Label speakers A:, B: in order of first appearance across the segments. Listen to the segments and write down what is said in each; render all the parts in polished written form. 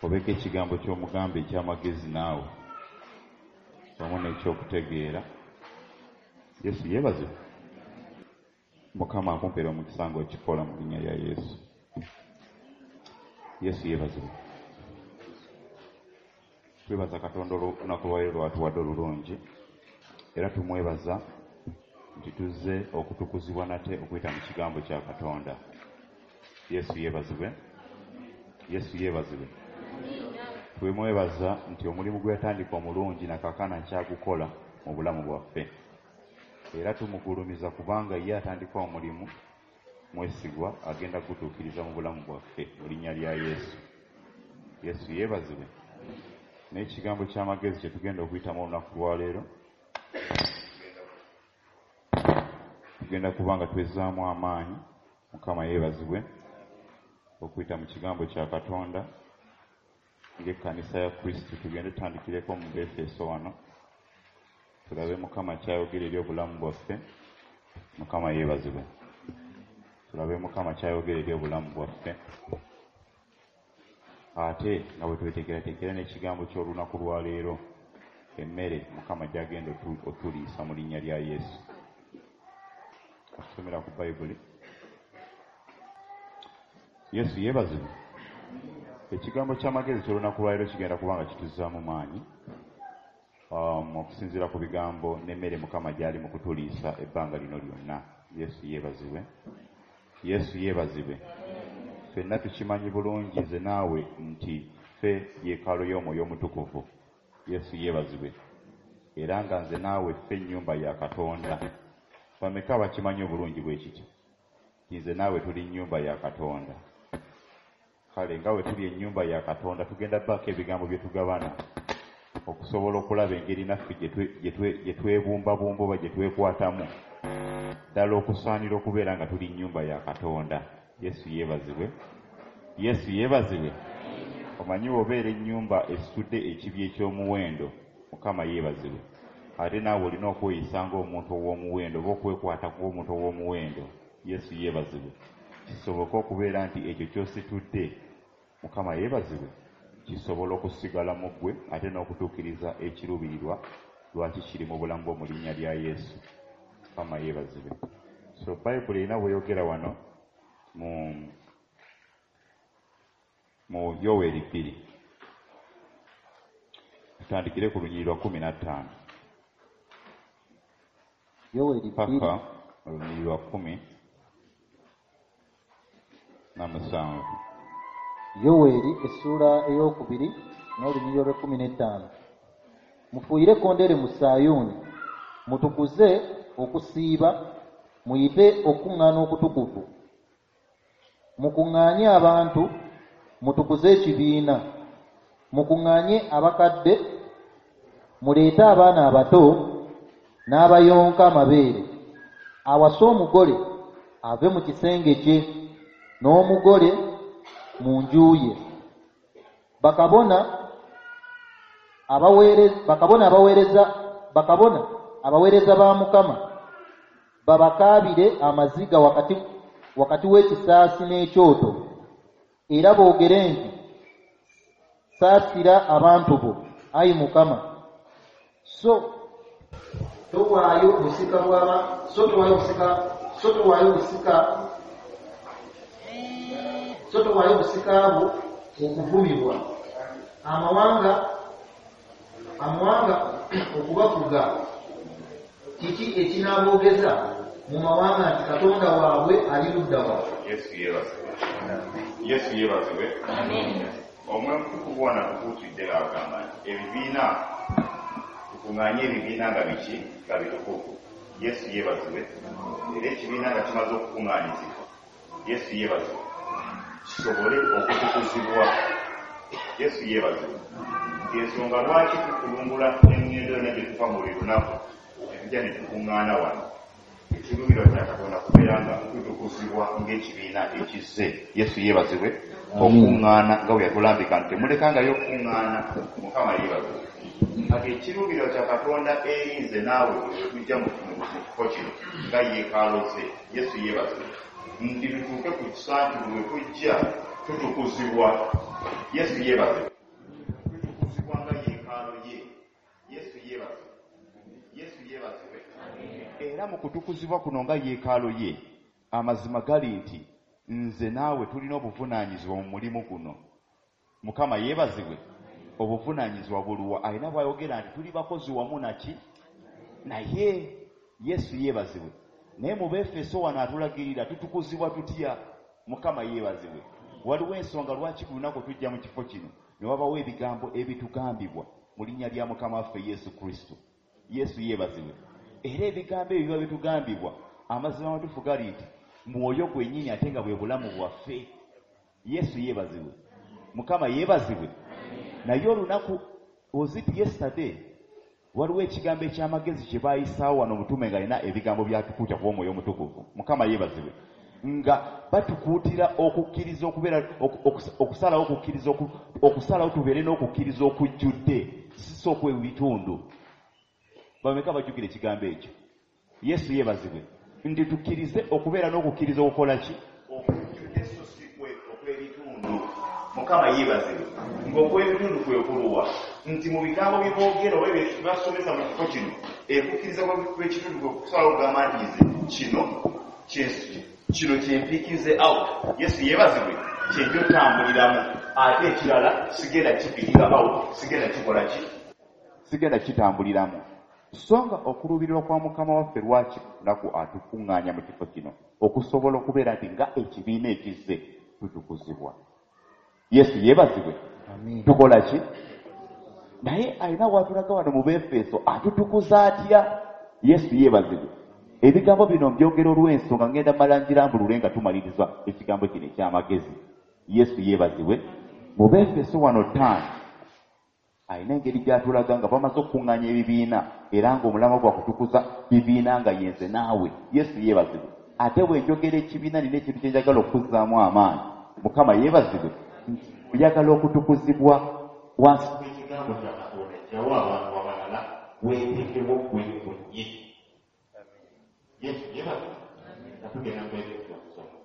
A: Obeeko ekigambo ky'omugamba eky'amagezi naawe wamu n'ekyokutegeera. Yesu yeebazibwe. Mukama akumpeera omukisa ng'okikola mu linnya lya Yesu. Yesu yeebazibwe. Twebaza Katonda olunaku lwaleero lwatuwadde olulungi, era tumwebaza nti tuzze okutukuzibwa nate okuyita mu kigambo kya Katonda. Yesu yeebazibwe. Yesu yeebazibwe. Twemwebaza nti omulimu gwe yatandika omulungi na kaakano akyagukola mu bulamu bwaffe, era tumugulumiza kubanga ye atandika omulimu mwesigwa, agenda kugutuukiriza mu bulamu bwaffe mu linnya lya Yesu. Yesu yeebazibwe. N'ekigambo ky'amagezi kye tugenda okuyitamu olunaku lwaleero, tugenda kuba nga twezzaamu amaanyi. Mukama yeebazibwe okuyita mu kigambo kya Katonda ng'ekkanisa ya Kristo. Tugende tutandikireko mu Befeso wano, tulabe Mukama ky'ayogera eri obulamu bwaffe. Mukama yeebazibwe. Tulabe Mukama ky'ayogera eri obulamu bwaffe, ate nga bwe tweteekerateekera n'ekigambo ky'olunaku lwaleero, emmere Mukama gy'agenda otuliisa mu linnya lya Yesu. Okusomera ku Bayibuli. Yesu yeebazibwe. Ekigambo ky'amagezi ky'olunaku lwaleero kigenda kuba nga kituzzaamu maanyi, okusinziira ku bigambo n'emmere Mukama gy'ali mu kutuliisa ebbanga lino lyonna. Yesu yeebazibwe. Yesu yeebazibwe. Ffenna tukimanyi bulungi nze naawe nti ffe yeekaalu y'Omwoyo Omutukuvu. Yesu yeebazibwe. Era nga nze naawe ffe nnyumba ya Katonda. Bameka abakimanyi obulungi bwe kityo nti nze naawe tuli nnyumba ya Katonda? Kale nga bwe tuli ennyumba ya Katonda, tugenda baako ebigambo bye tugabana okusobola okulaba engeri naffe gye twebumbabumba oba gye twekwatamu ddala okusaanira okubeera nga tuli nnyumba ya Katonda. Yesu yeebazibwe. Yesu yeebazibwe. Omanyi bw'obeera ennyumba esitudde ekibya eky'omuwendo, Mukama yeebazibwe, ate naawe olina okweyisa ng'omuntu ow'omuwendo oba okwekwata ng'omuntu ow'omuwendo. Yesu yeebazibwe. Kisoboke okubeera nti ekyo ky'ositudde, Mukama yeebazibwe, kisobola okusigala mu ggwe ate n'okutuukiriza ekiruubirirwa lwaki kiri mu bulamu bwo mu linnya lya Yesu. Mukama yeebazibwe. So Bayibuli erina bw'eyogera wano mu Yoweeri 2. Tutandikire ku lunyiriri lwa 15.
B: Yoweeri 2.
A: Paka olunyiriri lwa 17.
B: Yoweeri essuula 2 n'olunyiriri olw'ekkumi n'ettaano. Mufuuyire ekkondeere mu Sayuuni, mutukuze okusiiba, muyite okukuŋŋaana okutukuvu. Mukuŋŋaanye abantu, mutukuze ekibiina. Mukuŋŋaanye abakadde, muleete abaana abato n'abayonka amabeere. Awase omugole ave mu kisenge kye, n'omugole mu nju ye. Bakabona abaweereza ba Mukama babakaabire amaziga wakati w'ekisaasi n'ekyoto, era boogere nti, saasira abantu bo, ayi Mukama. So towaayo busika bw'aba, so towaayo busika, so towaayo busika, so towaayo busika bwo okuvumibwa, amawanga okubafuga. Kiki ekinaaboogeza mu mawanga nti Katonda waabwe ali ludda wa?
A: Yesu yeebazibwe. Yesu yeebazibwe. Omwoyo Omutukuvu wano atukuutidde ng'agamba nti ebibiina, tukuŋŋaanye ebibiina nga biki? Nga bitukuvu. Yesu yeebazibwe. Era ekibiina nga kimaze okukuŋŋaanyizibwa, Yesu yeebazibwe, kisobole okutukuzibwa. Yesu yeebazibwe. Ensonga lwaki tukulungula eŋŋendo yonna gye tuva mu buli lunaku ne tujja ne tukuŋŋaana wano, ekiruubirirwa kya Katonda kubeera nga tutukuzibwa ng'ekibiina ekizze. Yesu yeebazibwe. Okuŋŋaana nga bwe yatulambika nti temulekangayo okuŋŋaana. Mukama yeebazibwe. Kati ekiruubirirwa kya Katonda eri nze naawe bwe tujja mu kifo kino nga yeekaalo ze. Yesu yeebazibwe. Nti tutuuke ku kisa nti bwe tujja Tutukuzibwa. Yesu yeebazibwe. Tutukuzibwa nga yeekaalo ye. Yesu yeebazibwe. Yesu yeebazibwe. Era mu kutukuzibwa kuno nga yeekaalo ye, amazima gali nti nze naawe tulina obuvunaanyizibwa mu mulimu guno. Mukama yeebazibwe. Obuvunaanyizibwa buluwa? Alina bw'ayogera nti tuli bakozi wamu naki naye. Yesu yeebazibwe. Naye mu Befeso wano atulagirira tutukuzibwa tutya. Mukama yeebazibwe. Waliwo ensonga lwaki buli lunaku tujja mu kifo kino ne wabawo ebigambo ebitugambibwa mu linnya lya Mukama waffe Yesu Kristo. Yesu yeebazibwe. Era ebigambo ebyo biba bitugambibwa, amazima amatuufu gali nti mwoyo gwennyini ate nga bwe bulamu bwaffe. Yesu yeebazibwe. Mukama yeebazibwe. Naye olunaku, was it yesterday, waliwo ekigambo eky'amagezi kye baayisaawo wano omutume ng'alina ebigambo by'atukuutira kuba Omwoyo Omutukuvu. Mukama yeebazibwe. Nga batukuutira okukkiriza okubeera, okusalawo okukkiriza, okusalawo tubeere n'okukkiriza okujjudde, si okw'ebitundu. Bameka bajjukira ekigambo ekyo? Yesu yeebazibwe. Nti tukkirize okubeera n'okukkiriza okukola ki? Okujjudde so si okw'ebitundu. Mukama yeebazibwe. Ng'okw'ebitundu kwe kuluwa nti mu bigambo bye boogera oba ebyo basomesa mu kifo kino, ekukkiriza kw'ekitundu kwe kusalawo okugamba nti nze kino kino kyempiikinze out. Yesu yeebazibwe. Kyenjo tambuliramu, ate ekirala sigenda kipiikinga out, sigenda kikola ki, sigenda kitambuliramu. So nga okuluubirirwa kwa Mukama waffe lwaki lunaku atukuŋŋaanya mu kifo kino okusobola okubeera nti nga ekibiina ekizze tutukuzibwa. Yesu yeebazibwe. Tukola ki? Naye alina w'atulaga wano mu Befeso atutukuza atya? Yesu yeebazibwe. Ebigambo bino mbyogera olw'ensonga ngenda mala njirambulule nga tumaliriza ekigambo kino eky'amagezi. Yesu yeebazibwe. Mu Befeso wano 5 alina engeri gy'atulaga nga bamaze okukuŋŋaanya ebibiina era ng'omulamwa gwa kutukuza bibiina nga yenze naawe. Yesu yeebazibwe. Ate bwe njogera ekibiina nina ekintu kye njagala okuzzaamu amaanyi. Mukama yeebazibwe. Oyagala okutukuzibwa wansi w'ekigambo kya Katonda jjawo abantu abalala weeteekewo ggwe wennyini. Yesu yeebazibwe. Nga tugenda mu Efeso okusoma.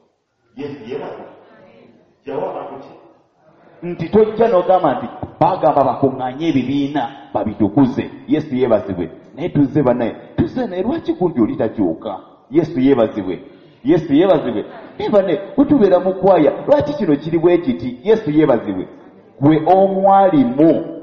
A: Yesu yeebazibwe. Jjawo abantu ki? Nti tojja n'ogamba nti baagamba bakuŋŋaanye ebibiina babitukuze. Yesu yeebazibwe. Naye tuzze bannaye, tuzze naye lwaki gundi oli takyuka? Yesu yeebazibwe. Yesu yeebazibwe. Naye bannaye bwe tubeera mu kwaya lwaki kino kiri bwe kiti? Yesu yeebazibwe. Gwe omwalimu.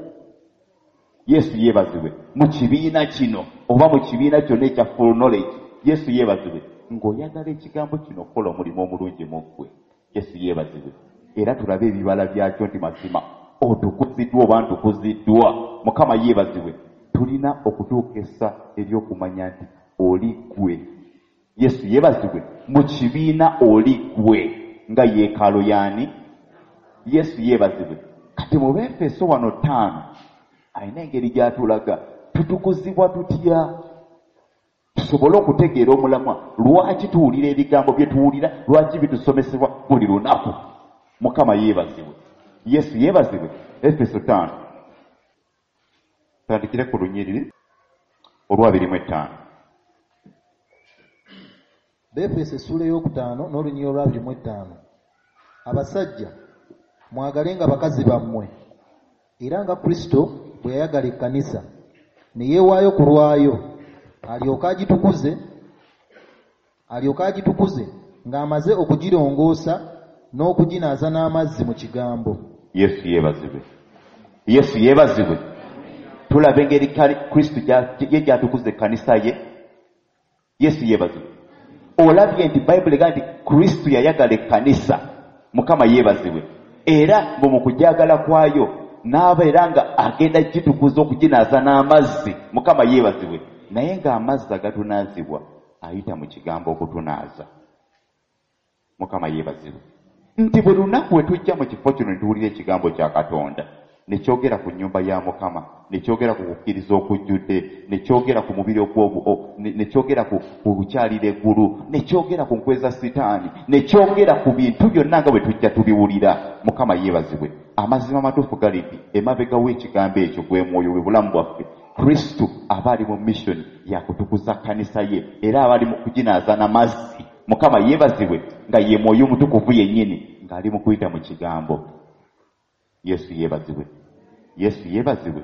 A: Yesu yeebazibwe. Mu kibiina kino oba mu kibiina kyonna ekya full knowledge. Yesu yeebazibwe. Ng'oyagala ekigambo kino okukola omulimu omulungi mu ggwe. Yesu yeebazibwe. Era tulabe ebibala byakyo nti mazima otukuziddwa oba ntukuziddwa. Mukama yeebazibwe. Tulina okutuuka essa ery'okumanya nti oli ggwe. Yesu yeebazibwe. Mu kibiina oli ggwe nga yeekaalo y'ani? Yesu yeebazibwe. Kati mu Befeso wano 5 alina engeri gy'atulaga tutukuzibwa tutya tusobole okutegeera omulamwa. Lwaki tuwulira ebigambo bye tuwulira? Lwaki bitusomesebwa buli lunaku? Mukama yeebazibwe. Yesu yeebazibwe. Efeso 5 tandikire ku lunyiriri olwa 25.
B: Befeso essuula ey'okutaano n'olunyiriri olwa 25. Abasajja mwagalenga bakazi bammwe era nga Kristo bwe yayagala ekkanisa ne yeewaayo ku lwayo alyoke agitukuze ng'amaze okugirongoosa n'okuginaaza n'amazzi mu kigambo.
A: Yesu yeebazibwe. Yesu yeebazibwe. Tulaba engeri Kristo ye gy'atukuza ekkanisa ye. Yesu yeebazibwe. Olabye nti Bayibuli egamba nti Kristo yayagala ekkanisa. Mukama yeebazibwe. Era mu kugyagala kwayo n'abeera nga agenda gitukuza okuginaaza n'amazzi. Mukama yeebazibwe. Naye ng'amazzi agatunaazibwa ayita mu kigambo okutunaaza. Mukama yeebazibwe. Nti buli lunaku we tujja mu kifo kino ne tuwulira ekigambo kya Katonda ne kyogera ku nnyumba ya Mukama, ne kyogera ku kukkiriza okujjudde, ne kyogera ku mubiri ne kyogera ku kukyalira eggulu, ne kyogera ku nkweza Sitaani, ne kyogera ku bintu byonna nga bwe tujja tubiwulira. Mukama yeebazibwe. Amazima amatuufu gali nti emabega w'ekigambo ekyo gwe mwoyo bwe bulamu bwaffe. Kristo aba ali mu mission ya kutukuza kkanisa ye era aba ali mu kuginaaza n'amazzi. Mukama yeebazibwe nga ye mwoyo omutukuvu yennyini. ng'ali mu kuyita mu kigambo. Yesu yeebazibwe. Yesu yeebazibwe.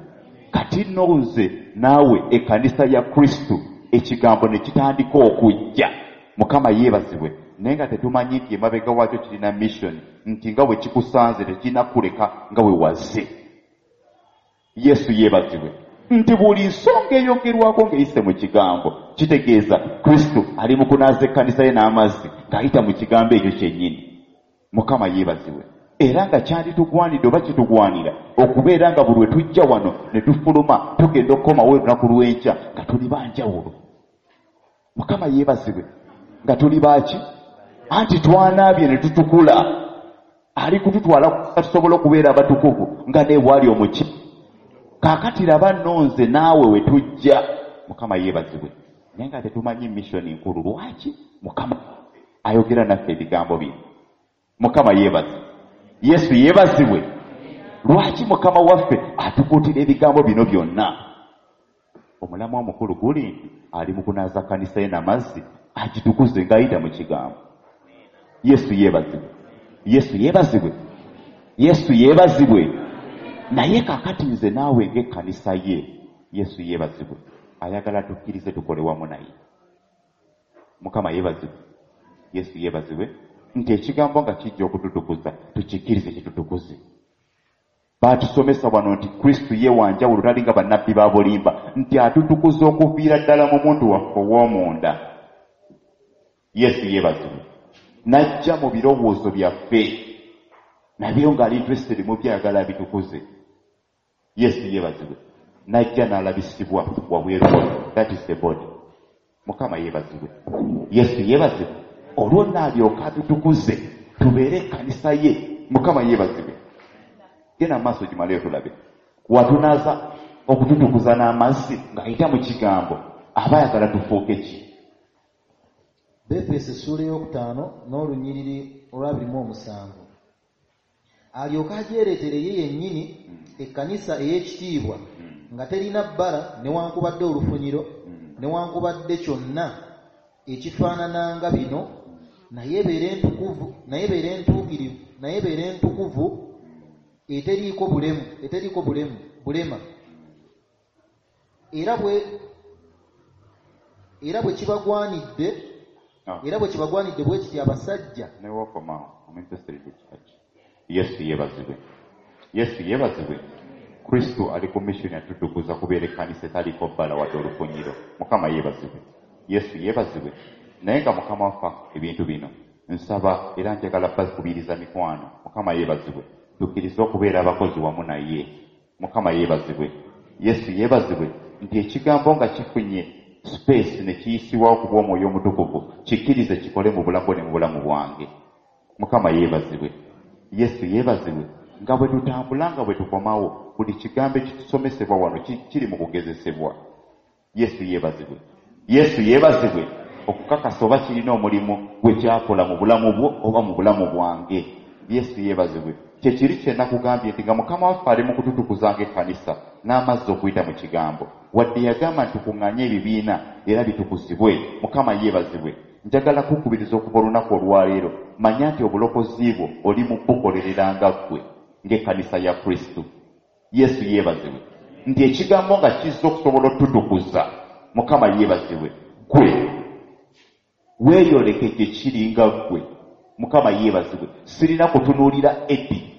A: Kati nno nze naawe ekkanisa ya Kristo ekigambo ne kitandika okujja. Mukama yeebazibwe. Naye nga tetumanyi nti emabega waakyo kirina mission, nti nga bwe kikusanze tekirina kuleka nga bwe wazze. Yesu yeebazibwe. Nti buli nsonga eyogerwako ng'eyise mu kigambo kitegeeza Kristo ali mu kunaaza ekkanisa ye n'amazzi ng'ayita mu kigambo ekyo kyennyini. Mukama yeebazibwe. Era nga kyanditugwanidde oba kitugwanira okubeera nga buli lwe tujja wano ne tufuluma tugenda okukomawo olunaku lw'enkya nga tuli ba njawulo. Mukama yeebazibwe. Nga tuli baaki? Anti twanaabye ne tutukula. Ali kututwala tusobole okubeera abatukuvu nga ne bw'ali omuki. Kaakati laba nno nze naawe we tujja. Mukama yeebazibwe. Naye nga tetumanyi mission nkulu. Lwaki Mukama ayogera naffe ebigambo bino? Mukama yeebazibwe. Yesu yeebazibwe. Lwaki Mukama waffe atukuutira ebigambo bino byonna? Omulamwa omukulu guli nti ali mu kunaaza kkanisa ye n'amazzi agitukuze ng'ayita mu kigambo. Yesu yeebazibwe. Yesu yeebazibwe. Yesu yeebazibwe. Naye kaakati nze naawe ng'ekkanisa ye, Yesu yeebazibwe, ayagala tukkirize tukole wamu naye. Mukama yeebazibwe. Yesu yeebazibwe. Nti ekigambo nga kijja okututukuza, tukikkirize kitutukuze. Baatusomesa wano nti Kristo ye wa njawulo, tali nga bannabbi ba bulimba, nti atutukuza okuviira ddala mu muntu waffe ow'omunda. Yesu yeebazibwe. N'ajja mu birowoozo byaffe, nabyo ng'ali interested mu byayagala abitukuze. Yesu yeebazibwe. N'ajja n'alabisibwa wabweru, that is the body. Mukama yeebazibwe. Yesu yeebazibwe. Olwo n'alyoka atutukuze tubeere ekkanisa ye. Mukama yeebazibwe. Genda maaso gimaleyo tulabe. Watunaaza okututukuza n'amazzi ng'ayita mu kigambo, aba ayagala tufuuke ki?
B: Befeso essuula ey'okutaano n'olunyiriri olwa 27. Alyoke agyereetere ye yennyini ekkanisa ey'ekitiibwa nga terina bbala newankubadde olufunyiro newankubadde kyonna ekifaanananga bino, naye ebeere entukuvu, naye ebeere entuukirivu, naye ebeere entukuvu eteriiko bulemu, eteriiko bulemu bulema. Era bwe kibagwanidde era bwe kibagwanidde bwe kiti abasajja.
A: Ne wokomaawo, I'm interested in the church. Yesu yeebazibwe. Yesu yeebazibwe. Kristo ali ku mission yatutukuza kubeera ekkanisa etaliiko bbala wadde olufunyiro. Mukama yeebazibwe. Yesu yeebazibwe. Naye nga Mukama waffe ebintu bino nsaba era njagala bakubiriza mikwano. Mukama yeebazibwe. Tukkirize okubeera abakozi wamu naye. Mukama yeebazibwe. Yesu yeebazibwe. Nti ekigambo nga kifunye space ne kiyisibwawo ku bw'Omwoyo Omutukuvu, kikkirize kikole mu bulamu bwo ne mu bulamu bwange. Mukama yeebazibwe. Yesu yeebazibwe. Nga bwe tutambula, nga bwe tukomawo, buli kigambo ekitusomesebwa wano kiri mu kugezesebwa. Yesu yeebazibwe. Yesu yeebazibwe. Okukakasa oba kirina omulimu gwe kyakola mu bulamu bwo oba mu bulamu bwange. Yesu yeebazibwe. Kye kiri kye nakugambye nti nga Mukama waffe ali mu kututukuza ng'ekkanisa n'amazzi okuyita mu kigambo, wadde yagamba nti tukuŋŋaanye ebibiina era bitukuzibwe. Mukama yeebazibwe. Njagala kukubiriza okuva olunaku olwaleero, manya nti obulokozi bwo oli mu bukolerera nga ggwe ng'ekkanisa ya Kristo. Yesu yeebazibwe. Nti ekigambo nga kizza okusobola otutukuza. Mukama yeebazibwe. Ggwe weeyoleke gye kiri nga ggwe. Mukama yeebazibwe. Sirina kutunuulira Edi.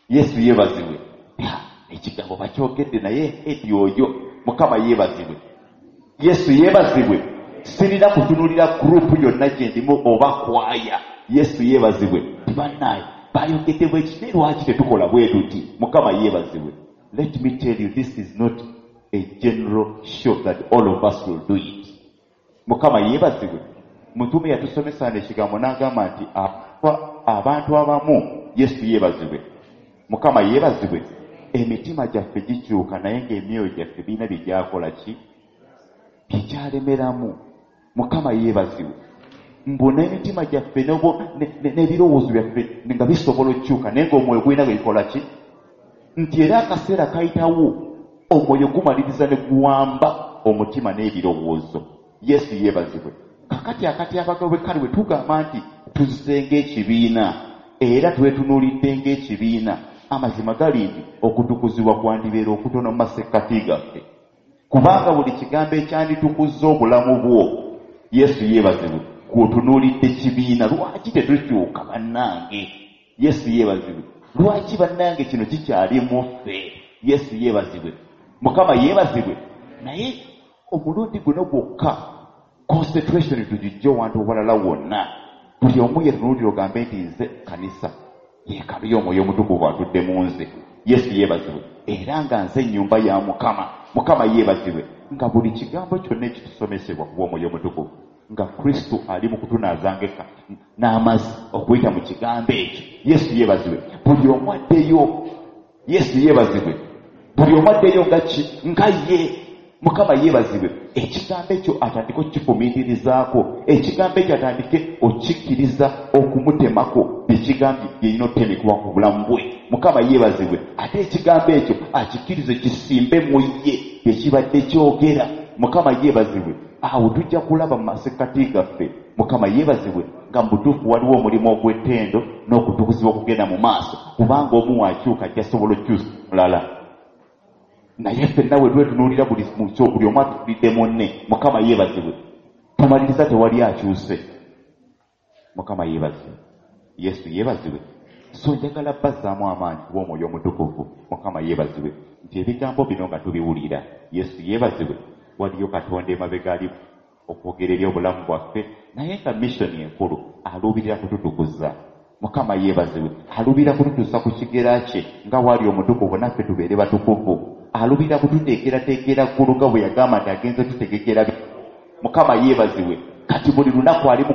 A: Yesu yeebazibwe. Ekigambo bakyogedde naye Edi oyo. Mukama yeebazibwe. Yesu yeebazibwe. Sirina kutunuulira group yonna gye ndimu oba kwaya. Yesu yeebazibwe. Tibannaaye bayogedde bwe kiti, lwaki tetukola bwe tuti? Mukama yeebazibwe. Let me tell you, this is not a general show that all of us will do it. Mukama yeebazibwe. Mutume yatusomesa ekigambo n'agamba nti abantu abamu, Yesu yeebazibwe, Mukama yeebazibwe, emitima gyaffe gikyuka naye ng'emyoyo gyaffe birina bye gyakola ki byekyalemeramu. Mukama yeebazibwe. Mbu n'emitima gyaffe n'ebirowoozo byaffe nga bisobola okukyuka naye ng'omwoyo gulina bwe bikola ki, nti era akaseera kayitawo omwoyo gumaliriza ne guwamba omutima n'ebirowoozo. Yesu yeebazibwe. Kakati akatyabaga bwe kali bwe tugamba nti tuzze ng'ekibiina. Era twetunuulidde ng'ekibiina. Amazima gali nti okutukuzibwa kwandibeera okutono mu masekkati gaffe, kubanga buli kigambo ekyanditukuzza obulamu bwo, Yesu yeebazibwe, kw'otunuulidde kibiina. Lwaki tetukyuka bannange? Yesu yeebazibwe. Lwaki bannange kino kikyali mu ffe? Yesu yeebazibwe. Mukama yeebazibwe. Naye omulundi guno gwokka concentration tugijje wantu owalala wonna. Buli omu yetunuulira ogambe nti nze kanisa yeekaalu y'Omwoyo Omutukuvu atudde mu nze. Yesu yeebazibwe. Era nga nze ennyumba ya Mukama. Mukama yeebazibwe. Nga buli kigambo kyonna ekitusomesebwa ku bw'Omwoyo Omutukuvu, nga Kristo ali mu kutunaaza ng'ekka n'amazzi okuyita mu kigambo ekyo. Yesu yeebazibwe. Buli omu addeyo. Yesu yeebazibwe. Buli omu addeyo nga ki? Nga ye. Mukama yeebazibwe. Ekigambo ekyo atandike okukifumiitirizaako. Ekigambo ekyo atandike okukikkiriza okumutemako bye kigambye byerina okutemekebwa ku bulamu bwe. Mukama yeebazibwe. Ate ekigambo ekyo akikkirize kisimbe mu ye bye kibadde kyogera. Mukama yeebazibwe. Awo tujja kulaba mu masekkati gaffe. Mukama yeebazibwe nga mu butuufu waliwo omulimu ogw'ettendo n'okutukuzibwa okugenda mu maaso, kubanga omu wakyuka ajja sobola okukyusa omulala. Naye ffenna bwe twetunuulira buli buli omu atunuulidde munne. Mukama yeebazibwe. Tumaliriza tewali akyuse. Mukama yeebazibwe. Yesu yeebazibwe. So njagala bazzaamu amaanyi kuba Omwoyo Omutukuvu. Mukama yeebazibwe nti ebigambo bino nga tubiwulira. Yesu yeebazibwe. Waliyo Katonda emabega ali okwogera eri obulamu bwaffe, naye nga mission enkulu aluubirira kututukuza. Mukama yeebazibwe. Aluubirira kututuusa ku kigera kye nga wali omutukuvu naffe tubeere batukuvu. Aluubirira kututeekerateekera ggulu nga bwe yagamba nti agenze tutegekera. Mukama yeebazibwe. Kati buli lunaku ali mu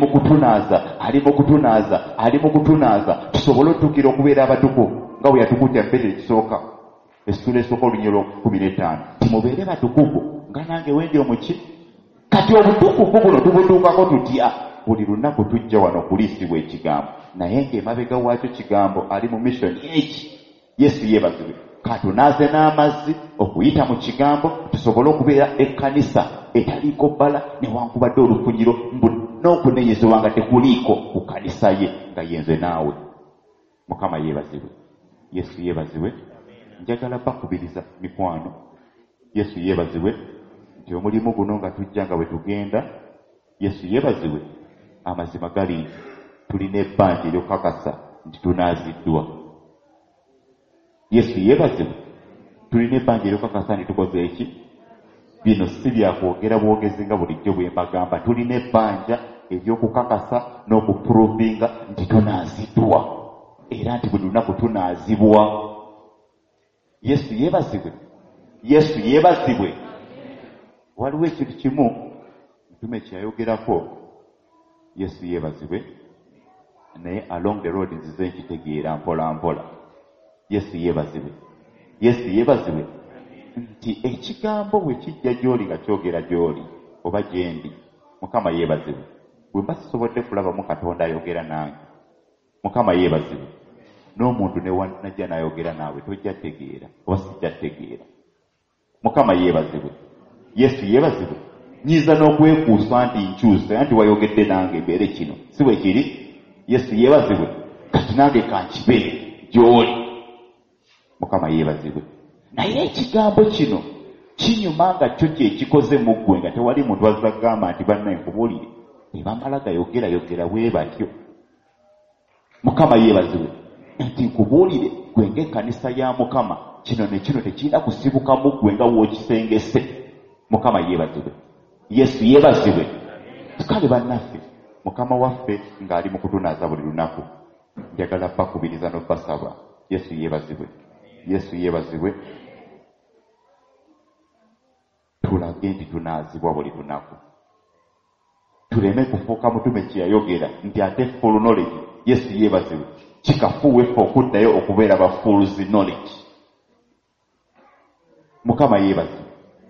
A: kutunaaza, ali mu kutunaaza, ali mu kutunaaza, tusobole otuukira okubeera abatukuvu nga bwe yatukuutira mu Peetero ekisooka, essuula esooka olunyiriri olw'okumi n'ettaano, nti mubeere batukuvu nga nange wendi omuki. Kati obutukuvu buno tubutuukako tutya? Buli lunaku tujja wano okuliisibwa ekigambo, naye ng'emabega waakyo kigambo ali mu mission eki. Yesu yeebazibwe. Katunaaze n'amazzi okuyita mu kigambo tusobole okubeera ekkanisa etaliiko bbala newankubadde olufunyiro mbu n'okunenyezebwa nga tekuliiko ku kkanisa ye nga yenze naawe. Mukama yeebazibwe. Yesu yeebazibwe. Njagala bakubiriza mikwano. Yesu yeebazibwe nti omulimu guno nga tujja nga bwe tugenda. Yesu yeebazibwe. Amazima gali nti tulina ebbanja ery'okukakasa nti tunaaziddwa. Yesu yeebazibwe. Tulina ebbanja ery'okukakasa nti tukoze eki? Bino si bya kwogera bwogezi nga bulijjo bwe mbagamba. Tulina ebbanja ery'okukakasa n'okuprovinga nti tunaaziddwa, era nti buli lunaku tunaazibwa. Yesu yeebazibwe. Yesu yeebazibwe. Waliwo ekintu kimu mutume kye yayogerako. Yesu yeebazibwe. Naye along the road nzize nkitegeera mpola mpola. Yesu yeebazibwe. Yesu yeebazibwe. Nti ekigambo bwe kijja gy'oli nga kyogera gy'oli oba gye ndi. Mukama yeebazibwe. Bwe mba sisobodde kulabamu Katonda ayogera nange. Mukama yeebazibwe. N'omuntu ne wanajja n'ayogera naawe tojja tegeera oba sijja tegeera. Mukama yeebazibwe. Yesu yeebazibwe. Nyiza n'okwekuusa nti nkyuse anti wayogedde nange mbeere kino. Si bwe kiri? Yesu yeebazibwe. Kati nange kankibe gy'oli. Mukama yeebazibwe. Naye ekigambo kino kinyuma nga kyo kye kikoze mu ggwe nga tewali muntu azza kugamba nti bannaye nkubuulire. Tebamala gayogera yogera bwe batyo. Mukama yeebazibwe. Nti nkubuulire ggwe ng'ekkanisa ya Mukama kino ne kino tekirina kusibuka mu ggwe nga w'okisengese. Mukama yeebazibwe. Yesu yeebazibwe. Kale bannaffe, Mukama waffe ng'ali mu kutunaaza buli lunaku, njagala bakubiriza n'obbasaba. Yesu yeebazibwe. Yesu yeebazibwe. Tulage nti tunaazibwa buli lunaku. Tuleme kufuuka mutume kye yayogera nti ate full knowledge. Yesu yeebazibwe. Kikafuuwe ffe okuddayo okubeera ba fools knowledge. Mukama yeebazibwe.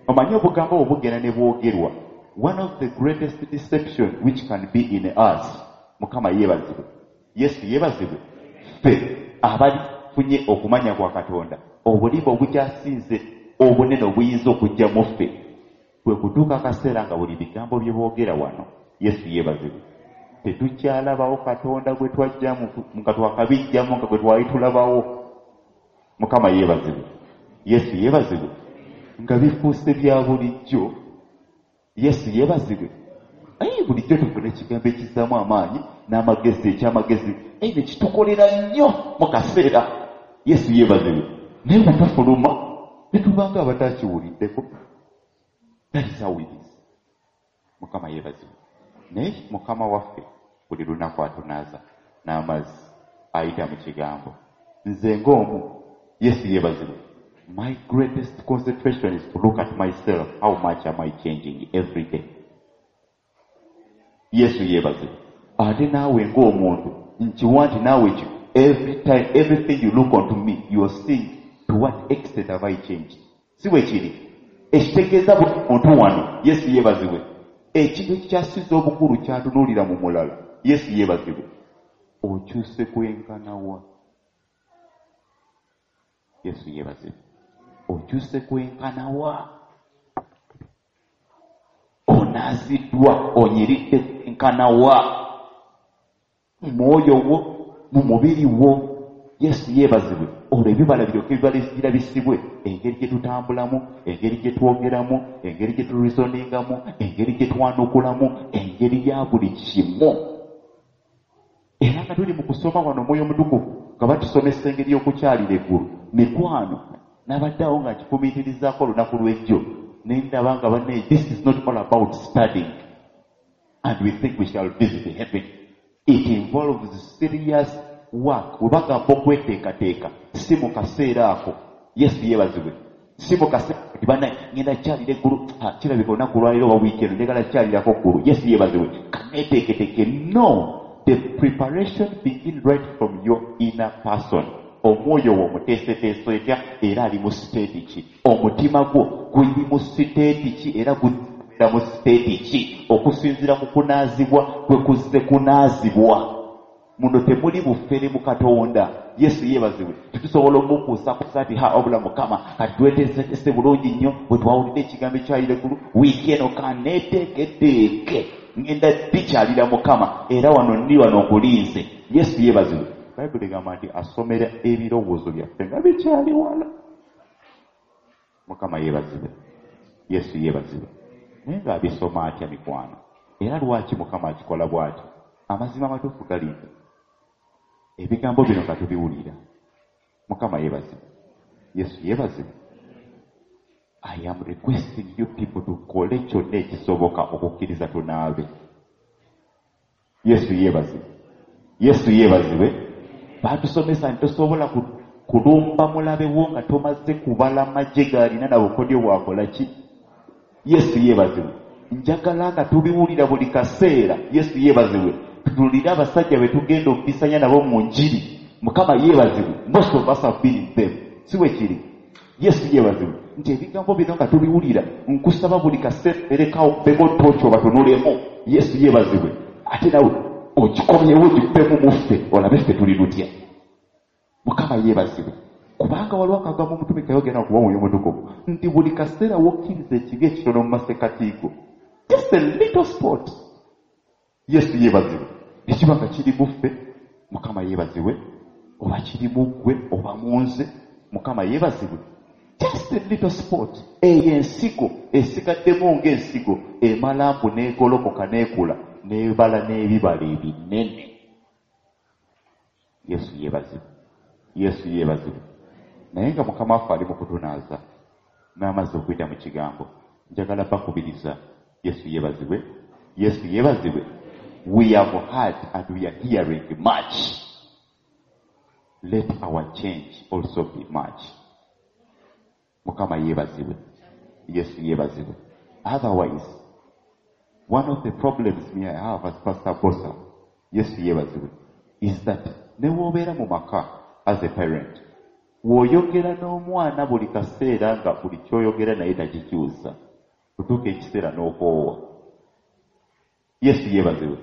A: Omanyi obugambo obwo bugenda ne bwogerwa. One of the greatest deception which can be in us. Mukama yeebazibwe. Yesu yeebazibwe. Ffe abalifunye okumanya kwa Katonda, obulimba obukyasinze obunene obuyinza okujja mu ffe kwe kutuuka akaseera nga buli bigambo bye boogera wano. Yesu yeebazibwe. Tetukyalabawo Katonda gwe twajjamu nga twakabijjamu nga gwe twali tulabawo. Mukama yeebazibwe. Yesu yeebazibwe. Nga bifuuse bya bulijjo. Yesu yeebazibwe. Aye bulijjo tufuna ekigambo ekizzaamu amaanyi n'amagezi ekyamagezi ne kitukolera nnyo mu kaseera. Yesu yeebazibwe. Naye bwe tufuluma ne tubanga abatakiwuliddeko. That is how it is. Mukama yeebazibwe. Naye Mukama waffe buli lunaku atunaaza n'amazzi ayita mu kigambo. Nze ng'omu, Yesu yeebazibwe. My greatest concentration is to look at myself. How much am I changing every day? Yesu yeebazibwe. Ate naawe ng'omuntu nkiwa nti naawe ekyo every time, everything you look onto me, you are seeing to what extent have I changed. Si bwe kiri. Ekitegeeza buli muntu wano, Yesu yeebazibwe. Ekintu ekikyasiza obukulu kyatunuulira mu mulala. Yesu yeebazibwe. Okyuse kwenkana wa? Yesu yeebazibwe. Okyuse kwenkana wa? Onaaziddwa, onyiridde kwenkana wa? Mu mwoyo wo, mu mubiri wo. Yesu yeebazibwe. Olwo ebibala biryoke birabisibwe engeri gye tutambulamu, engeri gye twogeramu, engeri gye tureasoningamu, engeri gye twanukulamu, engeri ya buli kimu. Era nga tuli mu kusoma wano Omwoyo Omutukuvu nga batusomesa engeri y'okukyalira eggulu. Mikwano, nabadde awo nga nkifumiitirizaako olunaku lw'ejjo ne ndaba nga banne, this is not all about studying and we think we shall visit heaven. It involves serious work. Bwe bagamba okweteekateeka si mu kaseera ako. Yesu yeebazibwe. Si mu kaseera nti bannaye ngenda kukyalira eggulu, kirabika olunaku lwaleero oba wiiki eno njagala kukyalirako ggulu. Yesu yeebazibwe. Kaneeteeketeeke. No, the preparation begin right from your inner person. Omwoyo wo omuteeseteese otya era ali mu state ki? Omutima gwo guli mu state ki era gubeera mu state ki? Okusinziira ku kunaazibwa kwe kuzze kunaazibwa. Muno temuli bufere mu Katonda. Yesu yeebazibwe. Tetusobola omukuusakuusa nti ha obula Mukama kati tweteeseteese bulungi nnyo bwe twawulidde ekigambo ekyalira eggulu wiiki eno kaneeteeketeeke ngenda dikyalira Mukama era wano ndi wano nkulinze. Yesu yeebazibwe. Bayibuli egamba nti asomera ebirowoozo byaffe nga bikyali wala. Mukama yeebazibwe. Yesu yeebazibwe. Naye ng'abisoma atya mikwano? Era lwaki Mukama akikola bw'atyo? Amazima amatuufu gali nti ebigambo bino nga tubiwulira. Mukama yeebazibwe. Yesu yeebazibwe. I am requesting you people tukole kyonna ekisoboka okukkiriza tunaabe. Yesu yeebazibwe. Yesu yeebazibwe. Baatusomesa nti tosobola kulumba mulabe wo nga tomaze kubala magye g'alina na bukodyo bw'akola ki. Yesu yeebazibwe. Njagala nga tubiwulira buli kaseera. Yesu yeebazibwe. Tutunuulire abasajja be tugenda okukisanya nabo mu njiri. Mukama yeebazibwe. Most of us have been in them. Si bwe kiri? Yesu yeebazibwe. Nti ebigambo bino nga tubiwulira, nkusaba buli kaseera erekawo bego tooki obatunulemu. Yesu yeebazibwe. Ate nawe ogikomyewo ogikubemu muffe olabe ffe tuli lutya. Mukama yeebazibwe. Kubanga waliwo akagambo omutume kayogera okuba Omwoyo Omutukuvu nti buli kaseera w'okkiriza ekibi ekitono mu masekkati go, just a little spot. Yesu yeebazibwe. Ekiba nga kiri mu ffe, Mukama yeebazibwe, oba kiri mu ggwe oba mu nze, Mukama yeebazibwe. Just a little spot. Eyo ensigo esigaddemu ng'ensigo emala mbu n'egolokoka n'ekula n'ebala n'ebibala ebinene. Yesu yeebazibwe. Yesu yeebazibwe. Naye nga Mukama waffe ali mu kutunaaza n'amazzi okuyita mu kigambo, njagala bakubiriza. Yesu yeebazibwe. Yesu yeebazibwe. We have heard and we are hearing much. Let our change also be much. Mukama yeebazibwe. Yesu yeebazibwe. Otherwise, one of the problems me I have as Pastor Bosa, Yesu yeebazibwe, is that ne w'obeera mu maka as a parent, w'oyogera n'omwana buli kaseera nga buli ky'oyogera naye takikyusa, otuuka ekiseera n'okoowa. Yesu yeebazibwe.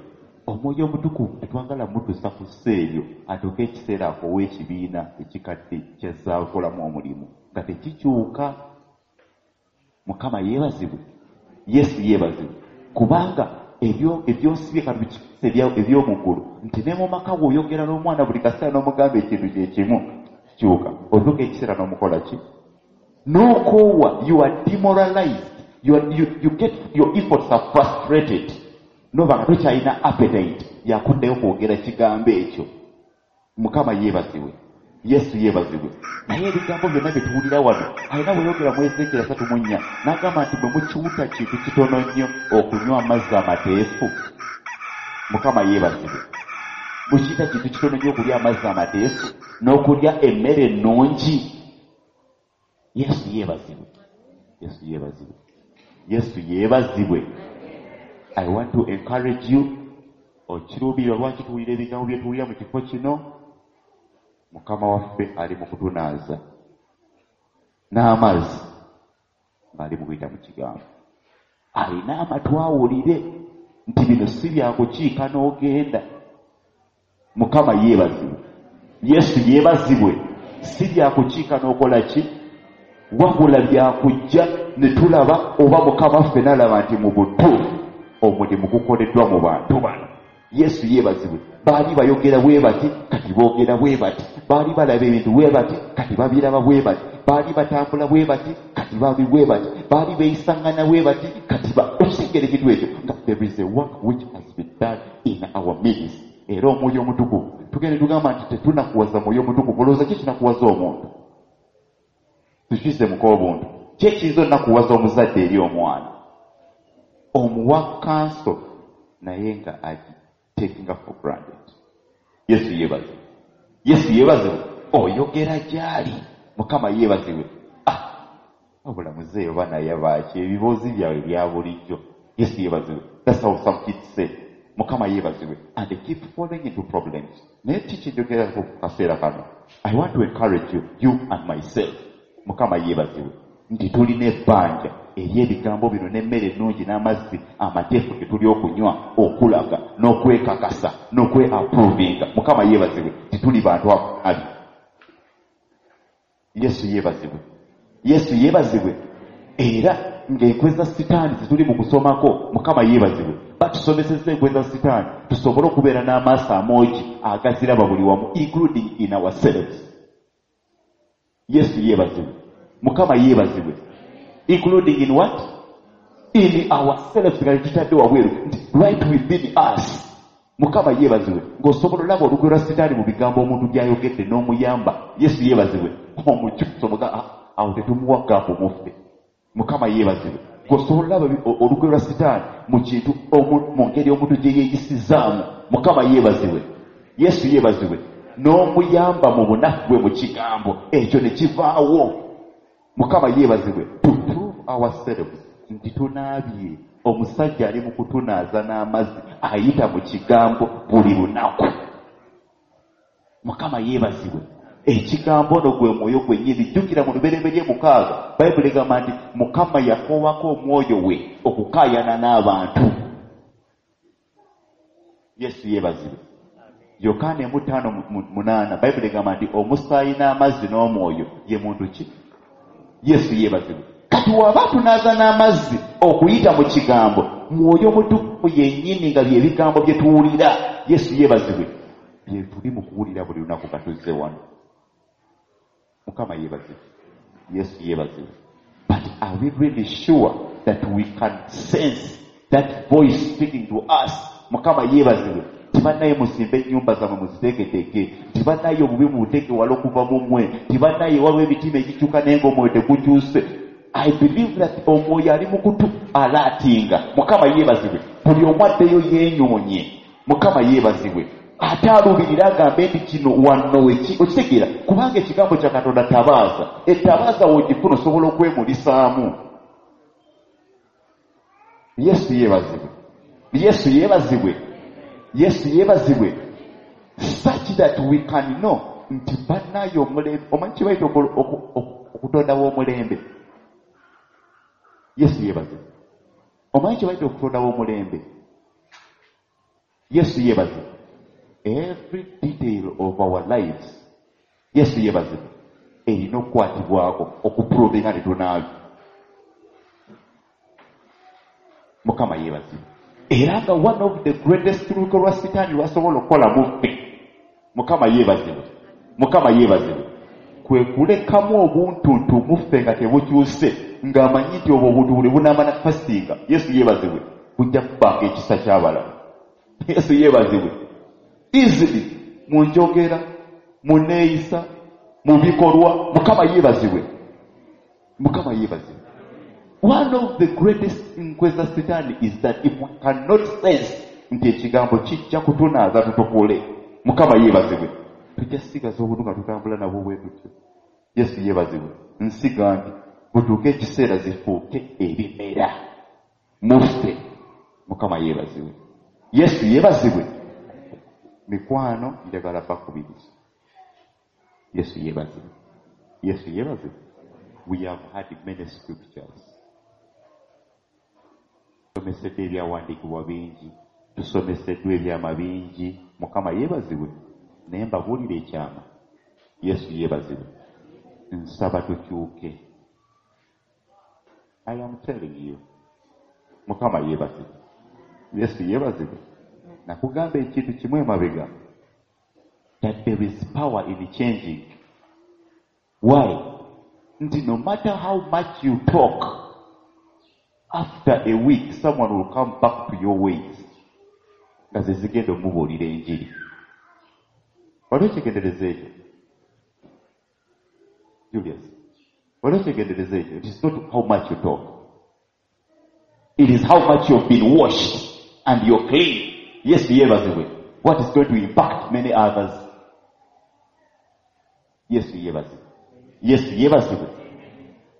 A: Omwoyo Omutukuvu tetwagala mutuusa ku ssa eryo atuuke ekiseera akoowe ekibiina ekikadde ky'azzaakolamu omulimu nga tekikyuka. Mukama yeebazibwe. Yesu yeebazibwe. Kubanga Ebyosibye kati eby'omu ggulu, nti ne mu maka bw'oyogera n'omwana buli kaseera n'omugamba ekintu kye kimu kikyuka, otuuka ekiseera n'omukola ki? N'okoowa. You are demoralized, you get your efforts are frustrated, noba nga tokyalina appetite yakuddayo kwogera kigambo ekyo. Mukama yeebazibwe, Yesu yeebazibwe. Naye ebigambo byonna bye tuwulira wano, alina bweyogera mu Ezeekyeri 34 n'agamba nti bwe mukiwuta kintu kitono nnyo okunywa amazzi amateefu. Mukama yeebazibwe. Mukiyita kintu kitono nnyo okulya amazzi amateefu n'okulya emmere ennungi. Yesu yeebazibwe, Yesu yeebazibwe, Yesu yeebazibwe. I want to encourage you. Okiruubirwa lwaki tuwulira ebigambo bye tuwulira mu kifo kino? Mukama waffe ali mu kutunaaza n'amazzi ng'ali mu kuyita mu kigambo. Alina amatu awulire nti bino si byakukiika n'ogenda. Mukama yeebazibwe, Yesu yeebazibwe. Si byakukiika n'okola ki, wabula byakujja ne tulaba oba Mukama waffe n'alaba nti mu butuufu omulimu gukoleddwa mu bantu bano. Yesu yeebazibwe. Baali bayogera bwe bati, kati boogera bwe bati. Baali balaba ebintu bwe bati, kati babiraba bwe bati. Baali batambula bwe bati, kati babi bwe bati. Baali beeyisaŋŋana bwe bati, kati okitegeera ekintu ekyo nga there is a work which has been done in our midst. Era Omwoyo Omutukuvu tugende tugamba nti tetunakuwaza Mwoyo Omutukuvu. Olowooza ki kinakuwaza omuntu? Tukiise muka obuntu ki ekiyinza onakuwaza omuzadde eri omwana? Omuwa counsel naye nga agitakinga for granted. Yesu yeebazibwe, Yesu yeebazibwe. Oyogera gy'ali. Mukama yeebazibwe. Ah, wabula muzeeyi oba naye baaki ebiboozi byabwe bya bulijjo. Yesu yeebazibwe. That's how some kids say. Mukama yeebazibwe. And they keep falling into problems. Naye ki kyenjogerako ku kaseera kano? I want to encourage you, you and myself. Mukama yeebazibwe, nti tulina ebbanja ery'ebigambo bino n'emmere ennungi n'amazzi amateefu ge tuli okunywa, okulaga n'okwekakasa n'okwe-approvinga. Mukama yeebazibwe, tituli bantu abi. Yesu yeebazibwe, Yesu yeebazibwe. Era ng'enkwe za Sitaani zituli mu kusomako, Mukama yeebazibwe, batusomesezza enkwe za Sitaani tusobole okubeera n'amaaso amoogi agaziraba buli wamu, including in ourselves. Yesu yeebazibwe, Mukama yeebazibwe. Including in what? In ourselves, nga tetutadde wabweru, nti right within us. Mukama yeebazibwe. Ng'osobola olaba olukwe lwa Sitaani mu bigambo omuntu by'ayogedde n'omuyamba. Yesu yeebazibwe. Omukyusa omuga ah, awo tetumuwa gap muffe. Mukama yeebazibwe. Ng'osobola olaba olukwe lwa Sitaani mu kintu mu ngeri omuntu gye yeeyisizaamu. Mukama yeebazibwe, Yesu yeebazibwe. N'omuyamba mu bunafu bwe mu kigambo ekyo ne kivaawo. Mukama yeebazibwe. To prove ourselves nti tunaabye, omusajja ali mu kutunaaza n'amazzi ayita mu kigambo buli lunaku. Mukama yeebazibwe. Ekigambo ono gwe mwoyo gwennyini. Jjukira mu Lubereberye 6, Bayibuli egamba nti Mukama yakoowako omwoyo we okukaayana n'abantu. Yesu yeebazibwe. Yokaana 1:58, Bayibuli egamba nti omusaayi n'amazzi n'omwoyo ye muntu ki? Yesu yeebazibwe. Kati waba tunaaza n'amazzi okuyita mu kigambo, Mwoyo Mutukuvu yennyini, nga bye bigambo bye tuwulira. Yesu yeebazibwe. Bye tuli mu kuwulira buli lunaku nga tuzze wano. Mukama yeebazibwe, Yesu yeebazibwe. But are we really sure that we can sense that voice speaking to us? Mukama yeebazibwe. Tibannaye musimbe ennyumba zammwe muziteeketeeke, tibannaye obubi mubuteeke wala okuva mu mmwe, tibannaye waliwo emitima egikyuka naye ng'omwoyo tegukyuse. I believe that omwoyo ali mu kutu alaatinga. Mukama yeebazibwe. Buli omu addeyo yeenyoonye. Mukama yeebazibwe. Ate aluubirira agambe nti kino wano weki okitegeera, kubanga ekigambo kya Katonda tabaaza. Etabaaza w'ogifuna osobola okwemulisaamu. Yesu yeebazibwe, Yesu yeebazibwe, Yesu yeebazibwe. Such that we can know nti bannaye omulembe, omanyi kibayita okutondawo omulembe. Yesu yeebazibwe. Omanyi kibayita okutondawo omulembe? Yesu yeebazibwe. Every detail of our lives, Yesu yeebazibwe, erina okukwatibwako okuprovinga tetunaabi. Mukama yeebazibwe. Era nga one of the greatest luko lwa sitaani lwasobola okukola mu ffe, Mukama yeebazibwe, Mukama yeebazibwe, kwe kulekamu obuntuntu mu ffe nga tebukyuse, ng'amanyi nti obwo obuntu buli bunaamala kufasinga. Yesu yeebazibwe, bujja kubanga ekisa ky'abalala. Yesu yeebazibwe. Easily mu njogera, mu neeyisa, mu bikolwa. Mukama yeebazibwe, Mukama yeebazibwe. One of the greatest nkwe za sitaani is that if we cannot sense nti ekigambo kijja kutunaaza tutukule, Mukama yeebazibwe, tujja sigaza obuntu nga tutambula nabwo bwe tutyo. Yesu yeebazibwe. Nsiga nti butuuke ekiseera zifuuke ebimera muffe. Mukama yeebazibwe. Yesu yeebazibwe. Mikwano, njagala bakubiriza. Yesu yeebazibwe. Yesu yeebazibwe. We have had many scriptures. Tusomeseddwa ebyawandiikibwa bingi, tusomeseddwa ebyama bingi. Mukama yeebazibwe. Naye mbabuulira ekyama. Yesu yeebazibwe. Nsaba tukyuke. I am telling you. Mukama yeebazibwe. Yesu yeebazibwe. Nakugamba ekintu kimu emabega, that there is power in changing. Why? Nti no matter how much you talk, after a week someone will come back to your ways nga ze zigenda omubuulira enjiri. Wali okyegendereza ekyo, Julius? Wali okyegendereza ekyo? It is not how much you talk, it is how much you've been washed and you're clean. Yesu yeebazibwe. What is going to impact many others. Yesu yeebazibwe. Yesu yeebazibwe.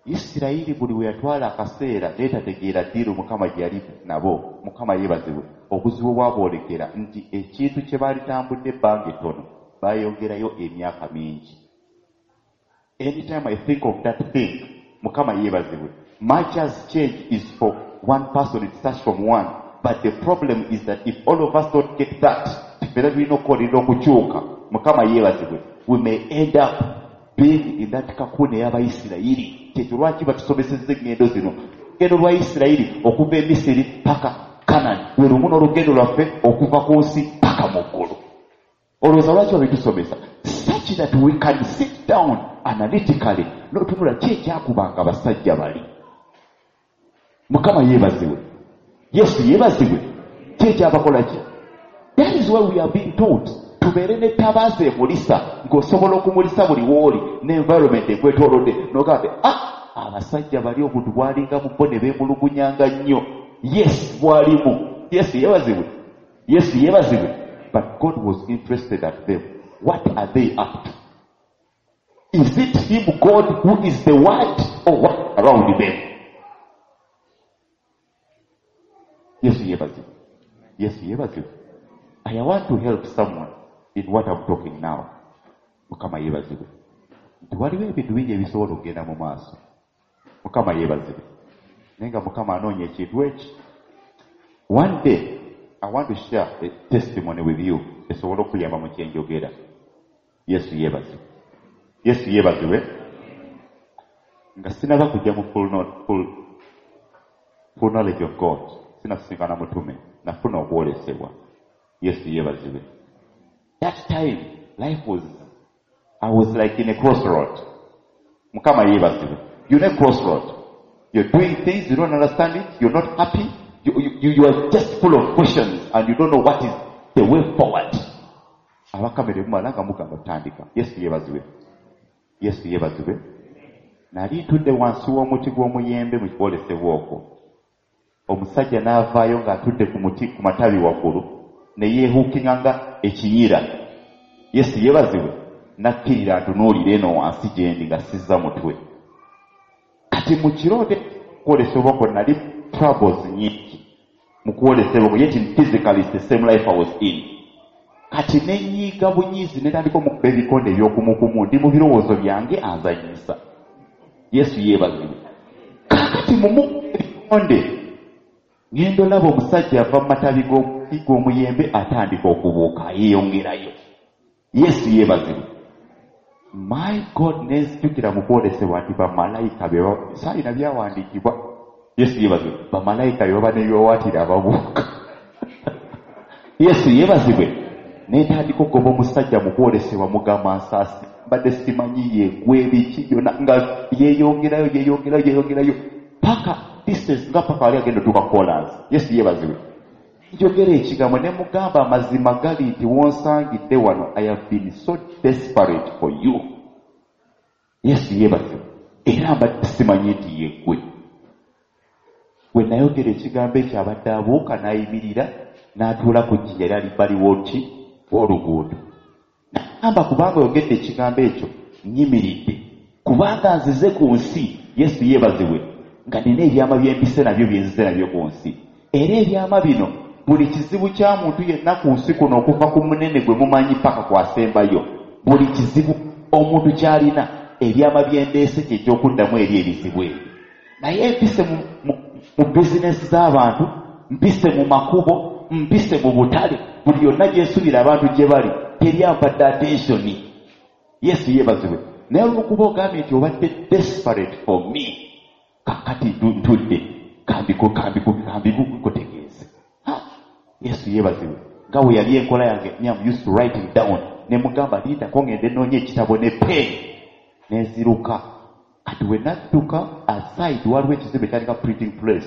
A: Isirayiri buli we yatwala akaseera neetategeera ddiiru Mukama gye yali nabo. Mukama yeebazibwe. Obuzibu bwaboolekera nti ekintu kye baalitambudde ebbanga ettono baayongerayo emyaka mingi. Anytime I think of that thing, Mukama yeebazibwe, much as change is for one person, it starts from one, but the problem is that if all of us don't get that, ffenna tulina okukolerera okukyuka. Mukama yeebazibwe. We may end up being in that cocoon ey'Abayisirayiri. Kyekyo lwaki batusomesezza eŋŋendo zino. Olugendo lwa Isirayiri okuva e Misiri paka Kanani lwe lumu n'olugendo lwaffe okuva ku nsi paka mu ggulu. Olowooza lwaki babitusomesa? Such that we can sit down analytically n'otunula ki ekyakubanga abasajja bali. Mukama yeebazibwe. Yesu yeebazibwe. Ki ekyabakola ki? That is why we are being taught tubeere n'ettabaaza emulisa, ng'osobola okumulisa buli w'oli ne environment ekwetoolodde, n'ogamba, ah, abasajja bali obuntu bwalinga mu bo ne beemulugunyanga nnyo. Yes, bwalimu. Yesu yeebazibwe. Yesu yeebazibwe. But God was interested at them. What are they up to? Is it him, God, who is the word, or what around them? Yesu yeebazibwe. Yesu yeebazibwe. I want to help someone in what I'm talking now. Mukama yeebazibwe. Nti waliwo ebintu bingi ebisobola okugenda mu maaso. Mukama yeebazibwe. Naye nga Mukama anoonya ekintu eki. One day I want to share a testimony with you esobola okuyamba mu kyenjogera. Yesu yeebazibwe. Yesu yeebazibwe. Nga sinaba kujja mu full knowledge of God, sinasisinkana mutume, nafuna okwolesebwa. Yesu yeebazibwe. That time life was, I was like in a crossroad. Mukama yeebazibwe. You're in a crossroad. You're doing things, you don't understand it, you're not happy, you are just full of questions and you don't know what is the way forward. Abakamere mumala nga mugamba tutandika. Yesu yeebazibwe. Yesu yeebazibwe. Nali ntudde wansi w'omuti gw'omuyembe mu kwolesebwa okwo. Omusajja n'avaayo ng'atudde ku muti ku matabi waggulu ne yeehuukinga nga ekiyira. Yesu yeebazibwe. Nakkirira ntunuulira eno wansi gye ndi nga sizza mutwe. Kati mu kirooto kwolesebwa okwo nali troubles nnyingi mu kwolesebwa okwo, yet in physically it's the same life I was in. Kati ne nnyiiga bunyiizi ne ntandika omukuba ebikonde eby'okumukumu, ndi mu birowoozo byange anzanyisa. Yesu yeebazibwe. Kaakati mu mukuba ebikonde ngenda olaba omusajja ava mu matabi g'omuyembe atandika okubuuka yeeyongerayo. Yesu yeebazibwe. My God, nenzijukira mu kwolesebwa nti bamalayika be saalina byawandiikibwa. Yesu yeebazibwe. Bamalayika be baba n'ebiwawaatiro ababuuka. Yesu yeebazibwe. Netandika okugoba omusajja mu kwolesebwa, mugamba nsaasi mbadde simanyi yegwe biki byonna, nga yeeyongerayo yeeyongerayo yeeyongerayo paka distance nga paka wali agenda otuuka kolansi. Yesu yeebazibwe. Njogera ekigambo ne mugamba amazima gali nti wonsangidde wano, I have been so desperate for you. Yesu yeebazibwe. Era mbadde simanyi nti yeggwe. Bwe nayogera ekigambo ekyo abadde abuuka n'ayimirira n'atuula ku jjinja lyali bbali w'oki w'oluguudo. Nagamba kubanga oyogedde ekigambo ekyo nnyimiridde, kubanga nzize ku nsi. Yesu yeebazibwe. Nga nina ebyama bye mpise nabyo bye nzize nabyo ku nsi. Era ebyama bino buli kizibu kya muntu yenna ku nsi kuno okuva ku munene gwe mumanyi paka kwasembayo, buli kizibu omuntu ky'alina ebyama bye ndeese kye ky'okuddamu eri ebizibu ebyo. Naye mpise mu bizinesi z'abantu, mpise mu makubo, mpise mu butale, buli yonna gye nsuubira abantu gye bali teri ampadde attention. Yesu yeebazibwe. Naye olw'okuba ogambye nti obadde desperate for me, kakati ntudde kambikutegeeze. Yesu yeebazibwe. Nga bwe yali enkola yange, me am used to writing down. Ne mugamba lindako ngende nnoonye ekitabo ne pen nenziruka. Kati we nadduka aside waliwo ekizimbe kyalinga printing press,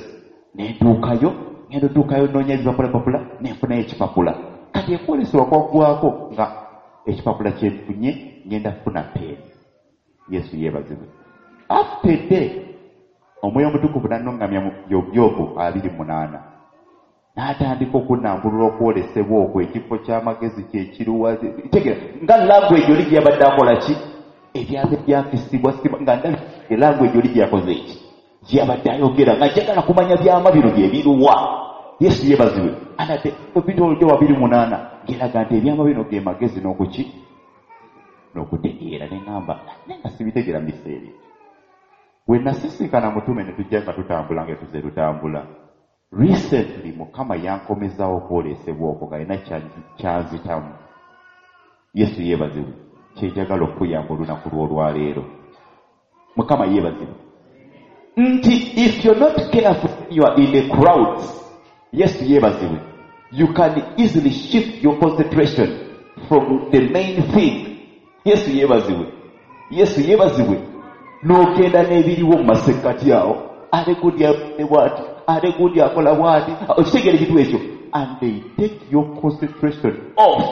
A: nentuukayo, ngenda otuukayo nnoonya ebipapulapapula nenfunayo ekipapula. Kati ekwolesebwa kwaggwako nga ekipapula kyenfunye ngenda kufuna pen. Yesu yeebazibwe. After day omwoyo omutukuvu n'annuŋŋamya mu Yobu 28 n'atandika okunnambulula okwolesebwa okwo, ekifo ky'amagezi kyekiruwa. Tegeera nga language oli gye yabadde akola ki, ebyalo byakisibwa nga ndabye language oli gye yakoze eki gye yabadde ayogera, nga njagala kumanya byama bino bye biruwa. Yesu yeebazibwe. Anate ebitolodde 28 ng'eraga nti ebyama bino ge magezi n'okuki n'okutegeera. Ne ŋŋamba naye nga sibitegeera mu biseera ebyo. We nasisinkana mutume ne tujja nga tutambula nga tuze tutambula. Recently Mukama yankomezaawo okwolesebwa okwo nga alina kyanzitamu. Yesu yeebazibwe. Kye njagala okukuyamba olunaku lw'olwaleero. Mukama yeebazibwe. Nti if you're not careful you are in the crowds. Yesu yeebazibwe. You can easily shift your concentration from the main thing. Yesu yeebazibwe. Yesu yeebazibwe. N'ogenda n'ebiriwo mu masekkati awo. Ate gundi akola bw'ati, ate gundi akola bw'ati. Okitegeera ekintu ekyo. And they take your concentration off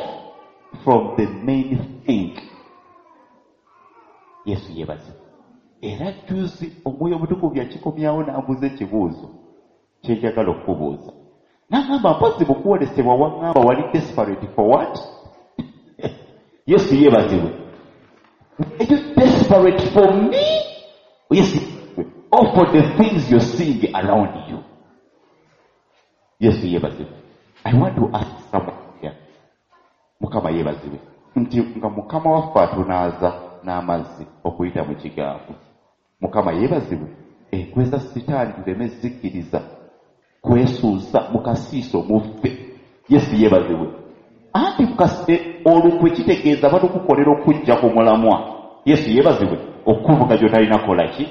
A: from the main thing. Yesu yeebazibwe. Era juzi omwoyo omutukuvu yakikomyawo n'ambuuza ekibuuzo kye njagala okukubuuza. N'agamba mpozi mu kwolesebwa waŋŋamba wali desperate for what? Yesu yeebazibwe. Are you desperate for me? Yes, or for the things you're seeing around you? Yesu yeebazibwe. I want to ask someone here. Mukama yeebazibwe. Nti nga Mukama waffe atunaaza n'amazzi okuyita mu kigambo. Mukama yeebazibwe. Enkwe za Sitaani tuleme zikkiriza kwesuusa mu kasiiso muffe. Yesu yeebazibwe. Anti olukwe kitegeeza batukukolera okujja ku mulamwa. Yesu yeebazibwe. Okuvuga gy'otalina kukola ki?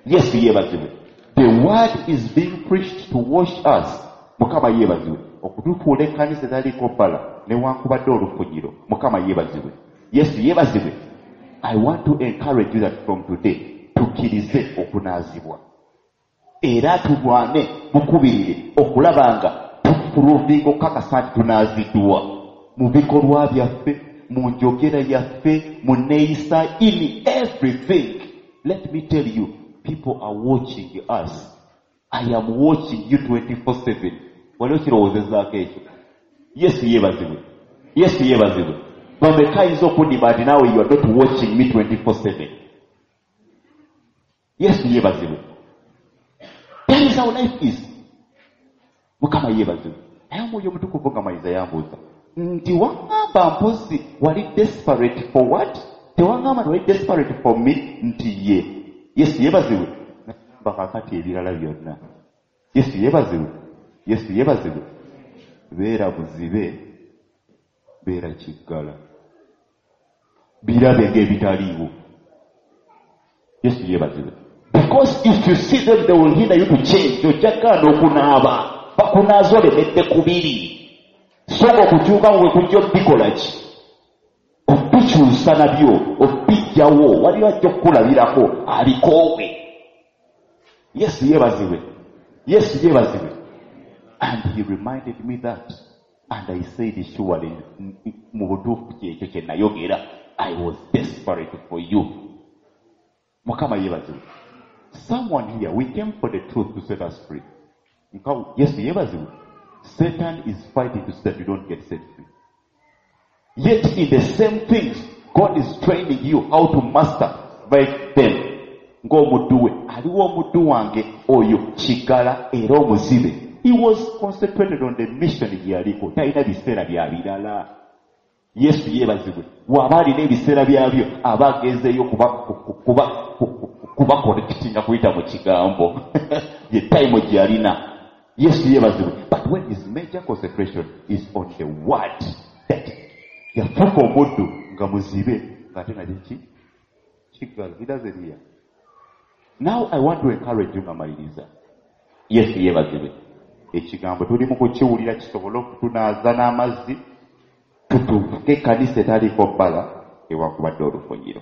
A: Yesu yeebazibwe. The word is being preached to wash us. Mukama yeebazibwe. Okutufuula ekkanisa etaliiko bbala newankubadde olufunyiro. Mukama yeebazibwe. Yesu yeebazibwe. I want to encourage you that from today tukkirize okunaazibwa. Era tulwane mukubirire okulaba nga tuprovinga okukakasa nti tunaaziddwa mu bikolwa byaffe, mu njogera yaffe, mu neeyisa, in everything. Let me tell you, people are watching us. I am watching you 24/7. Wali okirowoozezaako ekyo? Yesu yeebazibwe. Yesu yeebazibwe. Bameka ayinza okundimba nti naawe you are not watching me 24/7. Yesu yeebazibwe. That is how life is. Mukama yeebazibwe. Naye omwoyo omutukuvu nga mayiza yambuuza nti waŋŋamba mpozi wali desperate for what? Tewaŋŋamba nti wali desperate for me? Nti ye. Yesu yeebazibwe. Nagamba kaakati ebirala byonna. Yesu yeebazibwe. Yesu yeebazibwe. Beera buzibe, beera kiggala. Birabe ng'ebitaliiwo. Yesu yeebazibwe. Because if you see them, they will hinder you to change. Ojja kugaana okunaaba. Bakunaaza olemedde kubiri. So nga okukyuka bwe kujja obikola ki? Obikyusa nabyo, obijjawo. Waliwo ajja okukulabirako abikoowe. Yesu yeebazibwe. Yesu yeebazibwe. And he reminded me that, and I said, surely mu butuufu kyekyo kye nayogera. I was desperate for you. Mukama yeebazibwe. Someone here, we came for the truth to set us free. Yesu yeebazibwe. Satan is fighting to set you don't get set free. Yet in the same things, God is training you how to master by them. Ng'omuddu we, aliwo omuddu wange oyo kigala era omuzibe. He was concentrated on the mission gye yaliko. Talina biseera bya birala. Yesu yeebazibwe. Bw'aba alina ebiseera byabyo, aba agenzeeyo kuba correctinga kuyita mu kigambo. Ye time gye yalina. Yesu yeebazibwe. But when his major concentration is on the word, that yafuuka omuddu nga muzibe, ng'ate nga ki? Kigala. He doesn't hear. Now I want to encourage you nga maliriza. Yesu yeebazibwe. Ekigambo tuli mu kukiwulira kisobole okutunaaza n'amazzi, tutuuke ekkanisa etaliiko bbala ewankubadde olufunyiro.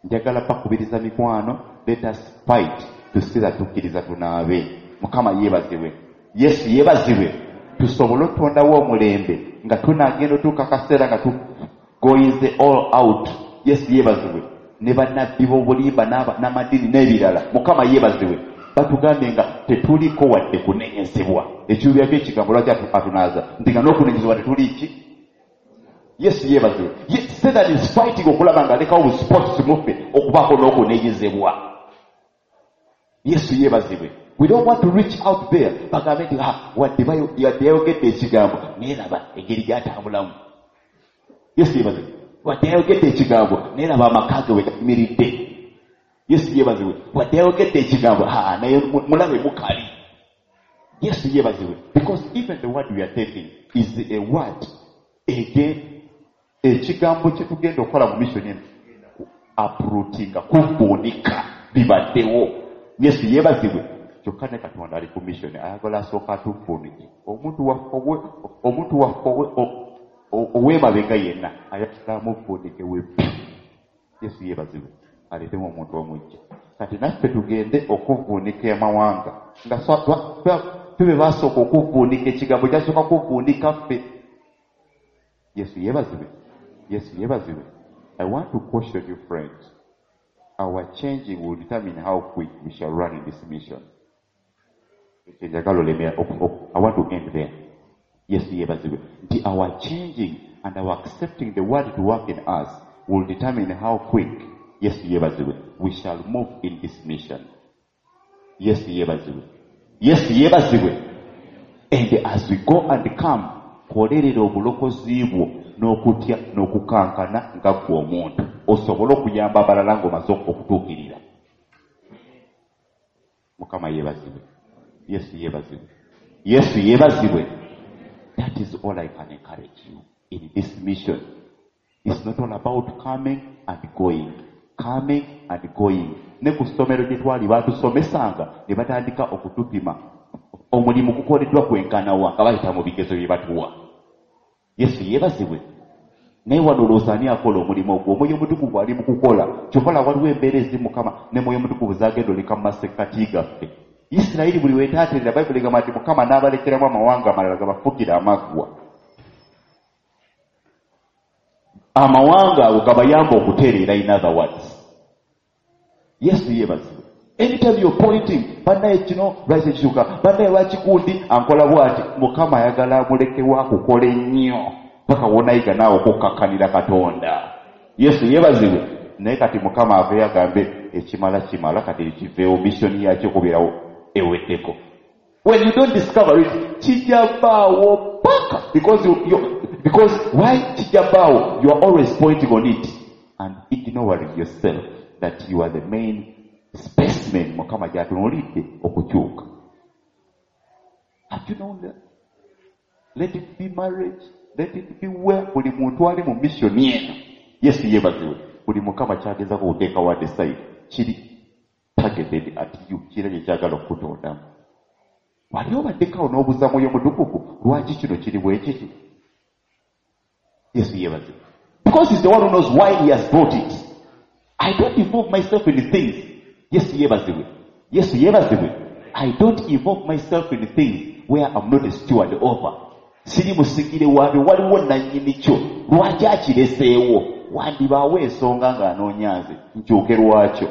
A: Njagala bakubiriza mikwano, let us fight to see that tukkiriza tunaabe. Mukama yeebazibwe. Yesu yeebazibwe. Tusobole okutondawo omulembe nga tunaagenda otuuka akaseera nga tugoyinze all out. Yesu yeebazibwe. Ne bannabbi b'obulimba n'amadiini n'ebirala. Mukama yeebazibwe. Batugambye nga tetuliko wadde kunenyezebwa. Ekiruubirirwa ky'ekigambo lwaki atunaaza? Nti nga n'okunenyezebwa tetuli ki? Yesu yeebazibwe. Satan is fighting okulaba ng'alekawo bu spots muffe okubaako n'okunenyezebwa. Yesu yeebazibwe. We don't want to reach out there. Bagambe nti, wadde yayogedde ekigambo, naye laba engeri gy'atambulamu. Yesu yeebazibwe. Wadde yayogedde ekigambo, naye laba amaka ge we gayimiridde. Yesu yeebazibwe. Wadde yayogedde ekigambo, naye mulabe mukali. Yesu yeebazibwe. Because even the word we are taking is a word. Again, ekigambo kye tugenda okukola mu mission eno, uprootinga, kuvuunika bibaddewo. Yesu yeebazibwe. Kyokka ne Katonda ali ku mission, ayagala asooka atuvuunike. Omuntu waffe ow'emabega yenna ayagala amuvuunike we. Yesu yeebazibwe. Aleetemu omuntu omujja. Kati naffe tugende okuvuunika amawanga. Nga tube basooka okuvuunika ekigambo kyasooka kuvuunika ffe. Yesu yeebazibwe. Yesu yeebazibwe. I want to caution you, friends. Our changing will determine how quick we shall run in this mission. I want to end there. Yesu yeebazibwe. Nti our changing and our accepting the word to work in us will determine how quick, Yesu yeebazibwe, we shall move in this mission. Yesu yeebazibwe. Yesu yeebazibwe. And as we go and come, kolerera obulokozi bwo n'okutya n'okukankana nga ggwe omuntu, osobole okuyamba abalala ng'omaze okutuukirira. Mukama yeebazibwe. Yesu yeebazibwe. Yesu yeebazibwe. That is all I can encourage you in this mission. It's not all about coming and going. Coming and going. Ne ku ssomero gye twali baatusomesanga ne batandika okutupima omulimu gukoleddwa kwenkana wa nga bayita mu bigezo bye batuwa. Yesu yeebazibwe. Naye wano olowooza ani akola omulimu ogwo? Omwoyo Omutukuvu ali mu kukola. Kyova olaba waliwo embeera ezimu Mukama ne Mwoyo Omutukuvu z'agenda oleka mu masekkati gaffe. Isirayiri buli wetaaterera, Bayibuli egamba nti Mukama n'abalekeramu amawanga amalala gabafukire amaggwa. Amawanga ago gabayamba okutereera, in other words. Yesu yeebazibwe. Anytime you're pointing, bannaye kino lwaki kikyuka, bannaye lwaki gundi ankola bw'ati, Mukama ayagala amulekewo akukola ennyo paka w'onaayiga naawe okukkakkanira Katonda. Yesu yeebazibwe. Naye kati Mukama aveeyo agambe ekimala kimala, kati kiveewo, mission yakyo okubeerawo eweddeko. When you don't discover it, kijja bbaawo paka, because why kijja bbaawo? You are always pointing on it and ignoring yourself that you are the main specimen Mukama gy'atunuulidde okukyuka. Have you known that? Let it be marriage, let it be where buli muntu ali mu mission eno. Yesu yeebazibwe. Buli Mukama ky'agezaako okuteekawo at the side kiri targeted at you, kirina kye kyagala okukutondamu. Wali obaddeko awo n'obuuza Mwoyo Mutukuvu lwaki kino kiri bwe kiti? Yesu yeebazibwe. Because he's the one who knows why he has brought it. I don't involve myself in things. Yesu yeebazibwe. Yesu yeebazibwe. I don't involve myself in things where I'm not a steward over. Siri musigire waabyo, waliwo nannyini kyo. Lwaki akireseewo? Wandibaawo ensonga ng'anoonya nze nkyuke lwakyo.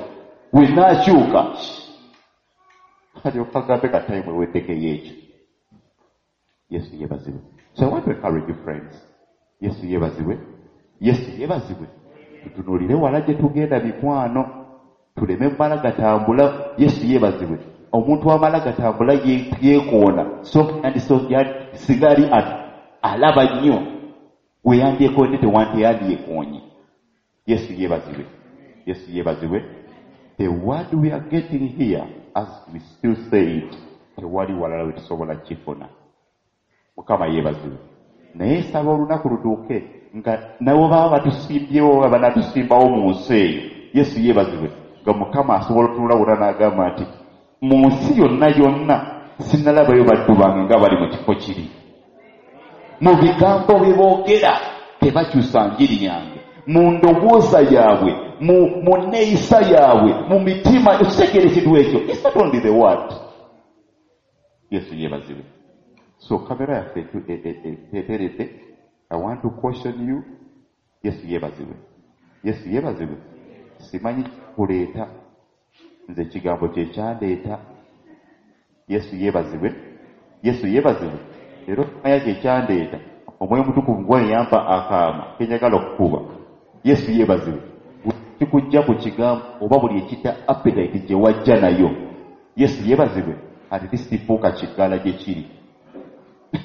A: Bwe naakyuka alyoka agambe ka time ewetekeyo ekyo. Yesu yeebazibwe. So I want to encourage you, friends. Yesu yeebazibwe. Yesu yeebazibwe. Tutunuulire wala gye tugenda, mikwano, tuleme mala gatambula. Yesu yeebazibwe. Omuntu amala gatambula yeekoona, so and so singa ali alaba nnyo we yandyekoonye tewandyekoonye. Yesu yeebazibwe. Yesu yeebazibwe. The word we are getting here, as we still say it, tewali walala we tusobola kifuna. Mukama yeebazibwe. Naye nsaba olunaku lutuuke nga nabo baba batusimbyewo oba banatusimbawo mu nsi eyo. Yesu yeebazibwe. Nga Mukama asobola otunula wonna n'agamba nti mu nsi yonna yonna sinnalabayo baddu bange nga bali mu kifo kiri. Mu bigambo bye boogera tebakyusa njiri yange. Mu ndowooza yaabwe, mu nneeyisa yaabwe, mu mitima, okitegeera ekintu ekyo. It's not only the word. Yesu yeebazibwe. So kamera yaffe eteredde. I want to caution you. Yesu yeebazibwe. Yesu yeebazibwe. Simanyi kuleeta, nze ekigambo kye kyandeeta. Yesu yeebazibwe. Yesu yeebazibwe. Era okumanya kye kyandeeta, Omwoyo Omutukuvu gwe yampa akaama ke njagala okukuba. Yesu yeebazibwe. Kikujja ku kigambo oba buli ekita appetite gye wajja nayo. Yesu yeebazibwe. Ate tisifuuka kiggala gye kiri.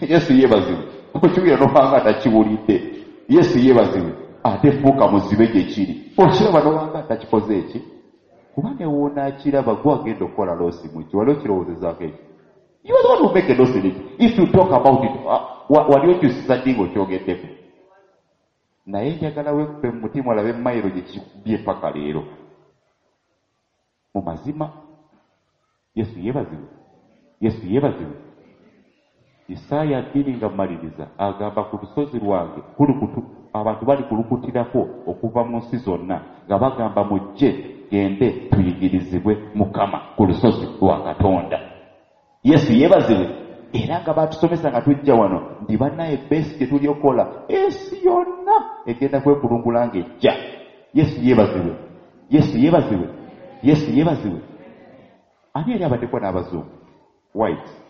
A: Yesu yeebazibwe. Okiwulira n'obanga atakiwulidde. Yesu yeebazibwe. Ate fuuka muzibe gye kiri. Okiraba n'obanga atakikoze eki? Kuba ne woonaakiraba gwe agenda okukola loss mu kyo. Wali okirowoozezaako ekyo? You are the one who make a loss in it. If you talk about it, wali okyusiza ddi ng'okyogeddeko? Naye njagala weekupe mu mutima olabe mayiro gye kikubye paka leero. Mu mazima, Yesu yeebazibwe. Yesu yeebazibwe. Isaaya 2 nga mmaliriza agamba ku lusozi lwange abantu bali kulukutirako okuva mu nsi zonna nga bagamba mujje gende tuyigirizibwe Mukama ku lusozi lwa Katonda. Yesu yeebazibwe. Era nga batusomesa nga tujja wano nti bannaye besi gye tuli okukola ensi yonna egenda kwekulungula ng'ejja. Yesu yeebazibwe. Yesu yeebazibwe. Yesu yeebazibwe. Ani yali abaddeko n'abazungu? Whites.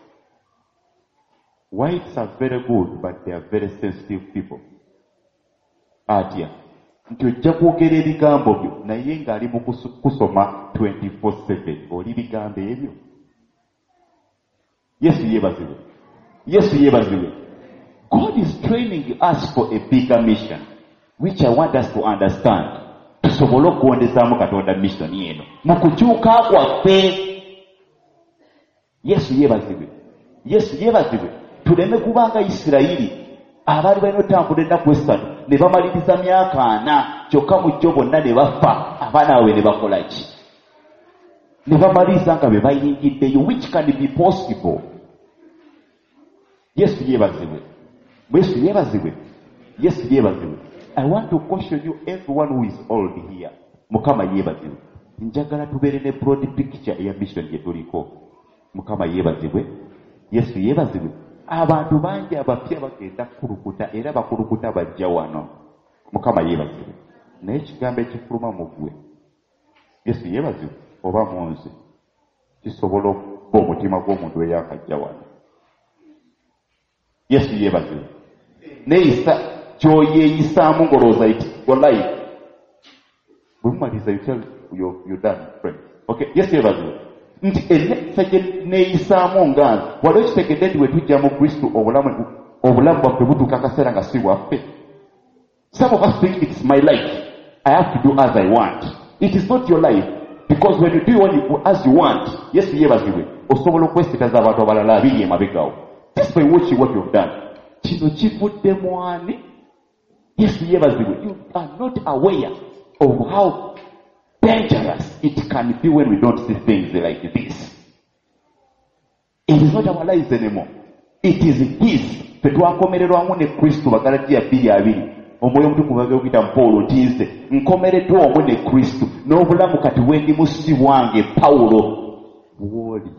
A: Whites are very good, but they are very sensitive people. Atya nti ojja kwogera ebigambo byo naye ng'ali mu kusoma 24/7 oli bigambo ebyo. Yesu yeebazibwe. Yesu yeebazibwe. God is training us for a bigger mission, which I want us to understand. Tusobole okugondezaamu Katonda mission eno mu kukyuka kwaffe. Yesu yeebazibwe. Yesu yeebazibwe. Tuleme kubanga Isirayiri abaali balina otambula ennaku 3 ne bamaliriza myaka 4 kyokka mu kyo bonna ne bafa, abaana baabwe ne bakola ki? Ne bamaliriza nga be bayingiddeyo, which can be possible. Yesu yeebazibwe. Yesu yeebazibwe. Yesu yeebazibwe. I want to caution you, everyone who is old here. Mukama yeebazibwe. Njagala tubeere ne broad picture eya mission gye tuliko. Mukama yeebazibwe. Yesu yeebazibwe. Abantu bangi abapya bagenda kukulukuta era bakulukuta bajja wano. Mukama yeebazibwe. Naye ekigambo ekifuluma mu ggwe, Yesu yeebazibwe, oba mu nze, kisobola okuba omutima gw'omuntu eyakajja wano. Yesu yeebazibwe. Neeyisa ky'oyeeyisaamu ng'olowooza iti your life. Bwe mumaliriza you tell your done friend. Okay, Yesu yeebazibwe. Nti enneeyisa gye neeyisaamu nga nze, wali okitegedde nti bwe tujja mu Kristo obulamu bwaffe butuuka akaseera nga si bwaffe. Some of us think it's my life. I have to do as I want. It is not your life. Because when you do as you want, Yesu yeebazibwe, osobola okwesitaza abantu abalala abiri emabegaawo. Just by watching what you've done. Kino kivudde mu ani? Yesu yeebazibwe. You are not aware of how dangerous it can be when we don't see things like this. It is not our lives anymore. It is his. Ffe twakomererwamu ne Kristo Bagalatiya 2:2. Omwoyo Omutukuvu agenda mu Pawulo nti nze nkomereddwa wamu ne Kristo, n'obulamu kati bwe ndimu si bwange Pawulo bw'oli.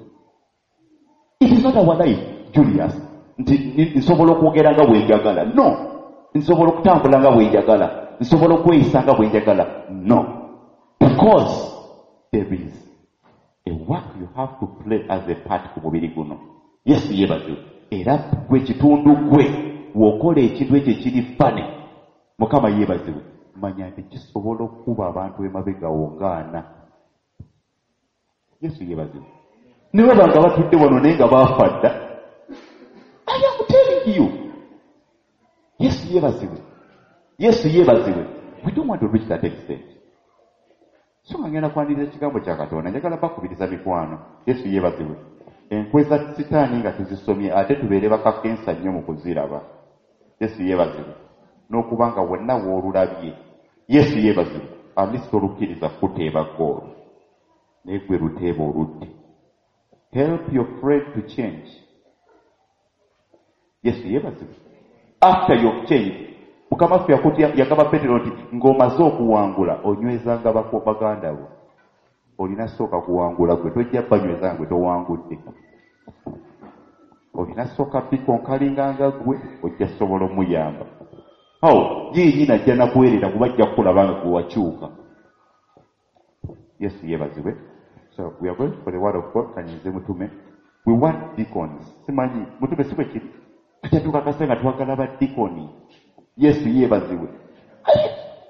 A: It is not our life, Julius, nti nsobola okwogera nga bwe njagala. No. Nsobola okutambula nga bwe njagala. Nsobola okweyisa nga bwe njagala. No. Because there is a work you have to play as a part ku mubiri guno. Yesu yeebazibwe. Era gwe kitundu gwe w'okola ekintu ekyo ekiri fane. Mukama yeebazibwe. Manya nti kisobola okukuba abantu emabega wo ng'ana. Yesu yeebazibwe. Ne baba nga batudde wano naye nga baafa dda. I am telling you. Yesu yeebazibwe. Yesu yeebazibwe. We don't want to reach that extent. So nga ngenda kwaniriza ekigambo kya Katonda, njagala bakubiriza mikwano. Yesu yeebazibwe. Enkwe za Sitaani nga tuzisomye ate tubeere bakakensa nnyo mu kuziraba. Yesu yeebazibwe. N'okuba nga wonna w'olulabye. Yesu yeebazibwe. At least tolukkiriza kuteeba ggoolo. Naye gwe luteeba oludde. Help your friend to change. Yesu yeebazibwe. After you've changed, Mukama waffe yagamba Peetero nti ng'omaze okuwangula onywezanga baganda bo. Olina sooka kuwangula gwe, tojja banyweza nga gwe towangudde. Olina sooka bikonkalinga nga gwe, ojja sobola omuyamba. Awo ye yennyini ajja nakuweerera kuba ajja kukulaba nga gwe wakyuka. Yesu yeebazibwe. So we are going for the word of God. Kanyinze mutume. We want deacons. Simanyi mutume si bwe kiri. Tujja tukakasa nga twagala ba deaconi. Yesu yeebazibwe.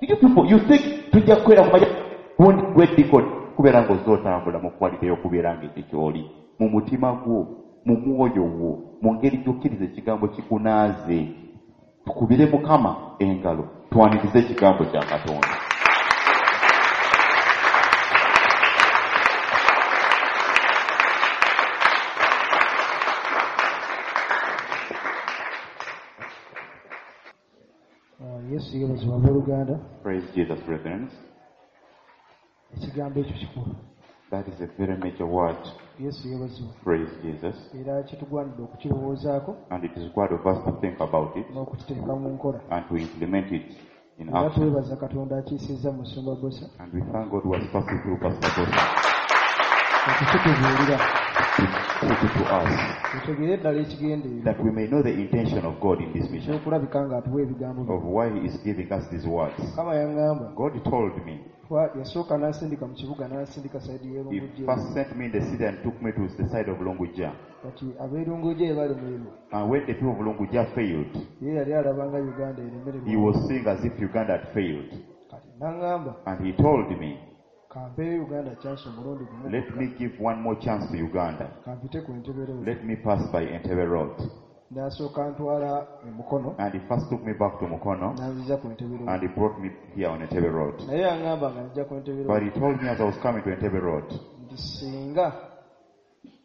A: You people, you think tujja kukwera kumanya gundi gwe deacon kubeera ng'ozze otambula mu quality y'okubeera ng'ekyo ky'oli mu mutima gwo, mu mwoyo gwo, mu ngeri gy'okkiriza ekigambo kikunaaze. Tukubire Mukama engalo, twanirize ekigambo kya Katonda.
C: Yesu yeebazibwe abooluganda.
A: Praise Jesus, brethren.
C: Ekigambo ekyo kikulu.
A: That is a very major word.
C: Yesu yeebazibwe.
A: Praise Jesus.
C: Era kitugwanidde okukirowoozaako.
A: And it is required of us to think about it.
C: N'okukiteeka mu nkola.
A: And to implement it in
C: Era
A: action.
C: twebaza Katonda akiisizza Musumba Bbosa.
A: And we thank God who has passed through Pastor Bbosa.
C: Okukitubuulira.
A: To put it to us.
C: Tutegeere ddala ekigendererwa.
A: That we may know the intention of God in this mission.
C: N'okulabika ng'atuwa ebigambo bye.
A: Of why he is giving us these words.
C: Mukama yaŋŋamba.
A: God told me.
C: Yasooka n'ansindika mu kibuga n'ansindika sayidi y'e
A: He
C: Lungujja.
A: first sent me in the city and took me to the side of Lungujja.
C: Kati ab'e Lungujja bwe balemererwa.
A: And when the people of Lungujja failed,
C: Ye yali alaba nga Uganda eremererwa.
A: he was seeing as if Uganda had failed.
C: Kati n'aŋŋamba.
A: And he told me,
C: Kampeeyo Uganda chance omulundi gumu.
A: Let me give one more chance to Uganda.
C: Kampite ku Entebbe Road.
A: Let me pass by Entebbe Road.
C: N'asooka ntwala e Mukono.
A: And he first took me back to Mukono.
C: N'anziza ku Entebbe Road.
A: And he brought me here on Entebbe Road.
C: Naye yaŋŋamba nga nzija ku Entebbe Road.
A: But he told me as I was coming to Entebbe Road.
C: Nti singa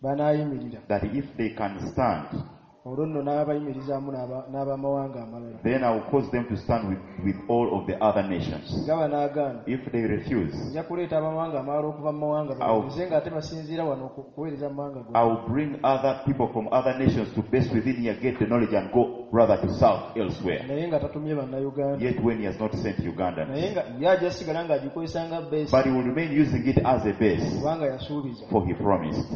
C: banaayimirira.
A: That if they can stand.
C: Olwo nno n'abayimirizaamu n'abamawanga amalala.
A: Then I will cause them to stand with all of the other nations.
C: Singa banaagaana.
A: If they refuse,
C: Nja kuleeta abamawanga amalala okuva mu mawanga baweereze ng'ate basinziira wano okuweereza mu mawanga gonna.
A: I will bring other people from other nations to base within here, get the knowledge and go rather to south elsewhere.
C: Naye nga tatumye bannayuganda.
A: Yet when he has not sent Ugandans.
C: Naye nga ye ajja sigala ng'agikozesa nga base.
A: But he will remain using it as a base.
C: Kubanga yasuubiza.
A: For he promised.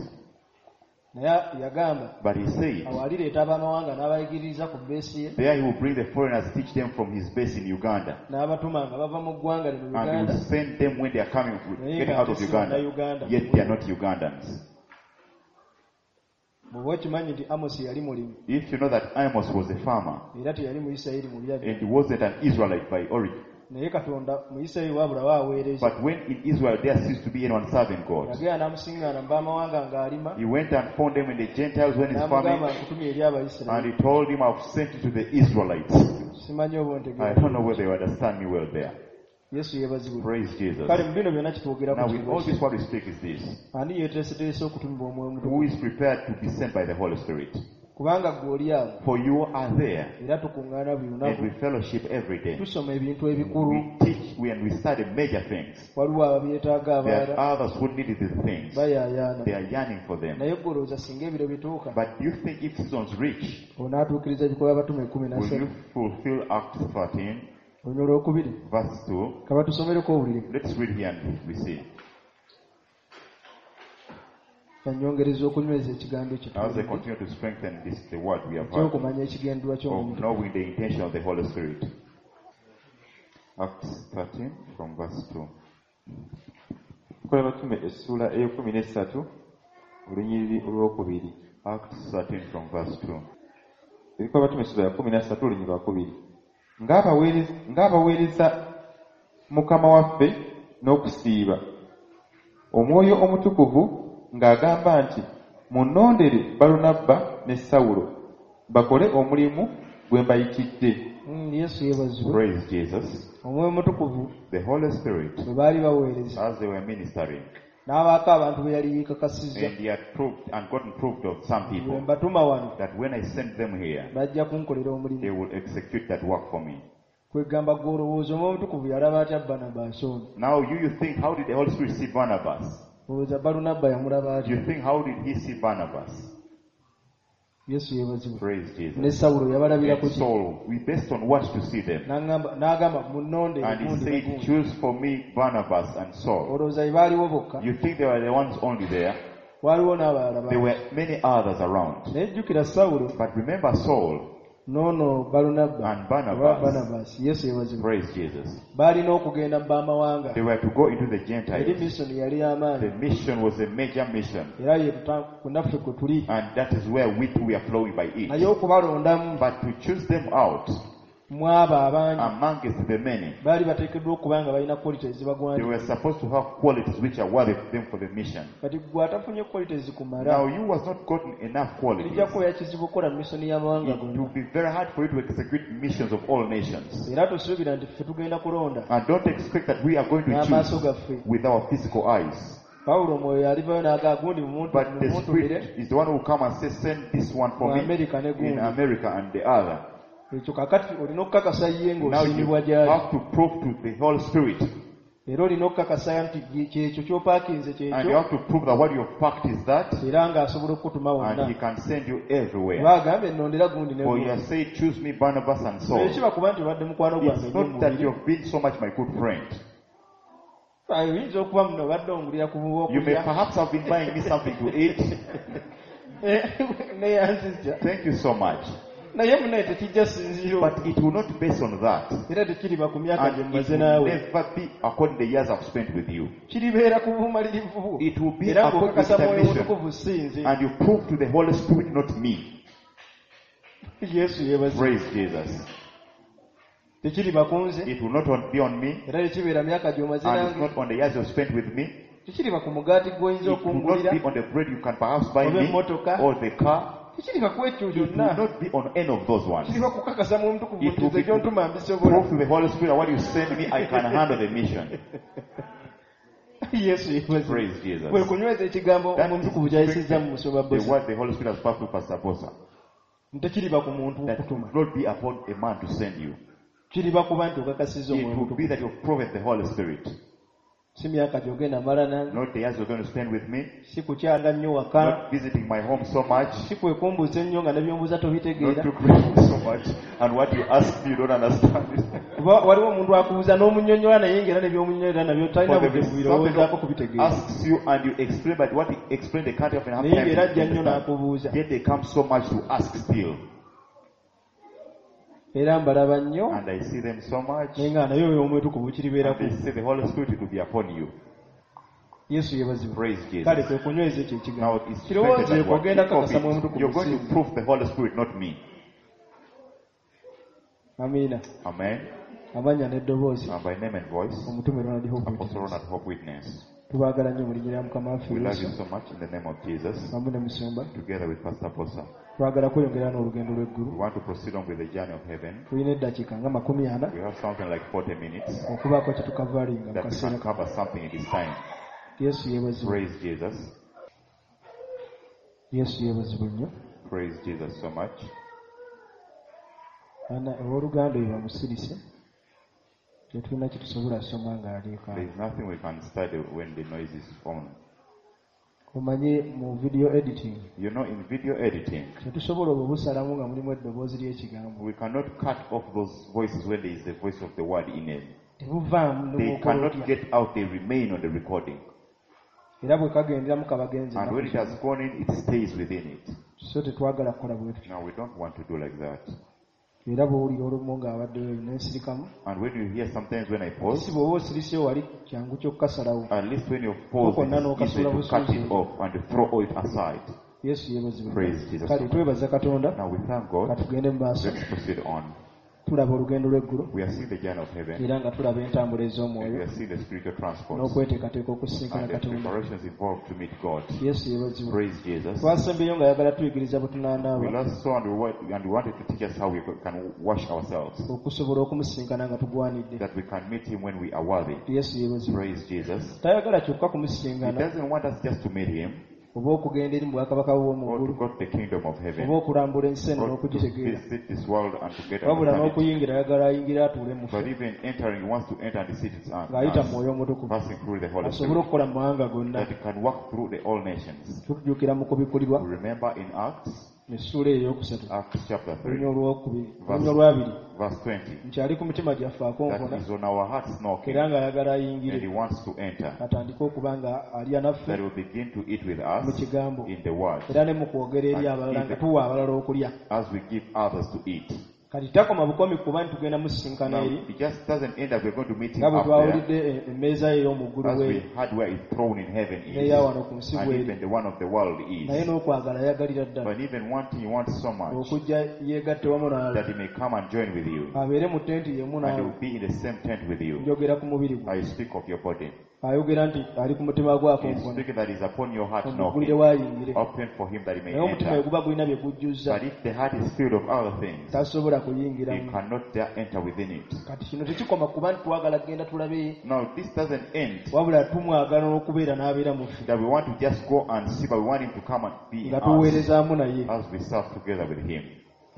C: Naye yagamba,
A: But he said,
C: awo alireeta abamawanga n'abayigiriza ku beesi ye.
A: There he will bring the foreigners, teach them from his base in Uganda.
C: N'abatuma nga bava mu ggwanga lino
A: And he
C: Uganda.
A: will send them when they are coming,
C: Naye
A: getting
C: nga
A: out of
C: ate si
A: Uganda.
C: Bannayuganda.
A: Yet they are not Ugandans.
C: Bw'oba okimanyi nti Amos yali mulimi.
A: If you know that Amos was a farmer,
C: Era teyali Muyisirayiri mu bya
A: and he wasn't an Israelite by origin.
C: Naye Katonda mu Isirayiri wabula waaweereza.
A: But when in Israel there ceased to be anyone serving God.
C: Yagenda n'amusiŋŋaana mu b'amawanga ng'alima.
A: He went and found them in the Gentiles when he's farming.
C: N'amugamba nkutumye eri Abayisirayiri.
A: And he told him, I've sent you to the Israelites.
C: Simanyi oba ontegeera.
A: I don't know whether you understand me well there.
C: Yesu yeebazibwe.
A: Praise Jesus.
C: Kale mu bino byonna kitwogerako
A: Now with all
C: kiri
A: this what we speak is this.
C: Ani yeeteeseteese okutumibwa Omwoyo Omutukuvu?
A: Who is prepared to be sent by the Holy Spirit?
C: Kubanga ggwe oli awo.
A: For you are there.
C: Era tukuŋŋaana buli lunaku.
A: And we fellowship every day.
C: Tusoma ebintu ebikulu.
A: We teach and we study major things.
C: Waliwo ababyetaaga abalala.
A: There are others who need these things.
C: Bayaayaana.
A: They are yearning for them.
C: Naye ggwe olowooza singa ebiro bituuka.
A: But do you think if seasons reach,
C: Onaatuukiriza ebikolwa Abatume 13.
A: will you fulfill Acts 13?
C: Olunyiriri olwokubiri.
A: Verse 2.
C: Kaba tusomereko owulire.
A: Let's read here and we see.
C: Yanyongereza okunyweza ekigambo ekyo
A: As I continue to strengthen this, the word we have heard,
C: ekyokumanya ekigendererwa
A: of
C: ky'omuntu
A: knowing the intention of the Holy Spirit. Acts 13 from verse 2.
D: Kola Abatume essuula ey'ekkumi n'essatu olunyiriri olwokubiri.
A: Acts 13 from verse 2.
D: Ebikola Abatume essuula ya 13 olunyiriri lwakubiri. Ng'abaweereza Mukama waffe n'okusiiba, Omwoyo Omutukuvu ng'agamba nti, "Munnondere Balunabba ne Sawulo bakole omulimu gwe mbayitidde."
C: Yesu yeebazibwe.
A: Praise Jesus.
C: Omwoyo Omutukuvu
A: The Holy Spirit,
C: bwe baali baweereza
A: as they were ministering,
C: n'abaako abantu be yali yeekakasizza
A: and he had proved and gotten proved of some
C: bwe
A: people
C: mbatuma wano
A: that when I send them here,
C: bajja kunkolera
A: they
C: omulimu.
A: will execute that work for me.
C: Kwegamba gw'olowooza Omwoyo Omutukuvu yalaba atya Banabaasi ono?
A: Now you think, how did the Holy Spirit see Barnabas?
C: Olowooza Balunabba yamulaba atya?
A: You think, how did he see Barnabas?
C: Yesu yeebazibwe.
A: Praise
C: Ne
A: Jesus.
C: Sawulo yabalabira
A: And
C: ku ki?
A: Saul, we based on what to see them.
C: N'agamba munnondere
A: And he
C: gundi ne
A: said,
C: gundi.
A: "Choose for me Barnabas and Saul."
C: Olowooza be baaliwo bokka?
A: You think they were the ones only there?
C: Waaliwo n'abalala
A: There
C: bangi.
A: were many others around.
C: Naye jjukira Sawulo
A: But remember Saul
C: n'ono Balunabba
A: and
C: oba
A: Barnabas.
C: Barnabas, Yesu yeebazibwe,
A: Praise Jesus.
C: baalina okugenda mu b'amawanga.
A: They were to go into the
C: Eri
A: Gentiles.
C: misoni yali y'amaanyi.
A: The mission was a major mission.
C: Era ye naffe kwe tuli.
A: And that is where we too we are flowing by
C: Naye
A: it.
C: okubalondamu
A: But to choose them out
C: mu abo abangi
A: amongst the many,
C: baali bateekeddwa okuba nga balina quality
A: they
C: ezibagwanira.
A: were supposed to have qualities which are worthy of them for the mission.
C: Kati gwe atafunye quality zikumala
A: Now you was not gotten enough qualities.
C: lijja kubeera kizibu okukola misoni y'amawanga
A: It
C: gonna.
A: will be very hard for you to execute missions of all nations.
C: Era tosuubira nti ffe tugenda kulonda
A: And don't expect that we are going to
C: n'amaaso
A: choose
C: gaffe.
A: with our physical eyes.
C: Pawulo omwoyo alivayo n'agaa gundi
A: But the
C: mumuntumire
A: Spirit is the one who will come and say, "Send this one for
C: mu
A: me
C: Amerika ne
A: in
C: gundi.
A: America and the other."
C: Ekyo kakati olina okukakasa ye
A: Now you
C: ng'osiimibwa gy'ali.
A: have to prove to the Holy Spirit.
C: Era olina okukakasa nti kyekyo ky'opaakinze
A: And you
C: kyekyo
A: have to prove that what you've packed is that,
C: era ng'asobola okukutuma
A: and
C: wonna.
A: he can send you everywhere.
C: Oba agambye nnondera gundi ne
A: For he
C: gundi.
A: has said, "Choose me Barnabas and Saul."
C: Ekiba kuba nti obadde mukwano gwange
A: It's
C: nnyo
A: not that
C: mubiri.
A: you've been so much my good friend.
C: Oyinza okuba muno obadde ongulira ku
A: You may
C: bwokulya.
A: perhaps have been buying me something to eat.
C: Neyanzizza.
A: Thank you so much.
C: Naye munaye tekijja sinziiro.
A: But it will not base on that.
C: Era tekiriba ku myaka gye
A: And it
C: mmaze
A: will
C: naawe.
A: never be according to the years I've spent with you.
C: Kiribeera ku bumalirivu bwo.
A: It will be
C: Era
A: according to
C: ng'okakasa
A: the
C: Mwoyo
A: mission.
C: Mutukuvu si nze.
A: And you prove to the Holy Spirit, not me.
C: Yesu yeebazibwe.
A: Praise Jesus.
C: Tekiriba ku nze.
A: It will not be on me.
C: Era tekibeera myaka gy'omaze
A: And it's
C: nange.
A: not on the years you've spent with me.
C: Tekiriba ku mugaati gw'oyinza
A: It will
C: okungulira
A: not be on the bread you can perhaps buy
C: oba
A: me
C: emmotoka.
A: or the car.
C: Tekiriba ku ekyo
A: It will
C: kyonna.
A: not be on any of those ones.
C: Kiriba kukakasa Mwoyo Mutukuvu
A: It
C: nti
A: will
C: nze
A: be
C: gy'ontuma mbisobola.
A: prove to the Holy Spirit that what you send me, I can handle the mission.
C: Yesu yeebazibwe.
A: Praise Jesus.
C: Kwe kunyweza ekigambo
A: That
C: Omwoyo
A: is
C: Omutukuvu ky'ayisizza mu musumba
A: the
C: Bosa.
A: word the Holy Spirit has passed through Pastor Bosa.
C: Tekiriba ku muntu
A: That
C: okutuma.
A: will not be upon a man to send you.
C: Kiriba kuba nti okakasizza
A: It
C: Omwoyo
A: will be
C: Omutukuvu.
A: that you've proven the Holy Spirit.
C: Si myaka gy'ogenda mala nange.
A: Not the years you're going to spend with me,
C: Si kukyanga nnyo waka.
A: not visiting my home so much,
C: Si kwekumbuza ennyo nga ne by'ombuuza
A: not
C: tobitegeera.
A: to pray so much, and what you ask me, you don't understand it.
C: Kuba waliwo omuntu akubuuza n'omunnyonnyola naye ng'era ne by'omunnyonnyola nabyo talina
A: For there
C: budde
A: is something
C: kubirowoozaako
A: who
C: kubitegeera.
A: asks you and you explain, but what you explain, they can't even have
C: Naye
A: time
C: ng'era
A: to
C: ajja nnyo
A: understand.
C: n'akubuuza.
A: Yet they come so much to ask still.
C: Era mbalaba nnyo
A: And I see them so much.
C: naye nga naye oyo Omutukuvu
A: And
C: kiribeerako.
A: they say the Holy Spirit will be upon you.
C: Yesu yeebazibwe.
A: Praise
C: Kale
A: Jesus.
C: kwe kunyweza ekyo ekigambo.
A: Now it's
C: Kirowoozeeko
A: strengthened that word.
C: ogenda
A: Think of
C: kakasa Mwoyo
A: it.
C: Mutukuvu
A: You're going
C: si
A: to
C: nze.
A: prove the Holy Spirit, not me.
C: Amiina.
A: Amen.
C: Amannya n'eddoboozi
A: And by name and voice,
C: Omutume Ronald Hope
A: Apostle
C: Witness.
A: Ronald Hope Witness.
C: Tubaagala nnyo mu linnya lya Mukama waffe
A: We love you
C: Yesu
A: so much in the name of Jesus,
C: wamu ne musumba.
A: together with Pastor Bosa.
C: Twagala kweyongera n'olugendo
A: We
C: lw'eggulu.
A: want to proceed on with the journey of heaven.
C: Tulina eddakiika nga 40
A: We have something like 40 minutes
C: okubaako kye tukavalinga mu
A: that we
C: kaseera
A: can cover something in this time.
C: Yesu yeebazibwe.
A: Praise Jesus.
C: Yesu yeebazibwe nnyo.
A: Praise Jesus so much.
C: Ana owooluganda oyo bamusirise tetulina kye tusobola soma ng'aliika.
A: There is nothing we can study when the noise is on.
C: Omanye mu video editing,
A: You know, in video editing,
C: tetusobola obwo busalamu nga mulimu eddoboozi ly'ekigambo.
A: We cannot cut off those voices when there is the voice of the word in it.
C: Tebuvaamu.
A: They cannot
C: Otya.
A: Get out, they remain on the recording.
C: Era bwe kagenderamu kabagenze.
A: And when it has gone in, it stays within it.
C: So tetwagala kukola bwe tutyo.
A: Now, we don't want to do like that.
C: Era bw'owulira olumu ng'abaddeyo nensirikamu,
A: And when you hear sometimes when I
C: si
A: pause,
C: bw'oba osiriseyo wali kyangu ky'okukasalawo.
A: At least when you pause, it is easy to cut it off and to throw it aside.
C: Yesu yeebazibwe.
A: Praise Jesus.
C: Kale twebaza Katonda.
A: Now we thank God.
C: Katugende mu maaso.
A: Let's proceed on.
C: Tulaba olugendo lw'eggulu,
A: We are seeing the journey of heaven
C: era nga tulaba entambula
A: and we
C: ez'omwoyo
A: are seeing the spiritual transports
C: n'okweteekateeka okusisinkana
A: and the
C: Katonda.
A: Preparations involved to meet God.
C: Yesu yeebazibwe.
A: Praise Jesus.
C: Twasembyeyo ng'ayagala tuyigiriza bwe
A: We
C: tunaanaaba
A: last saw and we wanted to teach us how we can wash ourselves,
C: okusobola okumusisinkana nga tugwanidde.
A: That we can meet Him when we are worthy.
C: Yesu yeebazibwe.
A: Praise Jesus.
C: Tayagala kyokka
A: He
C: kumusisinkana
A: doesn't want us just to meet Him
C: oba okugenda eri mu bwakabaka bw'omu
A: or to
C: ggulu
A: go to the kingdom of heaven
C: oba okulambula ensi eno
A: or to
C: n'okugitegeera,
A: visit this world and to get
C: wabula
A: understanding.
C: n'okuyingira ayagala ayingira atuule mu
A: But
C: ffe
A: even entering, he wants to enter and sit in
C: ng'ayita mu
A: us,
C: Mwoyo Omutukuvu
A: passing through the Holy
C: asobole
A: Spirit,
C: okukola mu mawanga gonna.
A: That he can work through the all nations.
C: Tujjukira mu kubikulirwa
A: We remember in Acts,
C: essuula eyokusatu,
A: Acts chapter 3,
C: olunya olwokubiri, olunya olwabiri,
A: verse 20,
C: nti ali ku mitima gyaffe akonkona
A: that is on our hearts knocking,
C: era ng'ayagala
A: and he
C: ayingire
A: wants to enter,
C: atandike okuba nga alya naffe
A: that will begin to eat with
C: mu
A: us
C: kigambo
A: in the word
C: era ne mu kwogera eri abalala nga tuwa abalala okulya.
A: As we give others to eat.
C: Kati takoma bukomi kuba nti tugenda musisinkana
A: Now,
C: eri
A: it just doesn't end up we're going to meet him
C: nga bwe
A: up there,
C: twawulidde emmeeza ye ey'omu ggulu
A: as we
C: bweri
A: had where his throne in heaven is,
C: n'eya wano ku nsi
A: and
C: bweri,
A: even the one of the world
C: naye
A: is.
C: n'okwagala ayagalira ddala
A: But even wanting, he wants so much
C: okujja yeegatte wamu naawe
A: that he may come and join with you,
C: abeere mu tenti yemu
A: and he
C: naawe.
A: will be in the same tent with you.
C: Njogera ku mubiri gwe.
A: I speak of your body.
C: Ayogera nti ali ku mutima gwe
A: He's
C: akonkona
A: speaking that is upon your heart
C: omugulire
A: knocking.
C: waayingire,
A: Open for him that he may
C: naye omutima bwe
A: enter.
C: guba gulina bye gujjuzza,
A: But if the heart is filled of other things,
C: tasobola
A: he
C: kuyingiramu.
A: Cannot dare enter within it.
C: Kati kino tekikoma kuba nti twagala kugenda tulabe,
A: Now, this doesn't end
C: wabula tumwagala n'okubeera n'abeera mu ffe
A: that we want to just go and see, but we want him to come and be in
C: nga
A: us
C: tuweerezaamu naye
A: as we serve together with him.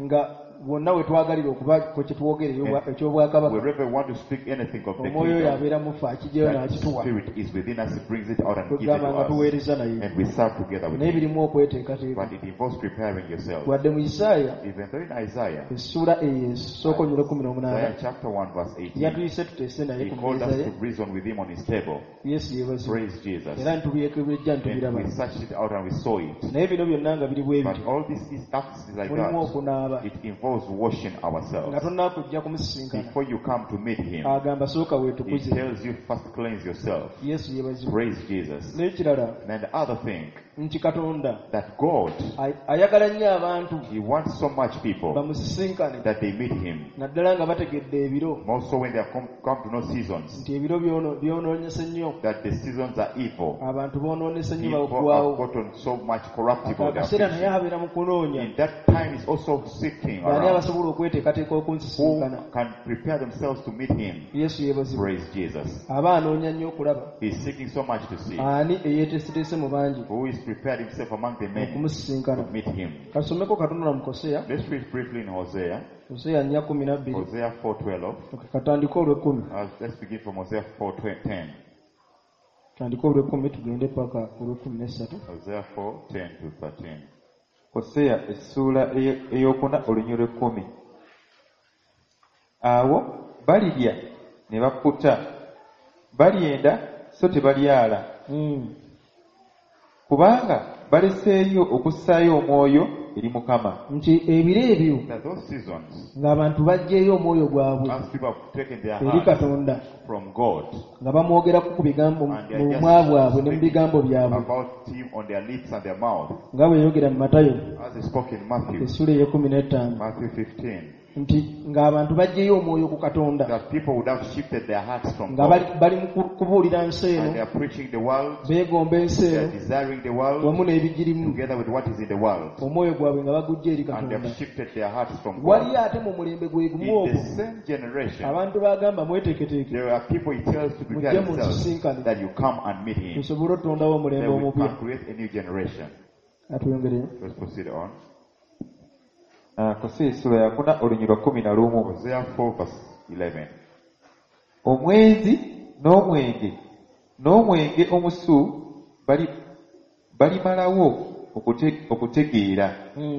C: Nga wonna we twagalira okuba ku kye twogera ekyobwakabaka,
A: Wherever we want to speak anything of the
C: omwoyo oyo
A: kingdom,
C: abeera mu ffe akigyeyo
A: that
C: n'akituwa
A: spirit is within us, he brings it out and gives it
C: kwegamba
A: to
C: nga
A: us.
C: tuweereza naye,
A: And we serve together with
C: naye
A: him.
C: birimu okweteekateeka.
A: But it involves preparing yourself.
C: Wadde mu Isaaya
A: Even though in Isaiah,
C: essuula eyo esooka onyula 18,
A: Isaiah chapter 1 verse 18,
C: yatuyise tuteese naye
A: he
C: ku
A: called
C: mmeeza
A: us
C: ye.
A: To reason with him on his table.
C: Yesu yeebazibwe.
A: Praise Jesus.
C: Era ntubyekebeja
A: And
C: ntubiraba,
A: we searched it out and we saw it.
C: Naye bino byonna nga biri bwe
A: But
C: bityo,
A: all this is acts like
C: mulimu
A: that.
C: okunaaba
A: It involves washing
C: nga
A: ourselves.
C: tonnakujja kumusisinkana.
A: Before you come to meet him,
C: Agamba sooka
A: he
C: weetukuze.
A: Tells you first cleanse yourself.
C: Yesu yeebazibwe.
A: Praise Jesus.
C: N'ekirala
A: And the other thing,
C: nti Katonda
A: that God,
C: ayagala nnyo abantu
A: he wants so much people
C: bamusisinkane,
A: that they meet him.
C: Naddala nga bategedde ebiro
A: More so when they have come to know seasons,
C: nti ebiro byonoonyese nnyo,
A: that the seasons are evil.
C: Abantu boonoonese nnyo,
A: People have
C: baggwawo.
A: Gotten so much corruptible. They are
C: Akaseera naye
A: fixing.
C: abeera mu kunoonya
A: In that time is also seeking
C: baani
A: around
C: abasobola okweteekateeka
A: who
C: okunsisinkana.
A: Can prepare themselves to meet him.
C: Yesu yeebazibwe.
A: Praise Jesus.
C: Aba anoonya nnyo okulaba
A: He's seeking so much to see
C: ani eyeeteeseteese mu bangi
A: who is prepared himself among the many
C: okumusisinkana.
A: To meet him.
C: Kasomeko katonda mu Koseya.
A: Let's read briefly in Hosea.
C: Koseya 4:12.
A: Hosea 4:12.
C: Okay, katandike olw'ekkumi.
A: Let's begin from Hosea 4:10.
C: Tandike olw'ekkumi tugende paka olw'ekumi n'essatu.
A: Hosea 4:10 to 13.
D: Koseya essuula eyokuna olunyiriri lw'ekkumi. Awo balirya ne bakkuta, balyenda so tebalyala, kubanga baleseeyo okussaayo omwoyo eri Mukama.
C: Nti ebiro ebyo
A: That those seasons,
C: ng'abantu baggyeyo omwoyo gwabwe
A: as people have taken their
C: eri
A: hearts
C: Katonda
A: from God
C: nga bamwogerako ku bigambo
A: and they
C: mu
A: are
C: bumwa bwabwe ne mu
A: just
C: bigambo byabwe,
A: about him on their lips and their mouth,
C: nga bwe yogera mu Matayo
A: as he spoke in Matthew,
C: essuula ey'e 15,
A: Matthew 15,
C: nti ng'abantu baggyeyo omwoyo ku Katonda
A: that people would have shifted their hearts from
C: nga
A: God
C: bali bali mu kubuulira nsi
A: and
C: eno,
A: they are preaching the world,
C: beegomba ensi
A: they are
C: eno
A: desiring the world
C: wamu n'ebigirimu,
A: together with what is in the world,
C: omwoyo gwabwe nga baguggya eri
A: and they
C: Katonda.
A: Have shifted their hearts from
C: Wali
A: God.
C: ate mu mulembe gwe gumu
A: In
C: ogwo
A: the same generation,
C: abantu bagamba mweteeketeeke
A: there are people he tells to prepare
C: mujje
A: themselves
C: munsisinkane
A: that you come and meet him.
C: tusobole otutondawo omulembe
A: Then we
C: omupya.
A: can create a new generation.
C: Atwongereyo.
A: Let's proceed on.
D: Ah, Koseya essuula yakuna olunyiriri lwa 11.
A: Hosea 4 verse 11.
D: Omwenzi n'omwenge n'omwenge omusu bali Balimalawo okutegeera.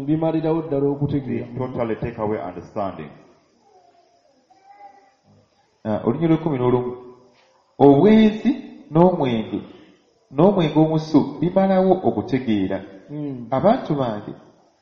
C: Bimalirawo ddala
A: They
C: okutegeera.
A: totally take away understanding.
D: Olunyiriri lw'ekumi n'olumu, obwenzi n'omwenge n'omwenge omusu bimalawo okutegeera. Abantu bange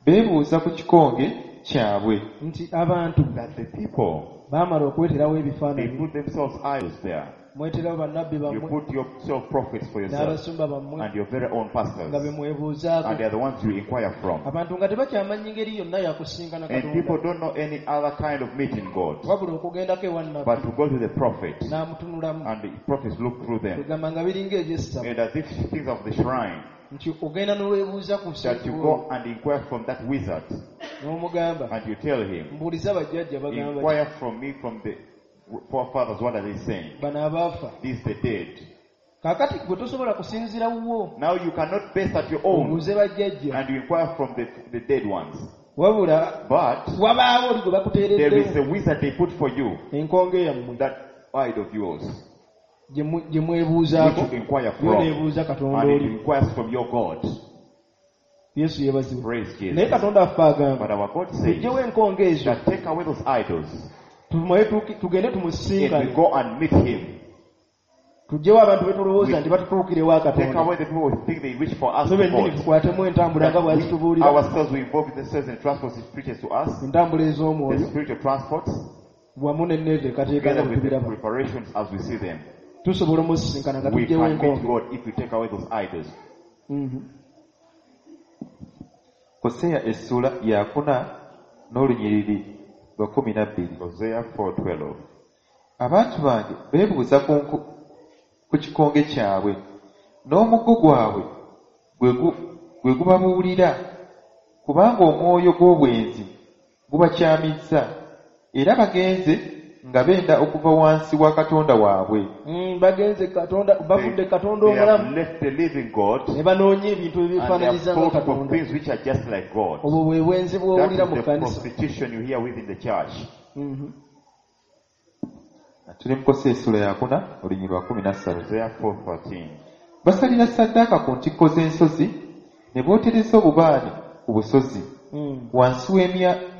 D: beebuuza ku kikonge kyabwe.
C: Nti abantu
A: That the people,
C: baamala okweterawo
A: they
C: ebifaananyi.
A: put themselves idols there.
C: Mweterawo bannabbi
A: You
C: bammwe
A: put yourself prophets for yourself
C: n'abasumba bammwe
A: and your very own pastors.
C: nga be mwebuuzaako.
A: And they are the ones you inquire from.
C: Abantu nga tebakyamanyi ngeri yonna yakusinkana
A: And people
C: Katonda,
A: don't know any other kind of meeting God,
C: wabula okugendako ewa nnabbi
A: but to go to the prophet,
C: n'amutunulamu,
A: and the prophets look through them.
C: egamba nga biringa eby'essabo,
A: And as if things of the shrine,
C: nti ogenda n'olwebuuza ku
A: that you go and inquire from that wizard,
C: n'omugamba,
A: and you tell him,
C: mbuuliza bajjajja bagamba ki?
A: inquire from me, from the forefathers, what are they saying?
C: Bano abaafa.
A: These the dead.
C: Kaakati gwe tosobola kusinziira wuwo
A: Now you cannot base at your own,
C: obuuze bajjajja,
A: and you inquire from the dead ones.
C: Wabula
A: But
C: wabaawo oli gwe
A: there is
C: bakuteereddewo
A: a wizard they put for you,
C: enkonge yammwe
A: that idol of yours,
C: gye mwebuuzaako,
A: which you inquire
C: yo
A: from,
C: neebuuza Katonda
A: and it
C: oli.
A: inquires from your God.
C: Yesu yeebazibwe.
A: Praise
C: Naye
A: Jesus.
C: Katonda affe agamba,
A: But our God says
C: tuggyewo enkonge ezo,
A: that take away those idols
C: tumale tugende
A: and we
C: tumusinkane.
A: go and meet him.
C: Tuggyewo abantu be tulowooza nti batutuukire ewa
A: Take
C: Katonda,
A: away the people who think they reach for us
C: ffe
A: to
C: bennyini
A: God.
C: tukwatemu entambula nga
A: That we
C: bw'azitubuulira,
A: ourselves we involve themselves in transports he preaches to us,
C: entambula
A: the
C: ez'omwoyo
A: spiritual transports,
C: wamu n'enneeteekateeka nga
A: together
C: bwe
A: with the
C: tubiraba,
A: preparations as we see them.
C: Tusobola omusisinkana nga
A: We
C: tuggyewo
A: can meet
C: enkonge.
A: God if we take away those idols.
D: Koseya essuula yakuna n'olunyiriri lwa 12.
A: Hosea 4:12.
D: Abantu bange beebuuza ku kikonge kyabwe, n'omuggo gwabwe gwe gubabuulira, kubanga omwoyo gw'obwenzi gubakyamizza, era bagenze nga benda okuva wansi wa Katonda waabwe.
C: Bagenze Katonda, bavudde Katonda
A: They have
C: omulamu
A: left the living God
C: ne banoonya ebintu
A: and they have
C: ebyefaananyiriza nga
A: thought of
C: Katonda.
A: things which are just like God.
C: Obwo bwe bwenzi
A: That
C: bw'owulira
A: is
C: mu
A: the
C: kkanisa.
A: prostitution you hear within the church.
D: Tuli mu Koseya essuula yakuna olunyiriri lwa 13.
A: Hosea 4:13.
D: Basalira ssaddaaka ku ntikko z'ensozi ne bootereza obubaane ku busozi wansi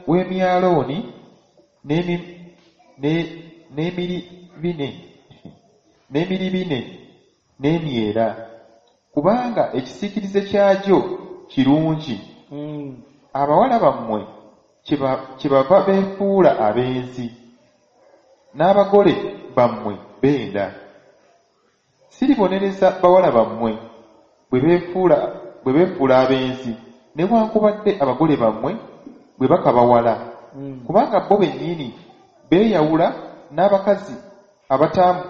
D: w'emyalooni n'emiribine n'emyera, kubanga ekisiikirize kyagyo kirungi. Abawala bammwe kyebava beefuula abenzi, n'abagole bammwe benda. Siribonereza bawala bammwe bwe beefuula abenzi, newankubadde abagole bammwe bwe bakabawala, kubanga bo bennyini beeyawula n'abakazi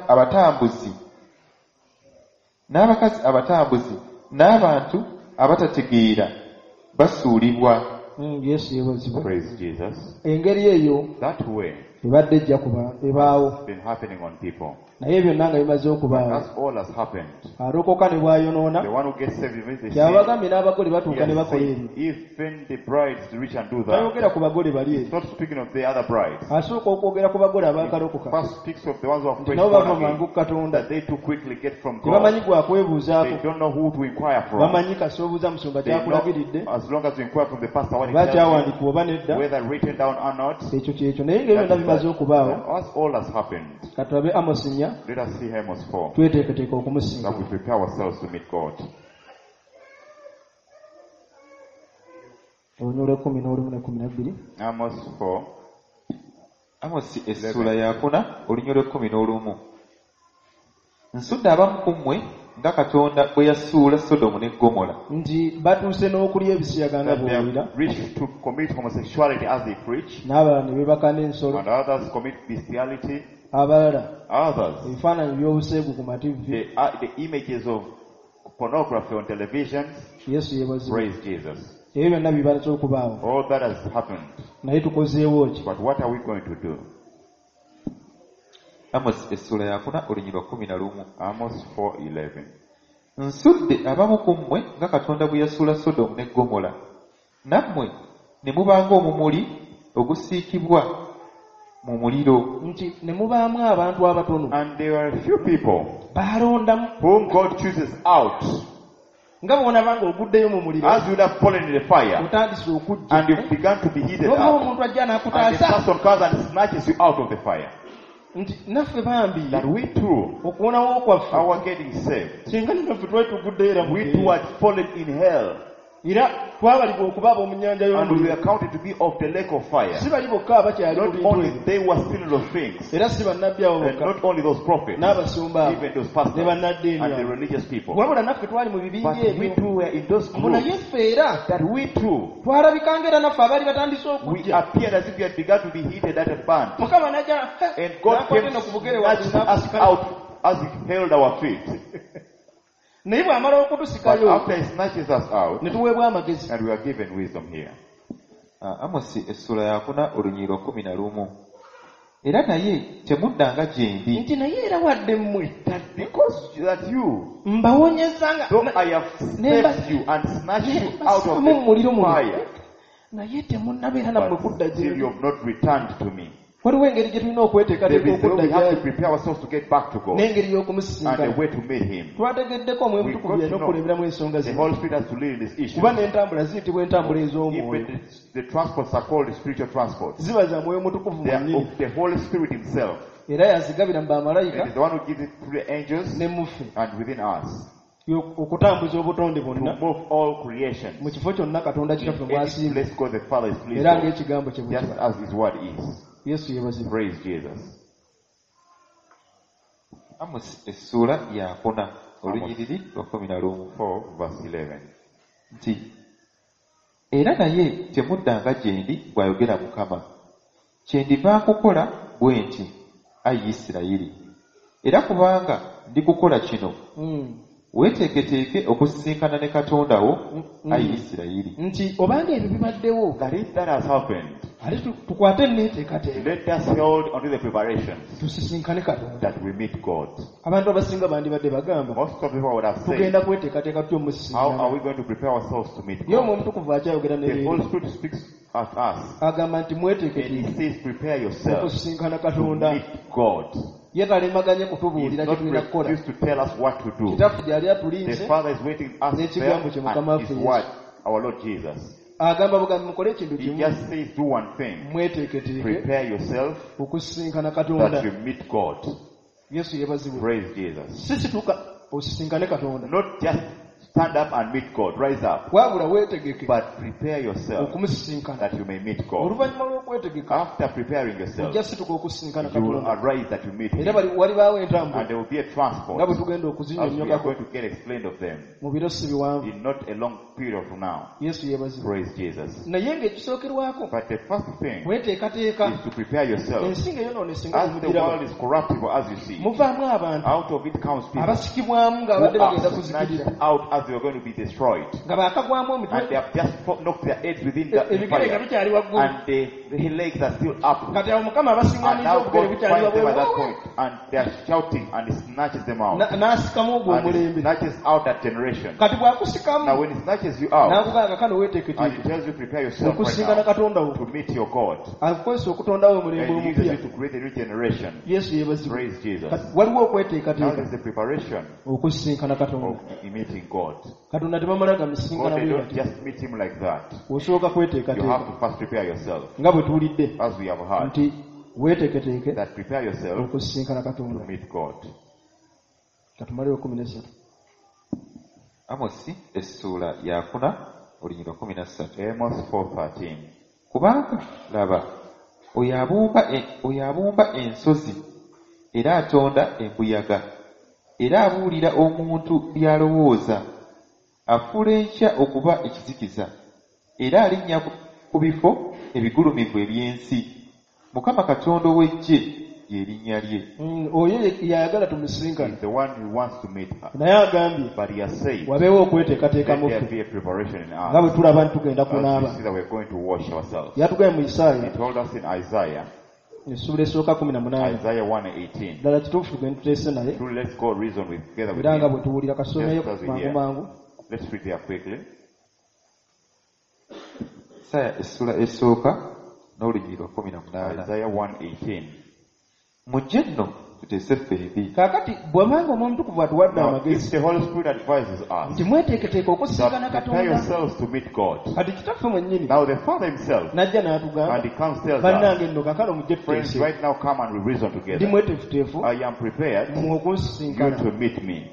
D: abatambuzi n'abantu abatategeera basuulibwa.
C: Yesu yeebazibwe.
A: Praise Jesus.
C: Engeri eyo
A: That way
C: ebadde ejja kuba ebaawo,
A: been happening on people.
C: Naye byonna nga bimaze okubaawo,
A: That's all has happened.
C: Alokoka ne bw'ayonoona,
A: The one who gets saved even they
C: kyabagambye n'abagole
A: sin,
C: batuuka ne
A: he has
C: bakola
A: said,
C: ebyo.
A: even the brides reach and do that.
C: Tayogera ku bagole bali
A: He's
C: eri,
A: not speaking of the other brides.
C: asooka okwogera ku bagole abaakalokoka,
A: First speaks of the ones who are
C: nti
A: fresh
C: nabo
A: born
C: bava mangu
A: again,
C: ku Katonda,
A: that they too quickly get from
C: tebamanyi
A: God.
C: gwakwebuuzaako.
A: They don't know who to inquire from.
C: Bamanyi kasoobuza musumba
A: They know,
C: kyakulagiridde,
A: as long as you inquire from the pastor what he
C: oba
A: tells you,
C: kyawandiikibwa oba nedda,
A: whether written down or not,
C: ekyo kyekyo. Naye ng'ebyo byonna bimaze okubaawo,
A: that's all has happened.
C: Katulabe Amosi 4,
A: Let us see Amos 4,
C: tweteeketeeka okumusinga.
A: that we prepare ourselves to meet God.
C: Olunyiriri lw'e 11 ne 12.
A: Amos 4,
D: Amosi essuula yakuna olunyiriri lw'e 11. Nsudde abamu ku mmwe nga Katonda bwe yasuula Sodomu ne Ggomola.
C: Nti batuuse n'okulya ebisiyaga nga
A: that they
C: bw'owulira,
A: have reached to commit homosexuality as they preach,
C: n'abalala ne beebaka n'ensolo,
A: and others commit bestiality,
C: abalala
A: others,
C: ebifaananyi by'obuseegu ku mativi.
A: the images of pornography on television.
C: Yesu yeebazibwe.
A: Praise Jesus.
C: Ebyo byonna bibaze okubaawo,
A: All that has happened.
C: naye tukozeewo ki?
A: But what are we going to do?
D: Amosi essuula yakuna olunyiriri lwa 11.
A: Amos 4:11.
D: Nsudde abamu ku mmwe nga Katonda bwe yasuula Sodomu ne Ggomola, nammwe ne muba ng'omumuli ogusiikibwa mu muliro.
C: Nti ne mubaamu abantu abatono
A: And there are a few people
C: baalondamu
A: whom God chooses out
C: Nga bw'onaba ng'oguddeyo mu muliro,
A: As you would have fallen in the fire
C: otandise okujja
A: and you've begun to be heated
C: n'obaawo
A: up,
C: omuntu ajja
A: and the
C: n'akutaasa
A: person comes and snatches you out of the fire.
C: Nti naffe bambi
A: That we too,
C: okuwonawo kwaffe
A: our getting saved,
C: singa naffe twali tuguddeyo era mu
A: we
C: ggeyeena.
A: too had fallen in hell,
C: Era twabalibwa okuba ab'omu nnyanja
A: and we
C: y'omuliro.
A: were counted to be of the lake of fire.
C: Si bali bokka abakyali mu
A: Not
C: bintu
A: only
C: ebyo
A: they were still in those things,
C: era si bannabbi abo
A: and
C: bokka
A: not only those prophets,
C: n'abasumba abo
A: even those
C: ne
A: pastors
C: bannaddiini
A: and the
C: abo
A: religious people.
C: wabula naffe twali mu bibinja
A: But we
C: ebyo
A: too were in those
C: mbu naye
A: groups,
C: ffe era
A: that we too,
C: twalabikanga era naffe abaali batandise
A: we
C: okujja
A: appeared as if we had begun to be heated at a band.
C: Mukama n'ajja
A: And God
C: n'akwata
A: came
C: eno ku bugere
A: snatched
C: waggulu
A: us
C: n'akusika.
A: out as he held our feet.
C: Naye bw'amala
A: But
C: okutusikayo
A: after he snatches us out,
C: ne tuweebwa amagezi.
A: and we are given wisdom here.
D: Ah, Amosi essuula yakuna olunyiriri 11 era naye temuddanga gye ndi
C: Nti naye era wadde mmwe
A: That because that you,
C: mbawonyeza nga
A: though I have saved you and snatched you out of
C: mu muliro
A: the
C: muno
A: fire,
C: naye temunnabeera nammwe
A: but
C: kudda
A: still
C: gye
A: you have not returned to me.
C: Waliwo engeri gye tulina
A: There
C: okweteekateeka
A: is a way
C: okudda
A: we have to
C: gyali
A: prepare ourselves to get back to God
C: n'engeri
A: and a
C: y'okumusisinkana.
A: way to meet Him.
C: Twategeddeko Omwoyo
A: We
C: Mutukuvu
A: got
C: yalina
A: to know.
C: okukulemberamu ensonga
A: The
C: zino
A: Holy Spirit has to lead in this issue.
C: kuba n'entambula ziyitibwa entambula ez'omwoyo.
A: Even the transports are called spiritual transports.
C: Ziba za Mwoyo Mutukuvu
A: They are
C: mwennyini
A: of the Holy Spirit Himself.
C: era yazigabira mu
A: It
C: bamalayika
A: is the one who gives it through the angels
C: ne muffe
A: and within us
C: okutambuza obutonde
A: to
C: bwonna
A: move all creation.
C: mu kifo kyonna Katonda Kitaffe
A: Any
C: mw'asiima
A: place God the Father is pleased
C: era
A: of,
C: ng'ekigambo kye bwe
A: just
C: kiba.
A: as His word is.
C: Yesu yeebazibwe.
A: Praise Jesus.
D: Amosi essuula yakuna olunyiriri lwa 11
A: 4 verse 11.
D: Nti era naye temuddanga gye ndi bw'ayogera Mukama kyendiva nkukola bwe nti ayi Isirayiri era kubanga ndikukola kino weeteeketeeke okusisinkana ne Katonda wo ayi Isirayiri.
C: Nti obanga ebyo bibaddewo
A: That if that has happened,
C: ate tukwate enneeteekateeka
A: let us hold onto the preparations
C: tusisinkane Katonda.
A: that we meet God.
C: Abantu abasinga bandibadde bagamba
A: Most of people would have said,
C: tugenda kweteekateeka tutya
A: how are
C: omusisinkana
A: we going to prepare ourselves to meet
C: naye Omwoyo
A: God?
C: Omutukuvu akyayogera ne
A: The
C: leero
A: Holy Spirit speaks at us
C: agamba nti
A: and He
C: mweteeketeeke
A: says, prepare yourself
C: okusisinkana
A: to
C: Katonda.
A: meet God.
C: Ye talemaganye
A: He is
C: kutubuulira kye
A: not
C: tulina kukola.
A: refused to tell us what to do.
C: Kitaffe gyali
A: The
C: atulinze
A: Father is waiting us there
C: n'ekigambo kye Mukama
A: and His
C: waffe Yesu.
A: word, our Lord Jesus.
C: Agamba bugambi mukole ekintu
A: He
C: kimu
A: just says, do one thing.
C: mweteeketeeke
A: Prepare yourself
C: okusisinkana Katonda.
A: that you meet God.
C: Yesu yeebazibwe.
A: Praise Jesus.
C: Si situka osisinkane Katonda
A: Not just stand up and meet God, rise up,
C: wabula weetegeke
A: but prepare yourself
C: okumusisinkana.
A: that you may meet God.
C: Oluvannyuma lw'okwetegeka
A: After preparing yourself,
C: ojja situka okusisinkana
A: you will
C: Katonda
A: arise that you meet
C: era
A: Him.
C: walibaawo
A: And
C: entambula
A: there will be a
C: nga
A: transport
C: bwe tugenda
A: as we are
C: okuzinnyonnyokako
A: going to get explained of them
C: mu biro si biwanvu.
A: in not a long period from now.
C: Yesu yeebazibwe.
A: Praise Jesus.
C: Naye ng'ekisookerwako
A: But the first thing
C: kweteekateeka
A: is to prepare yourself.
C: ensi ng'eyonoonese nga
A: As the
C: bwemugiraba
A: world is corruptible as you see,
C: muvaamu abantu
A: out of it comes people
C: abasikibwamu
A: who
C: ng'abadde bagenda
A: are
C: kuzikirira
A: snatched out as they were going to be destroyed.
C: nga baakagwamu
A: And
C: emitwe
A: they have just knocked their heads within the
C: ebigere nga
A: fire.
C: bikyali waggulu
A: And the legs are still up.
C: kati awo Mukama
A: And
C: abasiŋŋaaniza
A: now
C: obugere
A: God
C: bukyali
A: finds them at that
C: wabweru
A: point. And they are shouting and he snatches them out.
C: N'asikamu ogwo
A: And he
C: omulembe.
A: snatches out that generation.
C: Kati
A: Now
C: bw'akusikamu
A: when he snatches you out,
C: n'akugamba kano
A: and
C: weeteeketeeke
A: he tells you prepare yourself right
C: okusisinkana
A: now
C: Katonda wo
A: to meet your God.
C: akukozesa okutondawo omulembe
A: And he uses
C: omupya.
A: you to create a new generation.
C: Yesu yeebazibwe.
A: Praise Jesus.
C: Kati waliwo
A: Now
C: okweteekateeka
A: there's the preparation
C: okusisinkana Katonda.
A: of meeting God.
C: Katonda tebamala
A: God,
C: gamusisinkana
A: they
C: bwe
A: don't
C: bati
A: just meet him like that.
C: osooka
A: You have
C: kweteekateeka
A: to first prepare yourself,
C: nga bwe tuwulidde
A: as we have heard,
C: nti weeteeketeeke
A: that prepare yourself
C: okusisinkana
A: to
C: Katonda.
A: meet God.
C: Katumalewo 13.
D: Amosi essuula yakuna olunyiriri 13.
A: Amos 4:13.
D: Kubanga laba oyo abumba ensozi era atonda embuyaga era abuulira omuntu by'alowooza afuula enkya okuba ekizikiza era alinnya ku bifo ebigulumivu eby'ensi Mukama Katonda ow'eggye lye linnya lye.
C: Oyo yayagala tumusisinkane
A: He's the one who wants to meet her.
C: naye agambye
A: But he has said,
C: wabeewo okweteekateeka
A: let
C: mu
A: there
C: ffe
A: be a preparation in
C: nga bwe
A: us.
C: tulaba nti tugenda
A: As we
C: kunaaba.
A: see that we're going to wash ourselves.
C: Yatugambye mu
A: He
C: Isaaya
A: told us in Isaiah,
C: essuula esooka 18.
A: Isaiah 1:18.
C: Ddala kituufu tugende tuteese naye
A: Truly, let's go reason with together with
C: era nga
A: him.
C: bwe tuwulira kasomeyo
A: Just as we
C: mangu
A: hear.
C: mangu.
A: Let's read there quickly.
D: Isaaya essuula esooka n'olunyiriri lwa 18.
A: Isaiah 1:18.
D: Mujje nno Tuteese ffembi.
C: Kaakati bw'abanga Omwoyo Omutukuvu atuwadde
A: Now, if
C: amagezi
A: the Holy Spirit advises us
C: nti mweteeketeeke okusisinkana
A: that prepare
C: Katonda,
A: yourselves to meet God.
C: Kati kitaffe mwennyini
A: Now the Father himself,
C: n'ajja
A: and
C: n'atugamba
A: he comes tells us,
C: bannange nno kaakano mujje
A: friends,
C: tuteese
A: right now come and we reason
C: ndi
A: together.
C: mweteefuteefu
A: I am prepared
C: mmwe
A: you
C: okunsisinkana.
A: to meet me.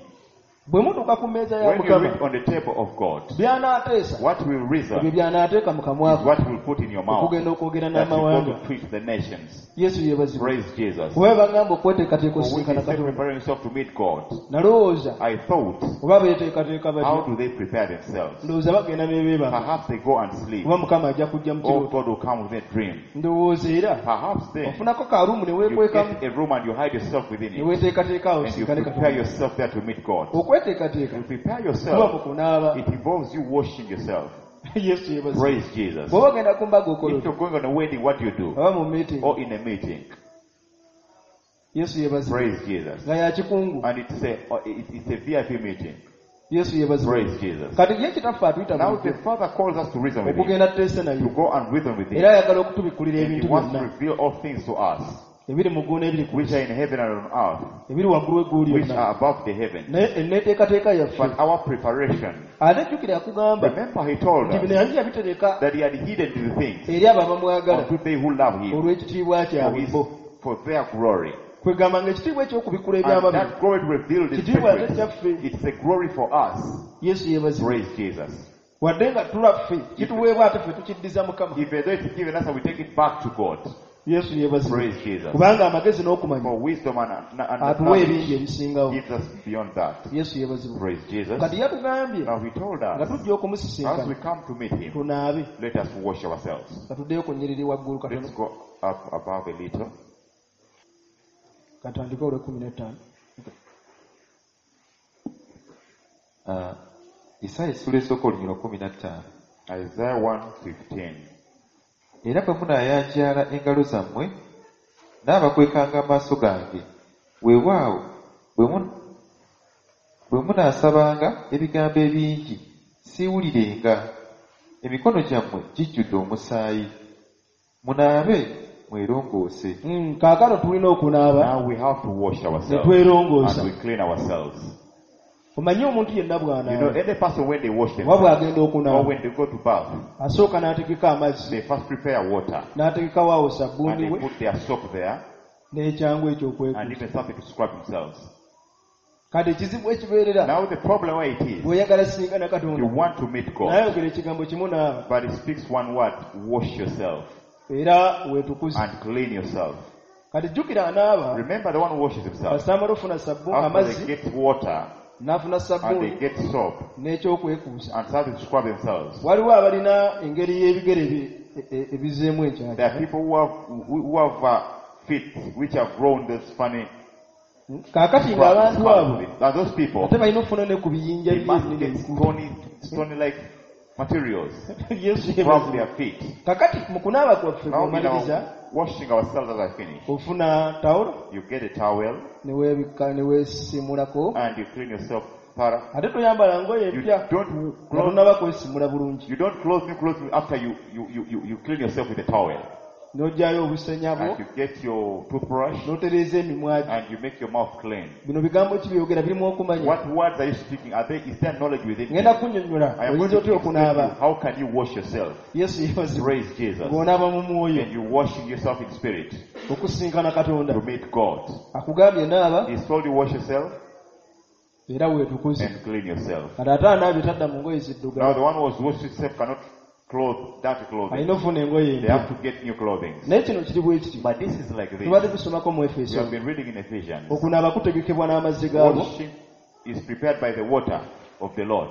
C: Bwe mutuuka ku mmeeza ya
A: When you
C: Mukama
A: read on the table of God,
C: by'anaateesa
A: what will
C: ebyo
A: reason
C: by'anaateeka mu
A: is
C: kamwa
A: what will put in your mouth
C: okugenda okwogera
A: that you go
C: n'amawanga.
A: to preach the nations.
C: Yesu yeebazibwe.
A: Praise Jesus.
C: Kuba bagamba okweteekateeka
A: For when
C: okusisinkana
A: he said
C: Katonda
A: prepare yourself to meet God,
C: nalowooza
A: I thought,
C: oba beeteekateeka
A: how
C: batya
A: do they prepare themselves?
C: ndowooza bagenda ne beebaka
A: Perhaps they go and sleep.
C: oba Mukama ajja kujja mu
A: Or
C: kirooto
A: God will come with a dream.
C: ndowooza era
A: Perhaps then
C: ofunako karuumu ne
A: you
C: weekwekamu
A: get a room and you hide yourself within
C: ne
A: it.
C: weeteekateeka awo
A: And you
C: osinkane
A: prepare
C: Katonda.
A: yourself there to meet God.
C: Okweteekateeka
A: You prepare
C: kuba
A: yourself.
C: mu kunaaba.
A: It involves you washing yourself.
C: Yesu yeebazibwe.
A: Praise Jesus.
C: Bw'oba ogenda ku mbaga okola
A: If
C: otya
A: you're going on a wedding, what do you do?
C: oba mu meeting
A: Or in a meeting.
C: Yesu yeebazibwe
A: Praise Jesus.
C: nga ya kikungu.
A: And it's a VIP meeting.
C: Yesu yeebazibwe.
A: Praise Jesus.
C: Kati ye kitaffe atuyita
A: Now the
C: bulijjo
A: Father calls us to reason with him,
C: okugenda tuteese naye
A: to go and reason with him.
C: era ayagala okutubikkulira
A: And he
C: ebintu
A: wants to
C: byonna
A: reveal all things to us,
C: ebiri mu ggulu n'ebiri ku
A: which are in heaven and on earth,
C: ebiri waggulu w'eggulu
A: which
C: lyonna
A: are above the heavens.
C: naye enneeteekateeka yaffe
A: But our preparation,
C: ate jjukira yakugamba
A: remember he told
C: nti bino
A: us
C: yali yabitereka
A: that he had hidden the things
C: eri abo abamwagala
A: unto they who love him
C: olw'ekitiibwa
A: for,
C: kyabwe
A: his,
C: bo
A: for their glory.
C: kwegamba ng'ekitiibwa eky'okubikkula
A: And
C: ebyama bino
A: that glory revealed in
C: kitiibwa ate
A: secret,
C: kyaffe.
A: it's a glory for us.
C: Yesu yeebazibwe.
A: Praise Jesus.
C: Wadde nga tulaffe kituweebwa ate ffe tukiddiza Mukama.
A: Even though it's given us and we take it back to God.
C: Yesu yeebazibwe.
A: Praise Jesus.
C: Kubanga amagezi n'okumanya
A: For wisdom and
C: atuwa
A: knowledge
C: ebingi ebisingawo.
A: gives us beyond that.
C: Yesu yeebazibwe.
A: Praise Jesus.
C: Kati yatugambye
A: Now he told
C: nga
A: us,
C: tujja
A: as we
C: okumusisinkana
A: come to meet him,
C: tunaabe
A: let us wash ourselves.
C: katuddeyo ku nnyiriri waggulu katono.
A: Let's go up above a little.
C: Katandike olw'ekkumi n'ettaano.
D: Isaaya essula esooka olunyiriri 15.
A: Isaiah 1:15.
D: Era bwe munaayanjaala engalo zammwe n'abakwekanga amaaso gange weewaawo bwe munaasabanga ebigambo ebingi siiwulirenga emikono gyammwe gijjudde omusaayi munaabe mwerongoose.
C: Kaakano tulina okunaaba
A: Now we have to wash
C: ne
A: ourselves
C: twerongoosa.
A: and we clean ourselves.
C: Omanyi omuntu yenna
A: You know,
C: bw'anaaba
A: any person when they wash
C: oba
A: themselves
C: bw'agenda
A: or
C: okunaaba
A: when they go to bath,
C: asooka n'ategeka amazzi
A: they first prepare water
C: n'ategekawo awo
A: and
C: sabbuuni
A: they
C: we
A: put their soap there
C: n'ekyangu
A: and
C: ekyokwekuza.
A: even something to scrub themselves.
C: Kati ekizibu ekibeerera
A: Now the problem where it is,
C: bw'oyagala singana
A: you
C: Katonda
A: want to meet God,
C: n'ayogera ekigambo kimu naaba
A: but he speaks one word, wash yourself
C: era weetukuze.
A: and clean yourself.
C: Kati jjukira anaaba
A: Remember the one who washes himself.
C: kasita amala ofuna sabbuuni
A: After they
C: amazzi
A: get water
C: n'afuna
A: and they
C: sabbuuni
A: get soap
C: n'ekyokwekuusa.
A: and start to scrub themselves.
C: Waliwo abalina engeri y'ebigere ebizeemu
A: There
C: enkyakya.
A: are people who have feet which have grown those funny
C: Kaakati ng'abantu abo
A: And those people,
C: ate balina okufuna ne ku biyinja
A: they must
C: biri
A: get
C: ebinene ebikulu.
A: stony like materials
C: Yesu
A: from
C: yeebazibwe.
A: their feet.
C: Kakati mu kunaaba kwaffe
A: Now in
C: bw'omaliriza
A: our washing ourselves as I finish,
C: ofuna tawulo
A: you get a towel
C: ne weebikka ne weesimulako
A: and you clean yourself thorough.
C: ate toyambala ngoye
A: You
C: empya
A: don't
C: nga
A: clothe,
C: tonnaba kwesimula bulungi
A: you don't clothe new clothes after you clean yourself with a towel.
C: n'oggyayo obusenya bwo
A: And you get your toothbrush
C: n'otereeza emimwa gyo.
A: and you make your mouth clean.
C: Bino bigambo ki byogera birimu okumanya.
A: What words are you speaking? Is there knowledge within you?
C: Ngenda kunnyonnyola
A: I am going
C: oyinza
A: to
C: otya
A: explain to you
C: okunaaba.
A: how can you wash yourself?
C: Yesu yeebazibwe.
A: Praise Jesus.
C: Ng'onaaba mu mwoyo
A: And you washing yourself in spirit
C: okusinkana Katonda.
A: to meet God.
C: Akugambye naaba
A: He told you wash yourself
C: era weetukuze.
A: and clean yourself.
C: Kati ate anaabye tadda mu ngoye
A: Now
C: ziddugala.
A: the one who has washed himself cannot clothe dirty clothing.
C: Alina okufuna engoye
A: They
C: empya.
A: have to get new clothing.
C: Naye kino kiri bwe kiti.
A: But this is like this.
C: Tubadde tusomako mu
A: We
C: Efeso.
A: have been reading in Ephesians.
C: Okunaaba kutegekebwa n'amazzi gaabwo.
A: Washing is prepared by the water of the Lord.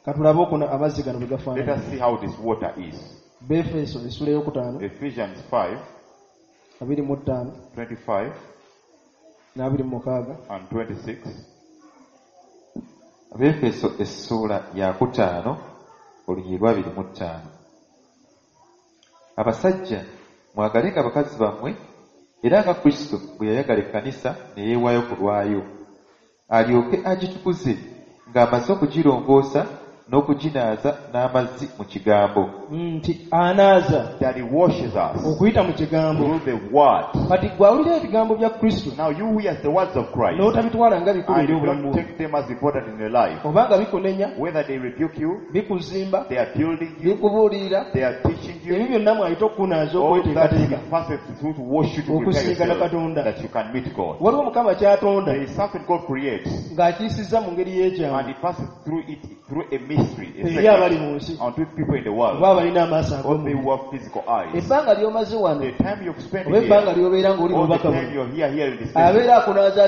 C: Katulabe okuna amazzi gano bwe
A: Let
C: gafaanana.
A: us see how this water is.
C: Befeso essula ey'okutaano
A: Ephesians 5,
C: 25
A: 25
C: n'abairi mu mukaaga.
A: and 26.
D: Abeefeso essuula ya 5 olunyiriri lwa 25. Abasajja mwagalenga bakazi bammwe era nga Kristo bwe yayagala ekkanisa ne yeewaayo ku lwayo alyoke agitukuze ng'amaze okugirongoosa n'okuginaaza n'amazzi mu kigambo.
C: Nti anaaza
A: That he washes us
C: okuyita mu kigambo.
A: through the word.
C: Kati gwe awulira ebigambo bya Kristo
A: Now you who hear the words of Christ
C: n'otabitwala nga bikulu
A: and
C: eri
A: you
C: obulamu
A: don't
C: bwo,
A: take them as important in your life,
C: oba nga bikunenya,
A: whether they rebuke you,
C: bikuzimba,
A: they are building you,
C: bikubuulirira,
A: they are teaching you,
C: ebyo byonna mwayita okukunaaza,
A: all that
C: okweteekateeka
A: he passes through to wash you, to prepare
C: okusinkana
A: yourself
C: Katonda.
A: that you can meet God.
C: Waliwo Mukama ky'atonda
A: There is something God creates
C: ng'akiyisizza mu ngeri y'ekyama
A: and he passes through it through a mystery, a
C: eri abali
A: secret,
C: mu nsi
A: unto people in the world,
C: oba abalina amaaso
A: or they
C: ag'omubiri.
A: who have physical eyes.
C: Ebbanga ly'omaze wano
A: The time you've spent
C: oba ebbanga
A: here,
C: ly'obeera ng'oli
A: all the
C: mubaka
A: time
C: buno,
A: you're here in this message,
C: abeera akunaaza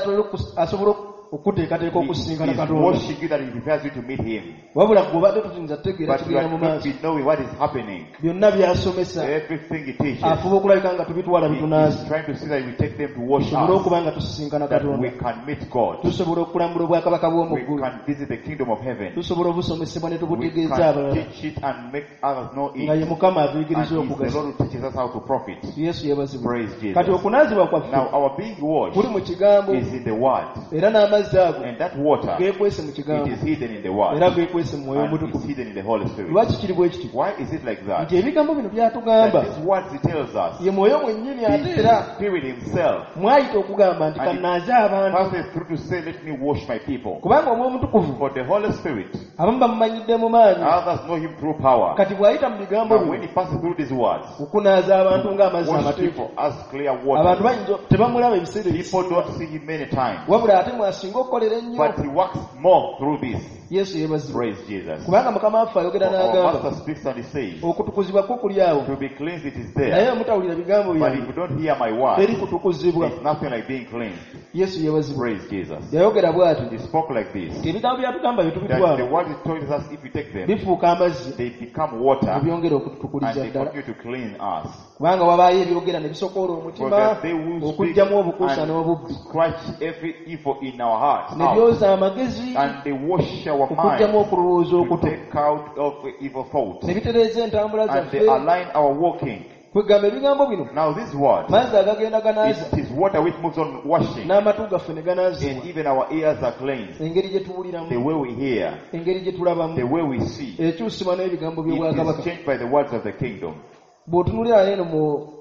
C: asobole okuteekateeka
A: he
C: okusinkana
A: is
C: Katonda.
A: washing you that he prepares you to meet him.
C: Wabula gwe obadde tuyinza kutegeera
A: But you
C: kigenda
A: are
C: mu
A: not
C: maaso.
A: be knowing what is happening.
C: Byonna by'asomesa
A: Everything he teaches,
C: afuba okulabika nga tubitwala
A: he
C: bitunaaza,
A: is trying to see that we take them to wash
C: tusobole
A: us,
C: okuba nga tusisinkana
A: that we
C: Katonda,
A: can meet God.
C: tusobola okulambula obwakabaka bw'omu
A: We
C: ggulu,
A: can visit the kingdom of heaven.
C: tusobola obusomesebwa ne
A: We
C: tubutegeeza
A: can
C: abalala,
A: teach it and make others know it.
C: nga ye
A: And
C: Mukama atuyigiriza
A: it's the
C: okugasa.
A: Lord who teaches us how to profit.
C: Yesu yeebazibwe.
A: Praise Jesus.
C: Kati okunaazibwa kwaffe
A: Now our being washed
C: kuli mu kigambo,
A: is in the word.
C: era n'amazzi ago
A: And that water,
C: geekwese mu
A: it
C: kigambo,
A: is hidden in the word.
C: era geekwese mu Mwoyo
A: And it's
C: Omutukuvu.
A: hidden in the Holy Spirit.
C: Lwaki kiri bwe kityo?
A: Why is it like that?
C: Nti ebigambo bino byatugamba
A: That these words he tells us,
C: ye Mwoyo mwennyini, ate
A: the
C: era
A: Spirit himself
C: mwayita okugamba nti
A: And it
C: kannaaze abantu,
A: passes through to say, let me wash my people.
C: kubanga Omwoyo Omutukuvu
A: For the Holy Spirit,
C: abamu bamumanyidde mu maanyi.
A: others know him through power.
C: Kati bw'ayita mu bigambo
A: Now when
C: bino
A: he passes through these words,
C: okunaaza abantu ng'amazzi
A: wash
C: amateefu,
A: people as clear
C: abantu
A: water.
C: bayinza tebamulaba ebiseera
A: People
C: ebisinga,
A: don't see him many times,
C: wabula ate mwasinga okukolera ennyo.
A: but he works more through this.
C: Yesu yeebazibwe.
A: Praise Jesus.
C: Kubanga Mukama waffe ayogera
A: For our
C: n'agamba,
A: Master speaks and he says,
C: okutukuzibwa kwo kuli awo,
A: to be cleansed it is
C: naye
A: there.
C: mutawulira bigambo
A: But if
C: byange
A: you don't hear my word,
C: teri kutukuzibwa.
A: it's nothing like being cleansed.
C: Yesu yeebazibwe.
A: Praise Jesus.
C: Yayogera bw'ati
A: He spoke like this,
C: nti ebigambo byatugamba bye
A: that the
C: tubitwala
A: word he tells us, if you take them,
C: bifuuka amazzi
A: they become water
C: ne byongera
A: and
C: okututukuliza
A: they
C: ddala,
A: continue to clean us.
C: kubanga wabaayo ebyogera ne bisokoola
A: For
C: omutima
A: that they will speak
C: okuggyamu obukuusa
A: and
C: n'obubbi,
A: scratch every evil in our hearts
C: ne
A: out,
C: byoza amagezi
A: and they wash our
C: okuggyamu
A: minds
C: okulowooza
A: to
C: okuto,
A: take out every evil thought,
C: ne bitereeza entambula
A: and they
C: zaffe.
A: align our walking.
C: Kwegamba ebigambo bino
A: Now this word,
C: mazzi agagenda ganaaza
A: it is water which moves on washing,
C: n'amatu gaffe ne ganaazibwa,
A: and even our ears are cleansed.
C: engeri gye
A: The
C: tuwuliramu,
A: way we hear,
C: engeri gye
A: the
C: tulabamu
A: way we see,
C: ekyusibwa n'ebigambo
A: it is
C: by'obwakabaka.
A: changed by the words of the kingdom.
C: Bw'otunuulira eno mu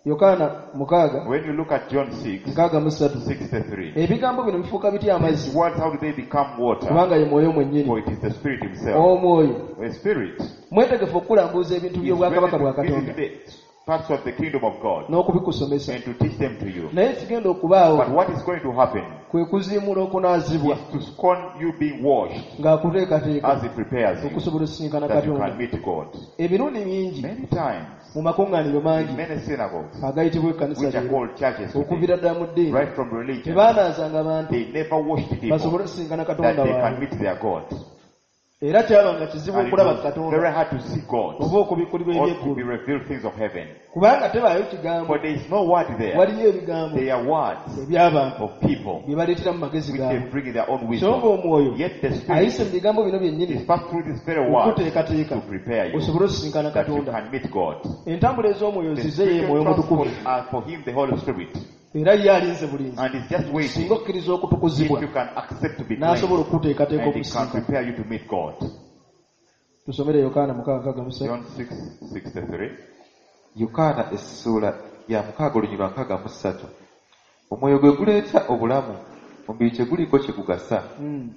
C: Yokaana 6
A: When you look at John 6,
C: 63,
A: 63,
C: ebigambo bino bifuuka bitya amazzi?
A: these words, how do they become water?
C: Kubanga ye Mwoyo
A: For
C: mwennyini.
A: it is the Spirit himself.
C: Omwoyo
A: The Spirit
C: mwetegefu okulambuuza ebintu
A: is
C: by'obwakabaka bwa
A: ready to
C: Katonda
A: visit the parts of the kingdom of God
C: n'okubikusomesa,
A: and to teach them to you.
C: naye ekigenda okubaawo
A: But what is going to happen
C: kwe kuziimuula okunaazibwa
A: is to scorn you being washed
C: ng'akuteekateeka
A: as he prepares you
C: okusobola osisinkana
A: that you
C: Katonda.
A: can meet God.
C: Emirundi mingi
A: Many times,
C: mu makuŋŋaaniro
A: in
C: mangi
A: many synagogues,
C: agayitibwa ekkanisa
A: which are
C: leero,
A: called churches today,
C: okuviira ddala mu ddiini,
A: right from religion,
C: tebaanaazanga bantu
A: they never washed people
C: basobole osisinkana
A: that
C: Katonda
A: they can
C: waabwe.
A: meet their God.
C: Era kyabanga kizibu
A: And it
C: okulaba
A: was
C: Katonda
A: very hard to see God
C: oba okubikkulirwa
A: or to be
C: eby'eggulu,
A: revealed things of heaven.
C: kubanga tebaayo kigambo.
A: For there is no word there.
C: Waliyo ebigambo
A: They are words
C: eby'abantu
A: of people
C: bye baleetera mu magezi
A: which they
C: gaabwe,
A: bring in their own
C: so
A: wisdom.
C: ng'omwoyo
A: Yet the Spirit
C: ayise mu bigambo bino byennyini
A: is passed through this very word
C: okuteekateeka
A: to prepare you
C: osobole osisinkana
A: that you
C: Katonda.
A: can meet God.
C: Entambula ez'omwoyo
A: The
C: zize ye
A: spiritual
C: Mwoyo Mutukuvu,
A: transport are for him the Holy Spirit.
C: era ye alinze bulinzi
A: And he's just waiting
C: singa okkiriza okutukuzibwa
A: if you can accept to be
C: n'asobola
A: cleansed
C: okukuteekateeka
A: and he can
C: okusinkana.
A: prepare you to meet God.
C: Tusomere Yokaana 6:63.
A: John 6:63.
D: Yokaana essuula ya 6 olunyiriri 63. Omwoyo gwe guleeta obulamu, omubiri teguliiko kye gugasa.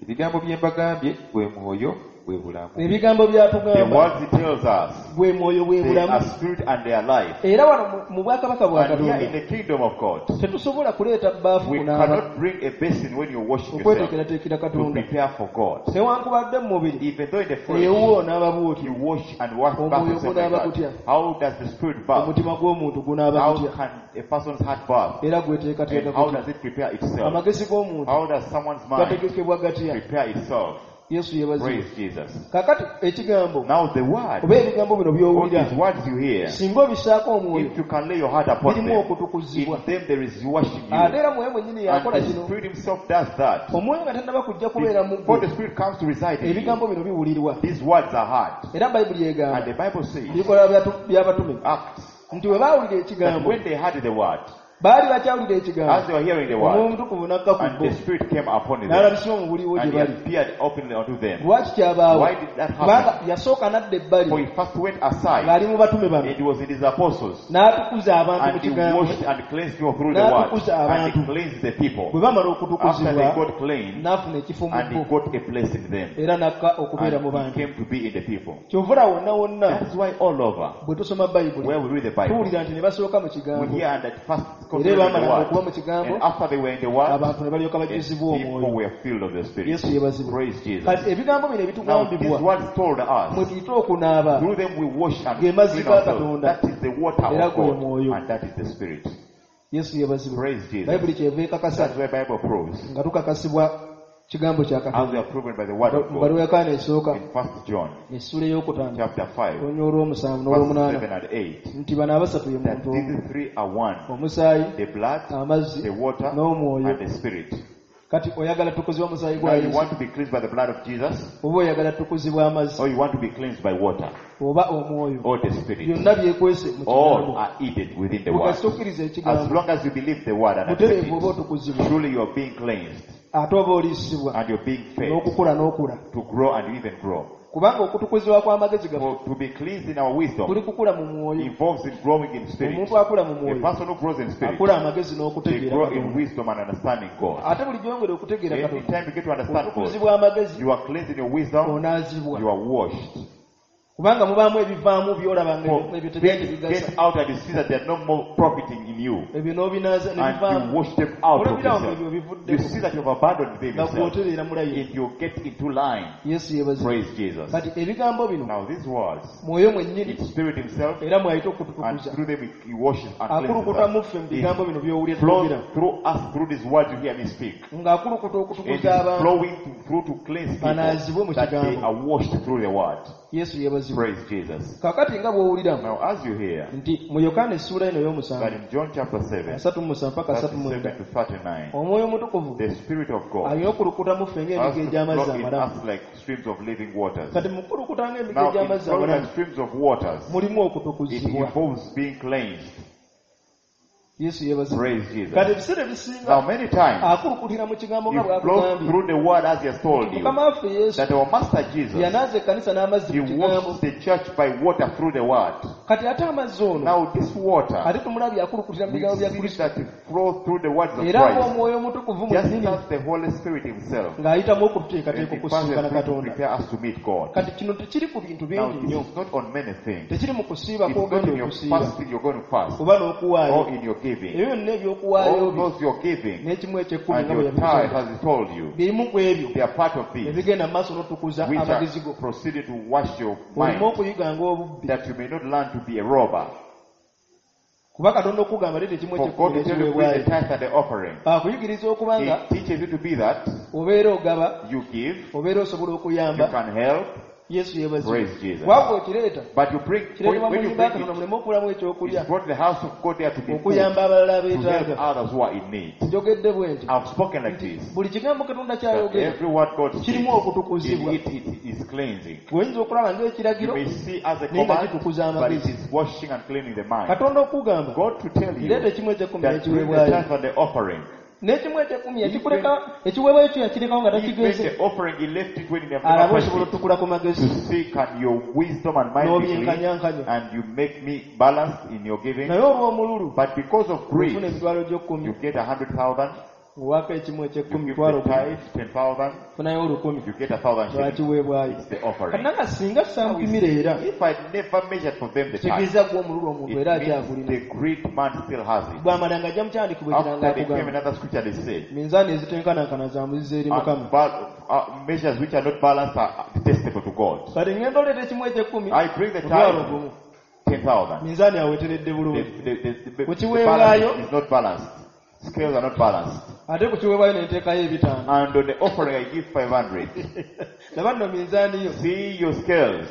D: Ebigambo bye mbagambye gwe mwoyo bwe bulamu.
C: Ebigambo
A: The
C: byatugamba
A: words he tells us,
C: gwe mwoyo bwe
A: they
C: bulamu.
A: are spirit and they are life.
C: Era wano mu bwakabaka bwa
A: And here in
C: Katonda
A: the kingdom of God,
C: tetusobola kuleeta bbaafu
A: we
C: kunaaba
A: cannot bring a basin when you're washing yourself
C: okweteekerateekera
A: to
C: Katonda,
A: prepare for God.
C: newankubadde mu mubiri
A: Even though in the flesh
C: ewuwo onaaba bw'otyo,
A: you wash and wash bath
C: Omwoyo
A: yourself like
C: gunaaba
A: that,
C: gutya?
A: how does the spirit bath?
C: Omutima gw'omuntu gunaaba
A: How
C: gutya?
A: can a person's heart bath?
C: Era gweteekateeka
A: And how
C: gutya?
A: does it prepare itself?
C: Amagezi g'omuntu
A: How does someone's mind
C: gategekebwa gatya?
A: prepare itself?
C: Yesu yeebazibwe.
A: Praise Jesus.
C: Kaakati ekigambo
A: Now the word,
C: oba ebigambo bino
A: all
C: by'owulira,
A: these words you hear,
C: singa obisaako omwoyo,
A: if you can lay your heart upon
C: birimu
A: them,
C: okutukuzibwa.
A: in them there is washing
C: Ate
A: you.
C: era Mwoyo mwennyini
A: And
C: yakola
A: the
C: kino.
A: Spirit himself does that.
C: Omwoyo nga tannaba kujja kubeera mu
A: Before
C: ggwe,
A: the Spirit comes to reside in you,
C: ebigambo bino biwulirwa.
A: these words are heard.
C: Era Bayibuli
A: And
C: egamba
A: the Bible says,
C: ebikolwa by'abatume
A: Acts,
C: nti bwe baawulira
A: that
C: ekigambo
A: when they heard the word,
C: Baali bakyawulira ekigambo
A: As they were hearing the
C: Omwoyo
A: word,
C: Omutukuvu n'akka ku
A: and
C: bo
A: the Spirit came upon them,
C: n'alabisibwa mu buliwo gye
A: and he
C: bali.
A: appeared openly unto them.
C: Lwaki kyabaawo?
A: Why did that happen?
C: Kubanga yasooka n'adda ebbali
A: For he first went aside,
C: ng'ali mu batume bano
A: and he was in his apostles,
C: n'atukuza abantu mu
A: and he
C: kigambo
A: washed and cleansed people through the word,
C: N'atukuza
A: and he
C: abantu.
A: cleansed the people.
C: Bwe bamala
A: After
C: okutukuzibwa
A: they got cleansed,
C: n'afuna ekifo mu
A: and he
C: bo
A: got a place in them,
C: era n'akka okubeera mu
A: and he
C: bantu.
A: came to be in the people.
C: Kyova olaba wonna wonna
A: That is why all over,
C: bwe tusoma Bayibuli
A: where we read the Bible,
C: tuwulira nti ne basooka mu
A: we
C: kigambo
A: hear and at first
C: era
A: considered the
C: baamalanga okuba
A: word,
C: mu kigambo
A: and after they were in the word,
C: abantu ne balyoka
A: and
C: bajjuzibwa
A: people
C: omwoyo.
A: were filled of the Spirit.
C: Yesu yeebazibwe.
A: Praise Jesus.
C: Kati ebigambo bino
A: Now these
C: ebitugambibwa
A: words told
C: mwe
A: us,
C: tuyite okunaaba
A: through them we wash and
C: Ge mazzi
A: clean
C: ga
A: ourselves.
C: Katonda.
A: That is the water
C: Era
A: of
C: gwe
A: God,
C: mwoyo.
A: and that is the Spirit.
C: Yesu yeebazibwe.
A: Praise Jesus.
C: Bayibuli kyeva ekakasa
A: That's where Bible proves,
C: nga tukakasibwa kigambo kya
A: as
C: Katonda.
A: we are proven by the word of
C: Mu
A: God
C: bbaluwa ya Yokaana esooka
A: in 1 John
C: essuula ey'okutaano
A: chapter 5,
C: olunya olw'omusanvu
A: verse
C: n'olw'omunaana
A: 7 and 8,
C: nti bano abasatu ye
A: that
C: muntu omu
A: these three are one:
C: omusaayi
A: the blood,
C: amazzi
A: the water,
C: n'omwoyo.
A: and the Spirit.
C: Kati oyagala tukuzibwa musaayi gwa
A: Now you
C: Yesu
A: want to be cleansed by the blood of Jesus,
C: oba oyagala tukuzibwa amazzi
A: or you want to be cleansed by water
C: oba omwoyo
A: or the Spirit.
C: byonna byekwese mu
A: All
C: kigambo.
A: are hidden within the word.
C: Bwekasita okkiriza
A: As
C: ekigambo
A: long as you believe the word and accept
C: butereevu oba
A: it,
C: otukuzibwa
A: truly you are being cleansed
C: ate oba oliisibwa
A: and you're being fed
C: n'okukula n'okula
A: to grow and even grow.
C: Kubanga okutukuzibwa kw'amagezi gaffe
A: For to be cleansed in our wisdom
C: kuli kukula mu mwoyo.
A: involves in growing in spirit.
C: Omuntu akula mu
A: A
C: mwoyo
A: person who grows in spirit,
C: akula amagezi
A: they
C: n'okutegeera
A: grow in
C: Katonda.
A: wisdom and understanding God.
C: Ate buli gyongera okutegeera
A: Every
C: Katonda
A: time you get to understand God,
C: otukuzibwa amagezi
A: you are cleansed in your wisdom,
C: onaazibwa
A: you are washed.
C: kubanga mubaamu ebivaamu by'olaba nga
A: For
C: ebyo tebyali
A: things
C: bigasa
A: get out and you see that they are no more profiting in you.
C: ebyo n'obinaaza ne
A: And you
C: bivaamu
A: wash them out of
C: olabirawo nga ebyo
A: yourself. You
C: bivuddeko
A: see that you have abandoned them
C: nga
A: yourself.
C: gw'otereera mulayi.
A: If you get into line,
C: Yesu yeebazibwe.
A: praise Jesus.
C: Kati ebigambo bino
A: Now these words,
C: mwoyo mwennyini
A: it's Spirit himself,
C: era mwayita
A: and
C: okututukuza
A: through them he washes and cleanses
C: akulukuta mu
A: us.
C: ffe mu bigambo bino by'owulira
A: It flows
C: twogera
A: through us through these words you hear me speak.
C: ng'akulukuta
A: It
C: okutukuza
A: is
C: abantu
A: flowing through to cleanse people
C: banaazibwe mu
A: that they
C: kigambo.
A: are washed through the word.
C: Yesu yeebazibwe.
A: Praise Jesus.
C: Kaakati nga bw'owulira
A: Now as you hear
C: nti mu Yokaana essuula eno
A: that
C: ey'omusanvu
A: in John chapter 7,
C: 37 paka 39
A: 37 to 39,
C: Omwoyo Omutukuvu
A: the Spirit of God
C: alina okulukuta mu ffe
A: has
C: ng'emigga
A: to
C: egy'amazzi
A: flow in
C: amalamu.
A: us like streams of living waters.
C: Kati mu kukulukuta ng'emigga
A: Now in
C: egy'amazzi
A: flowing
C: amalamu
A: like streams of waters,
C: mulimu
A: it
C: okutukuzibwa.
A: involves being cleansed.
C: Yesu yeebazibwe.
A: Praise Jesus.
C: Kati ebiseera ebisinga
A: Now many times,
C: akulukutira mu kigambo nga
A: he flows
C: bw'akugambye
A: through the word as he has told you
C: Mukama waffe Yesu
A: that our Master Jesus,
C: yanaaza ekkanisa n'amazzi
A: he
C: mu kigambo.
A: washed the church by water through the word.
C: Kati ate amazzi ono
A: Now this water,
C: ate tumulabye akulukutira mu
A: we
C: bigambo bya
A: see
C: Kristo
A: that it flows through the words of
C: era
A: Christ,
C: ng'Omwoyo Omutukuvu
A: just
C: mwennyini
A: as the Holy Spirit himself,
C: ng'ayitamu
A: and
C: okututeekateeka
A: he passes
C: okusinkana
A: through to
C: Katonda.
A: prepare us to meet God.
C: Kati kino tekiri ku bintu
A: Now
C: bingi
A: this
C: nnyo
A: is not on many things.
C: tekiri mu kusiiba
A: It's not
C: kw'ogenda
A: in your
C: okusiiba
A: fasting you're going to fast,
C: oba n'okuwaayo
A: or in your giving.
C: ebyo byonna ebyokuwaayo
A: All
C: byo
A: those you're giving
C: n'ekimu eky'ekkumi
A: and
C: nga bwe
A: your tithe
C: yabisoma
A: as he told you,
C: birimu ku ebyo
A: they are part of this,
C: ebigenda mu maaso n'otukuza
A: which
C: amagezi
A: are
C: go
A: proceeding to wash your
C: oleme
A: mind,
C: okuyiga ng'obubbi
A: that you may not learn to be a robber.
C: Kuba Katonda okugamba leeta ekimu
A: For God
C: eky'ekkumi
A: to tell you bring
C: n'ekiweebwayo
A: the tithe and the offering,
C: akuyigiriza okuba nga
A: He teaches you to be that
C: obeera ogaba
A: you give,
C: obeera osobola
A: you
C: okuyamba.
A: can help.
C: Yesu yeebazibwe.
A: Praise Jesus.
C: Kubanga okireeta
A: But you bring
C: kireetebwa mu
A: when you
C: nnyumba ya
A: bring
C: Katonda
A: it,
C: muleme okubulamu ekyokulya
A: it's brought to the house of God there to be food,
C: okuyamba abalala
A: to help
C: abeetaaga.
A: others who are in need.
C: Njogedde bwe nti
A: I've spoken like this.
C: buli kigambo Katonda
A: That
C: ky'ayogera
A: every word God speaks,
C: kirimu okutukuzibwa.
A: in it is cleansing.
C: Oyinza okulaba
A: You
C: ng'ekiragiro
A: may see as a
C: naye nga
A: command,
C: kitukuza
A: but it
C: amagezi.
A: is washing and cleaning the mind.
C: Katonda okugamba
A: God to tell you
C: leeta ekimu eky'ekkumi
A: that bring the
C: n'ekiweebwayo
A: tithe and the offering.
C: n'ekimu eky'ekkumi yakikuleka ekiweebwayo kyo yakirekawo nga
A: Even
C: takigeze
A: the offering, he left it when he never
C: alabe
A: touched
C: osobola
A: it.
C: otukula ku
A: To
C: magezi
A: see can your wisdom and mind be clean,
C: n'obyenkanyankanya
A: and you make me balanced in your giving.
C: naye olw'omululu
A: But because of
C: ofuna
A: greed,
C: emitwalo gy'ekkumi
A: you get 100,000,
C: ng'owaako ekimu
A: you
C: eky'ekkumi
A: give
C: mitwalo
A: the tithe 10,000,
C: ofunayo olukumi
A: you get 1,000 shillings.
C: lwakiweebwayo.
A: It's the offering.
C: Kati nanga singa sampimira era
A: If I never measured for them the tithe,
C: kitegeeza gwe omululu omuntu
A: it
C: era
A: means
C: akyagulina
A: the great man still has it.
C: bw'amala nga ajja mu kyandikibwa ekiranga
A: After they came
C: akugamba
A: another scripture, they said,
C: minzaani ezitenkanankana za muzizo eri Mukama.
A: Measures which are not balanced are detestable to God.
C: Kati ngenda oleeta ekimu eky'ekkumi
A: I bring the
C: mutwalo
A: tithe,
C: gumu
A: 10,000.
C: minzaani aweteredde bulungi
A: The
C: Kuchiweebwayo.
A: balance is not balanced. Scales are not balanced.
C: Ate ku kiweebwayo ne nteekayo ebitaano
A: And on the offering, I give 500.
C: laba nno minzaani yo
A: See your scales.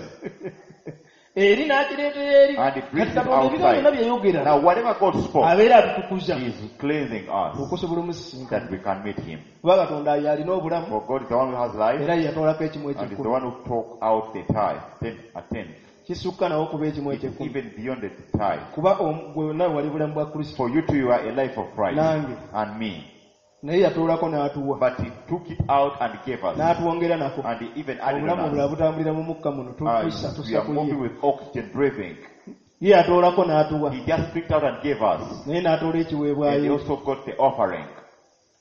C: eri n'akireetera eri
A: And it brings
C: kati
A: it
C: Katonda ebigambo byonna
A: outside.
C: byeyogera
A: Now, whatever God spoke,
C: abeera atutukuza
A: He is cleansing us
C: okusobola omusisinkana
A: that we can meet Him.
C: kuba Katonda y'alina obulamu
A: For God is the one who has life
C: era ye yatwalako ekimu
A: and is the
C: eky'ekkumi
A: one who took out the tithe, 10 a tenth.
C: Kisukka nawo okuba ekimu
A: It's
C: ekyekumi.
A: even beyond the tithe.
C: Kuba gwe nawe wali bulamu bwa Kristo.
A: For you too, you are a life of Christ
C: Nange.
A: and me.
C: Naye yatoolako n'atuwa.
A: But he took it out and gave us.
C: N'atwongera nako.
A: And he even added
C: Obulamu
A: on
C: obulala
A: us.
C: butambulira mu mukka muno. Tussa
A: We
C: tussa
A: are
C: ku ye.
A: moving with oxygen breathing.
C: Ye yatoolako n'atuwa.
A: He just picked out and gave us.
C: Naye n'atoola
A: And he
C: ekiweebwayo.
A: also got the offering.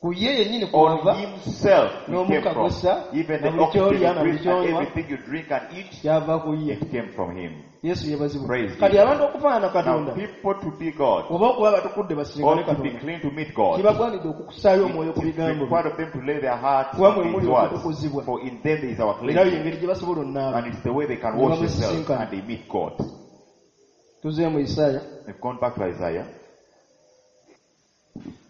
C: Ku ye yennyini
A: On
C: kwava
A: himself it came
C: n'omukka
A: from.
C: gussa,
A: Even
C: na
A: the
C: buli
A: oxygen
C: ky'olya
A: you
C: na buli
A: breathe and
C: ky'onywa
A: everything you drink and eat,
C: kyava ku ye.
A: it came from him.
C: Yesu yeebazibwe.
A: Praise
C: Kati
A: Jesus.
C: abantu okufaanana Katonda
A: Now people to be God
C: oba okuba abatukudde basinkane
A: or to be
C: Katonda
A: clean to meet God,
C: kibagwanidde okukusaayo omwoyo ku
A: it is
C: bigambo bye.
A: required of them to lay their hearts
C: Kuba mwe
A: on his
C: muli
A: words.
C: okutukuzibwa.
A: For in them is our
C: Era
A: cleansing.
C: engeri gye basobola onaaba.
A: And it's the way they can
C: Ne
A: wash themselves
C: bamusisinkana.
A: and they meet God.
C: Tuzeemu mu Isaaya.
A: We've gone back to Isaiah.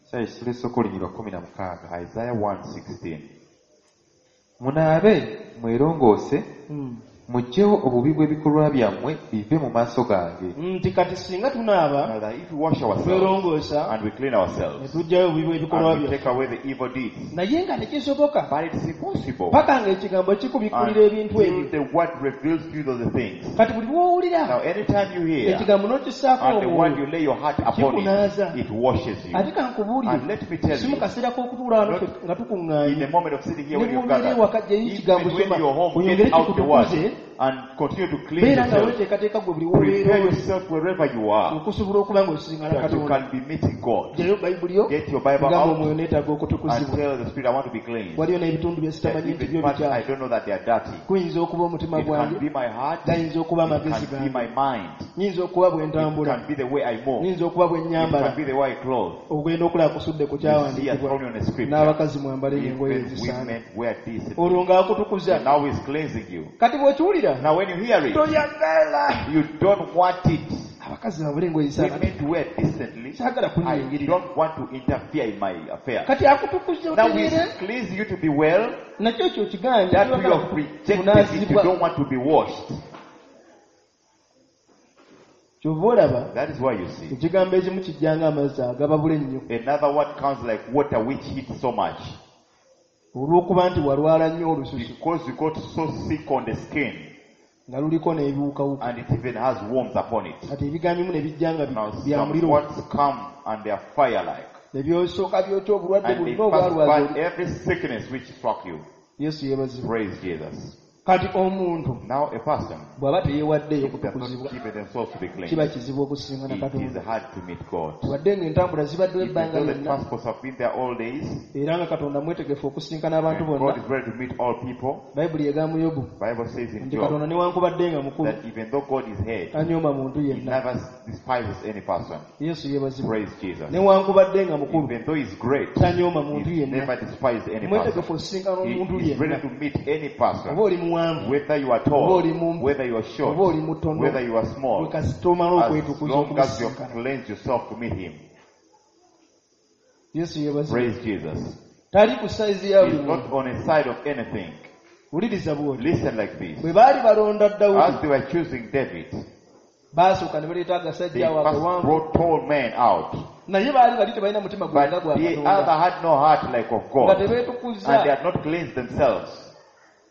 D: Isaaya essula esooka olunyiriri lwa 16.
A: Isaiah 1:16.
D: Munaabe mwerongoose muggyewo obubi bw'ebikolwa byammwe bive mu maaso gange.
C: Nti kati singa tunaaba
A: Now that if we wash ourselves
C: twerongoosa
A: and we clean
C: ne
A: ourselves
C: tuggyayo obubi bw'ebikolwa
A: and we
C: byaffe
A: take away the evil deeds,
C: naye nga tekisoboka
A: but it's impossible
C: paka ng'ekigambo kikubikkulira ebintu
A: until
C: ebyo.
A: the word reveals to you those things.
C: Kati buli lw'owulira
A: Now, anytime you hear
C: ekigambo n'okissaako
A: and the word
C: omwoyo
A: you lay your heart upon
C: kikunaaza.
A: it, it washes you.
C: Ate kankubuulire
A: And let me tell
C: si mu
A: you,
C: kaseera k'okutuula wano
A: not
C: ffe nga
A: in
C: tukuŋŋaanye
A: the moment of sitting here
C: ne
A: when you've
C: bw'obeera
A: gathered,
C: ewaka ggyeyo ekigambo
A: even when
C: soma
A: you're home,
C: oyongere
A: get out the word
C: kikutukuze
A: and continue to clean
C: beera nga
A: yourself.
C: weeteekateeka gwe buli w'obeera
A: Prepare yourself wherever you are
C: okusobola okuba ng'osisinkana
A: that you
C: Katonda.
A: can be meeting God.
C: Ggyayo Bayibuli yo
A: Get your Bible
C: gamba
A: out
C: omwoyo neetaaga
A: and
C: okutukuzibwa.
A: tell the Spirit, I want to be clean.
C: Waliyo n'ebitundu bye
A: That
C: sitamanyi nti
A: even
C: byo
A: parts I
C: bikyafu.
A: don't know that they are dirty.
C: Guyinza okuba omutima
A: It can
C: gwange,
A: be my heart,
C: gayinza okuba
A: it
C: amagezi
A: can be
C: gange,
A: my mind,
C: nyinza okuba bwe
A: it
C: ntambula,
A: can be the way I move,
C: nyinza okuba bwe
A: it
C: nnyambala.
A: can be the way I clothe.
C: Ogenda okulaba kusudde ku
A: You see us
C: kyawandiikibwa
A: only on a scripture.
C: n'abakazi mwambale engoye
A: Even
C: ezisaana.
A: women wear decently.
C: Olwo ng'akutukuza.
A: And now he's cleansing you.
C: Kati bw'okiwulira
A: Now when you hear it,
C: toyagala
A: you don't want it.
C: abakazi bambale engoye ezisaana.
A: Women to wear decently.
C: Saagala
A: I
C: kunyingirira.
A: don't want to interfere in my affair.
C: Kati akutukuza
A: Now he's
C: otereere
A: cleansing you to be well.
C: nakyo ekyo okigaanye
A: That you
C: toyagala
A: have rejected it. You
C: kunaazibwa.
A: don't want to be washed.
C: Kyova olaba
A: That is why you see.
C: ekigambo ekimu kijja ng'amazzi agababula ennyo
A: Another word comes like water which hits so much.
C: olw'okuba nti walwala nnyo olususu
A: Because you got so sick on the skin
C: nga luliko n'ebiwukawuka
A: and it even has worms upon it.
C: kati ebigambo ebimu ne bijja nga
A: Now
C: bya
A: some
C: muliro
A: words come and they are fire-like.
C: ne byosooka byokya obulwadde
A: And they
C: bwonna
A: first
C: obwalwaza
A: burn every sickness which struck you.
C: Yesu yeebazibwe.
A: Praise Jesus.
C: Kati omuntu
A: Now a person,
C: bw'aba teyeewaddeeyo
A: if they have
C: kutukuzibwa
A: not given themselves to be
C: kiba
A: cleansed,
C: kizibu okusisinkana
A: it is
C: Katonda.
A: hard to meet God.
C: Wadde ng'entambula zibaddewo
A: Even
C: ebbanga
A: though the
C: lyonna
A: transports have been there all days,
C: era nga Katonda mwetegefu okusisinkana abantu
A: and God
C: bonna.
A: is ready to meet all people.
C: Bayibuli egamba Yobu
A: Bible says in
C: nti
A: Job
C: Katonda newankubadde nga mukulu
A: that even though God is head,
C: tanyooma muntu
A: he
C: yenna.
A: never despises any person.
C: Yesu yeebazibwe.
A: Praise Jesus.
C: Newankubadde nga mukulu
A: Even though he's great,
C: tanyooma muntu
A: he
C: yenna.
A: never despises any person.
C: Mwetegefu osisinkana
A: He
C: omuntu
A: is ready
C: yenna.
A: to meet any
C: Oba
A: person,
C: oli muwanvu
A: whether you are
C: oba
A: tall,
C: oli mumpi
A: whether you are
C: oba
A: short,
C: oli mutono
A: whether you are small,
C: gwe kasita omala
A: as
C: okwetukuza
A: long as you
C: okumusisinkana.
A: cleanse yourself to meet him.
C: Yesu yeebazibwe.
A: Praise Jesus.
C: Tali ku sayizi ya buli
A: He's not
C: muntu.
A: on a side of anything.
C: Wuliriza bw'oti.
A: Listen like this.
C: Bwe baali balonda
A: As
C: Dawudi
A: they were choosing David,
C: baasooka ne baleeta
A: they
C: agasajja awo
A: first
C: agawanvu
A: brought tall men out.
C: naye baali bali tebalina mutima gwenga
A: But
C: gwa
A: the
C: Katonda
A: other had no heart like of
C: nga
A: God. And they
C: tebeetukuza
A: had not cleansed themselves.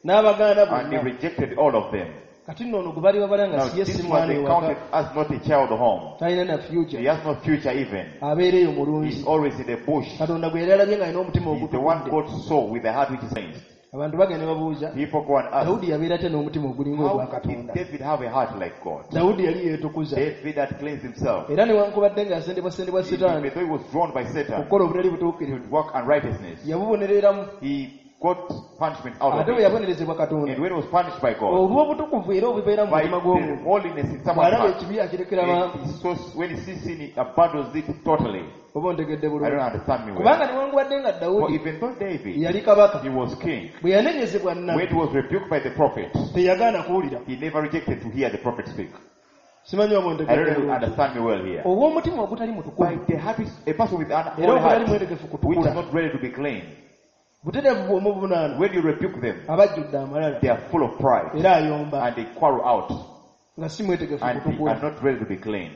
C: n'abagaana
A: And they
C: bonna.
A: rejected all of them.
C: Kati nno ono gwe baali babala nga
A: Now
C: si ye
A: this
C: si
A: one
C: mwana
A: they
C: ewaka
A: counted as not a child home.
C: talina na
A: He
C: future
A: has no future even.
C: abeera eyo
A: He's
C: mulunzi.
A: always in the bush.
C: Katonda gwe yali alabye ng'alina omutima
A: He's the one
C: ogutukudde.
A: God saw with the heart which is cleansed.
C: Abantu bagenda ne babuuza
A: People go and ask,
C: Dawudi yabeera atya n'omutima ogulinga ogwa
A: how did
C: Katonda?
A: David have a heart like God?
C: Dawudi yali yeetukuza
A: David had cleansed himself.
C: era newankubadde ng'asendebwasendebwa
A: Even
C: Sitaani
A: though he was drawn by Satan
C: okukola obutali butuukirivu
A: to work unrighteousness,
C: yabubonereramu
A: he got punishment out of
C: ate bwe
A: it.
C: yabonerezebwa Katonda
A: And when he was punished by God,
C: olw'obutukuvu era obubeera mu
A: by
C: mutima
A: the
C: gw'omuntu
A: holiness in someone's
C: bw'alaba
A: heart,
C: ekibi akirekera mangu
A: when he sees sin, he abandons it totally.
C: oba ontegedde
A: I don't
C: bulungi
A: understand me well.
C: kubanga newankubadde nga
A: For
C: Dawudi
A: even though David,
C: yali kabaka
A: he was king,
C: bwe yanenyezebwa
A: when
C: nnabbi
A: he was rebuked by the prophet,
C: teyagaana kuwulira.
A: he never rejected to hear the prophet speak.
C: Simanyi oba
A: I
C: ontegedde
A: don't know if you
C: bulungi.
A: understand me well here.
C: Ow'omutima ogutali
A: By
C: mutukuvu
A: the heart is a person with an
C: era
A: holy
C: ogutali
A: heart,
C: mwetegefu
A: which is
C: kutukula
A: not ready to be clean.
C: butereevu bw'omuvunaana
A: When you rebuke them,
C: aba ajjudde amalala
A: they are full of pride
C: era ayomba
A: and they quarrel out
C: nga si mwetegefu
A: and they
C: kutukula.
A: are not ready to be clean.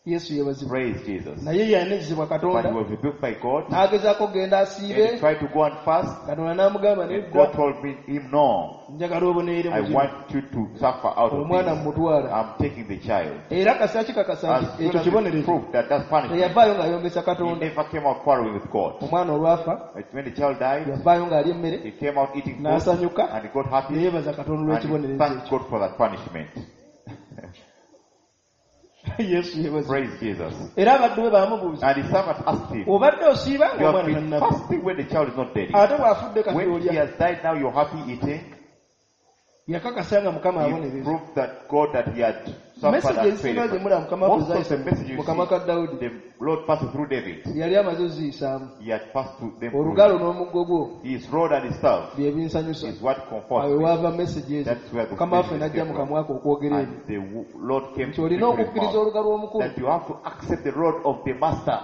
C: Yesu yeebazibwe.
A: Praise Jesus.
C: Naye yanezebwa
A: But he
C: Katonda
A: was rebuked by God
C: n'agezaako okugenda
A: and
C: asiibe
A: he tried to go and fast.
C: Katonda n'amugamba
A: And
C: nedda
A: God told him, no,
C: njagala oboneere
A: I
C: mu kino
A: want you to suffer out of
C: omwana
A: this.
C: mmutwala
A: I'm taking the child.
C: era kasita kikakasa
A: As
C: nti
A: soon
C: ekyo
A: as he
C: kibonerezo
A: proved that that's punishment,
C: teyavaayo ng'ayombesa
A: he
C: Katonda.
A: never came out quarreling with God.
C: Omwana olwafa
A: When the child died,
C: yavaayo ng'alya emmere
A: he came out eating food
C: n'asanyuka
A: and he got happy
C: neyeebaza Katonda
A: and he
C: olw'ekibonerezo
A: thanked
C: ekyo.
A: God for that punishment.
C: Yesu yeebazibwe.
A: Praise Jesus.
C: Era abaddu be baamubuuza
A: And his servant asked him,
C: obadde osiiba
A: you have
C: ng'omwana
A: been
C: tannafa
A: fasting when the child is not dead.
C: ate bw'afudde kati
A: When he
C: olya.
A: has died now, you're happy eating.
C: Yakakasa nga Mukama
A: He
C: abonereza.
A: proved that God that he had suffered
C: Message
A: and
C: ezisinga
A: failed.
C: ze mulaba Mukama waffe
A: Most of
C: zayise
A: the messages you
C: mu kamwa ka
A: see,
C: Dawudi
A: the Lord passed through David.
C: yali amaze oziyisaamu.
A: He had passed through them. Through
C: Olugalo n'omuggo gwo
A: his rod and his staff
C: bye binsanyusa.
A: is what
C: Awo
A: comforts me.
C: waava message ezo
A: That's where the
C: Mukama waffe
A: messages
C: n'ajja
A: came
C: mu
A: from.
C: kamwa ke okwogera ebyo
A: And the Lord came
C: nti
A: to
C: olina
A: speak through his
C: okukkiriza
A: mouth.
C: olugalo omukulu
A: That you have to accept the rod of the master.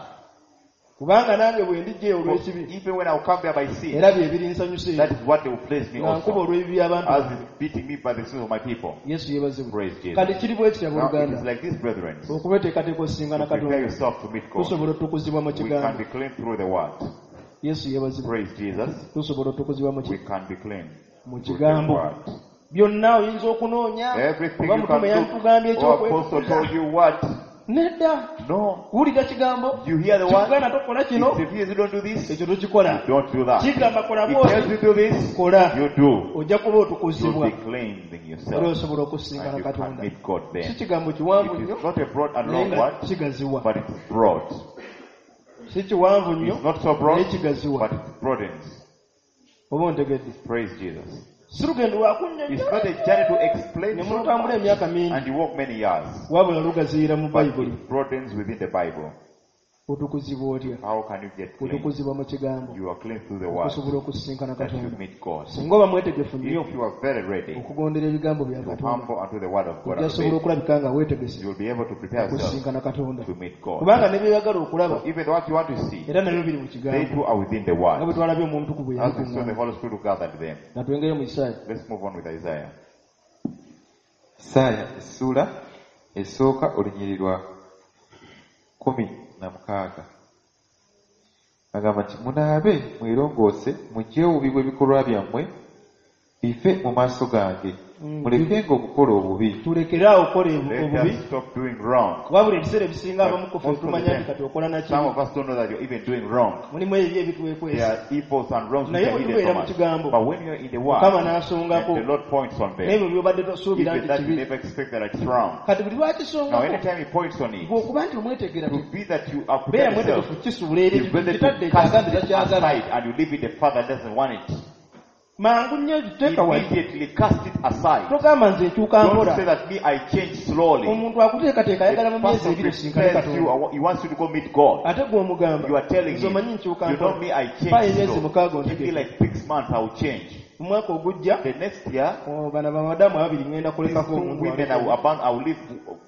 C: kubanga nange bwe ndijja
A: For
C: olw'ekibi
A: even when I will come there by sin,
C: era bye birinsanyusa
A: that
C: ebyo
A: is what they will place me
C: nga nkuba
A: also.
C: olw'ebibi by'abantu
A: As
C: bange.
A: is beating me by the sins of my people.
C: Yesu yeebazibwe.
A: Praise Jesus.
C: Kati kiri bwe kityo
A: Now it is
C: abooluganda
A: like this, brethren.
C: okubeteekateeka osisinkana
A: To prepare
C: Katonda
A: yourself to meet God.
C: tusobola otukuzibwa mu
A: We can
C: kigambo.
A: be clean through the word.
C: Yesu yeebazibwe.
A: Praise Jesus.
C: Tusobola otukuzibwa mu
A: We can be clean
C: mu
A: through the
C: kigambo.
A: word.
C: Byonna oyinza okunoonya
A: Everything
C: oba
A: you
C: mutume
A: can
C: yantugambye
A: do. Or apostle
C: ekyokwekuza
A: told you what?
C: nedda
A: No.
C: wulira kigambo
A: You hear the word?
C: kikugaana tokola kino
A: If you don't do this,
C: ekyo tokikola
A: don't do that.
C: kigamba kola
A: It tells
C: bwoti
A: you do this,
C: kola
A: you do.
C: ojja kuba
A: You'll
C: otukuzibwa
A: be cleansing
C: era
A: yourself.
C: osobola okusisinkana
A: And you can
C: Katonda.
A: meet God
C: Si
A: then.
C: kigambo kiwanvu
A: It
C: nnyo
A: is not a broad and
C: naye
A: long
C: nga
A: word,
C: kigaziwa
A: but it is broad.
C: si kiwanvu nnyo
A: It's not so
C: naye
A: broad,
C: kigaziwa
A: but it broadens.
C: oba ontegedde.
A: Praise Jesus.
C: Si lugendo
A: It's
C: lwakunnyonnyola
A: not a journey to explain
C: ne
A: so
C: mulutambula
A: much,
C: emyaka mingi
A: and you walk many years,
C: wabula lugaziyira mu
A: but
C: Bayibuli.
A: it broadens within the Bible.
C: Otukuzibwa otya?
A: How can you get clean?
C: Otukuzibwa mu kigambo
A: You are clean through the word
C: okusobola okusisinkana
A: that you
C: Katonda.
A: meet God.
C: Singa oba mwetegefu nnyo
A: If you are very ready
C: okugondera ebigambo bya
A: to
C: Katonda
A: humble unto the word of God,
C: ojja
A: and
C: sobola
A: obey,
C: okulabika nga weetegese
A: you'll be able to prepare yourself
C: okusisinkana Katonda
A: to meet God.
C: kubanga ne byeyagala okulaba
A: Even what you want to see,
C: era nabyo biri mu
A: they
C: kigambo
A: too are within the
C: nga bwe
A: word.
C: twalabye omuntu ku bwe
A: As we saw the
C: yalikuŋŋaana.
A: Holy Spirit who gathered them.
C: Nga twengere mu Isaaya.
A: Let's move on with Isaiah.
D: Isaaya essuula esooka olunyiriri lwa 16 agamba nti munaabe mwerongoose muggyewo obubi bw'ebikolwa byammwe bive mu maaso gange mulekenga okukola obubi.
C: Tulekere awo okukola
A: Let
C: obubi
A: us stop doing wrong.
C: wabula ebiseera ebisinga abamu ku ffe
A: Most of the
C: tumanya nti
A: time,
C: kati okola
A: Some
C: nakibi
A: of us don't know that you're even doing wrong.
C: mulimu ebyo
A: There
C: ebitwekwesa
A: are evils and wrongs which
C: naye
A: are
C: bwe
A: hidden
C: tubeera
A: from
C: mu
A: us.
C: kigambo
A: But when you're in the word,
C: Mukama n'asongako
A: and the Lord points on them,
C: n'ebyo by'obadde tosuubira
A: even
C: nti
A: that you
C: kibi
A: never expect that it's wrong.
C: kati buli
A: Now,
C: lwakisongako
A: anytime he points on it,
C: gwe okuba nti omwetegera
A: to be that you are
C: beera
A: prepared yourself,
C: mwetegefu kisuula eri
A: you better
C: kitadde
A: to cast
C: ekyagambye
A: it
C: takyagala
A: aside and you leave it the father doesn't want it.
C: mangu nnyo teeka wali
A: Immediately cast it aside.
C: togamba nze nkyuka
A: Don't
C: mpola
A: say that me, I change slowly.
C: omuntu akuteekateeka ayagala
A: The
C: mu myezi
A: person
C: ebiri osinkane
A: prepares you,
C: Katonda
A: he wants you to go meet God.
C: ate gwe omugamba
A: You are telling
C: nze
A: him,
C: omanyi nkyuka
A: you know
C: mpola
A: me, I
C: Paa
A: change
C: emyezi
A: slow.
C: mukaaga
A: Give me
C: ontegeke
A: like 6 months, I will change.
C: mu mwaka ogujja
A: The next year,
C: oh, bano bamadamu ababiri ŋŋenda
A: these
C: kulekako
A: two
C: omuntu
A: women, I will
C: aleke.
A: abandon, I will leave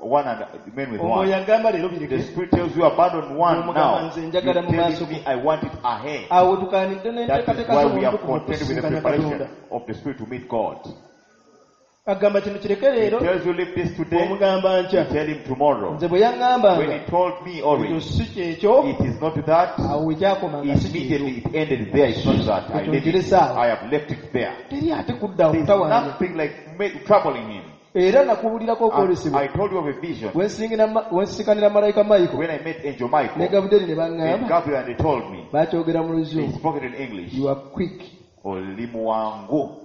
A: one and remain with
C: omwoyo
A: one.
C: agamba leero
A: The
C: bireke
A: Spirit tells you abandon one
C: Omugamba
A: now.
C: nze
A: You're
C: njagala mu maaso
A: telling me I want it ahead.
C: awo tukaanidde
A: That is
C: n'enteekateeka
A: why we are
C: z'omuntu
A: contending with the
C: okusisinkana
A: preparation
C: Katonda
A: of the Spirit to meet God.
C: agamba kino kireke
A: He
C: leero
A: tells you leave this today,
C: omugamba
A: you
C: nkya
A: tell him tomorrow.
C: nze bwe
A: When
C: yaŋŋambanga
A: he told me
C: ekyo
A: already,
C: si kyekyo
A: it is not that,
C: awo wekyakoma nga si kyekyo
A: immediately it ended there. It's not that. I,
C: Ekyo
A: leave it.
C: nkirese awo.
A: I have left it there.
C: teri ate kudda
A: There's
C: okutawaanya
A: nothing like troubling him.
C: era nakubuulirako
A: And
C: okwolesebwa
A: I told you of a vision
C: wensikanira malayika Michael
A: when I met Angel
C: ne
A: Michael
C: Gabriel ne
A: and
C: baŋŋamba
A: Gabriel, and they told me,
C: bakyogera mu
A: they
C: luzungu
A: spoke it in English.
C: you are quick
A: Oli muwangu.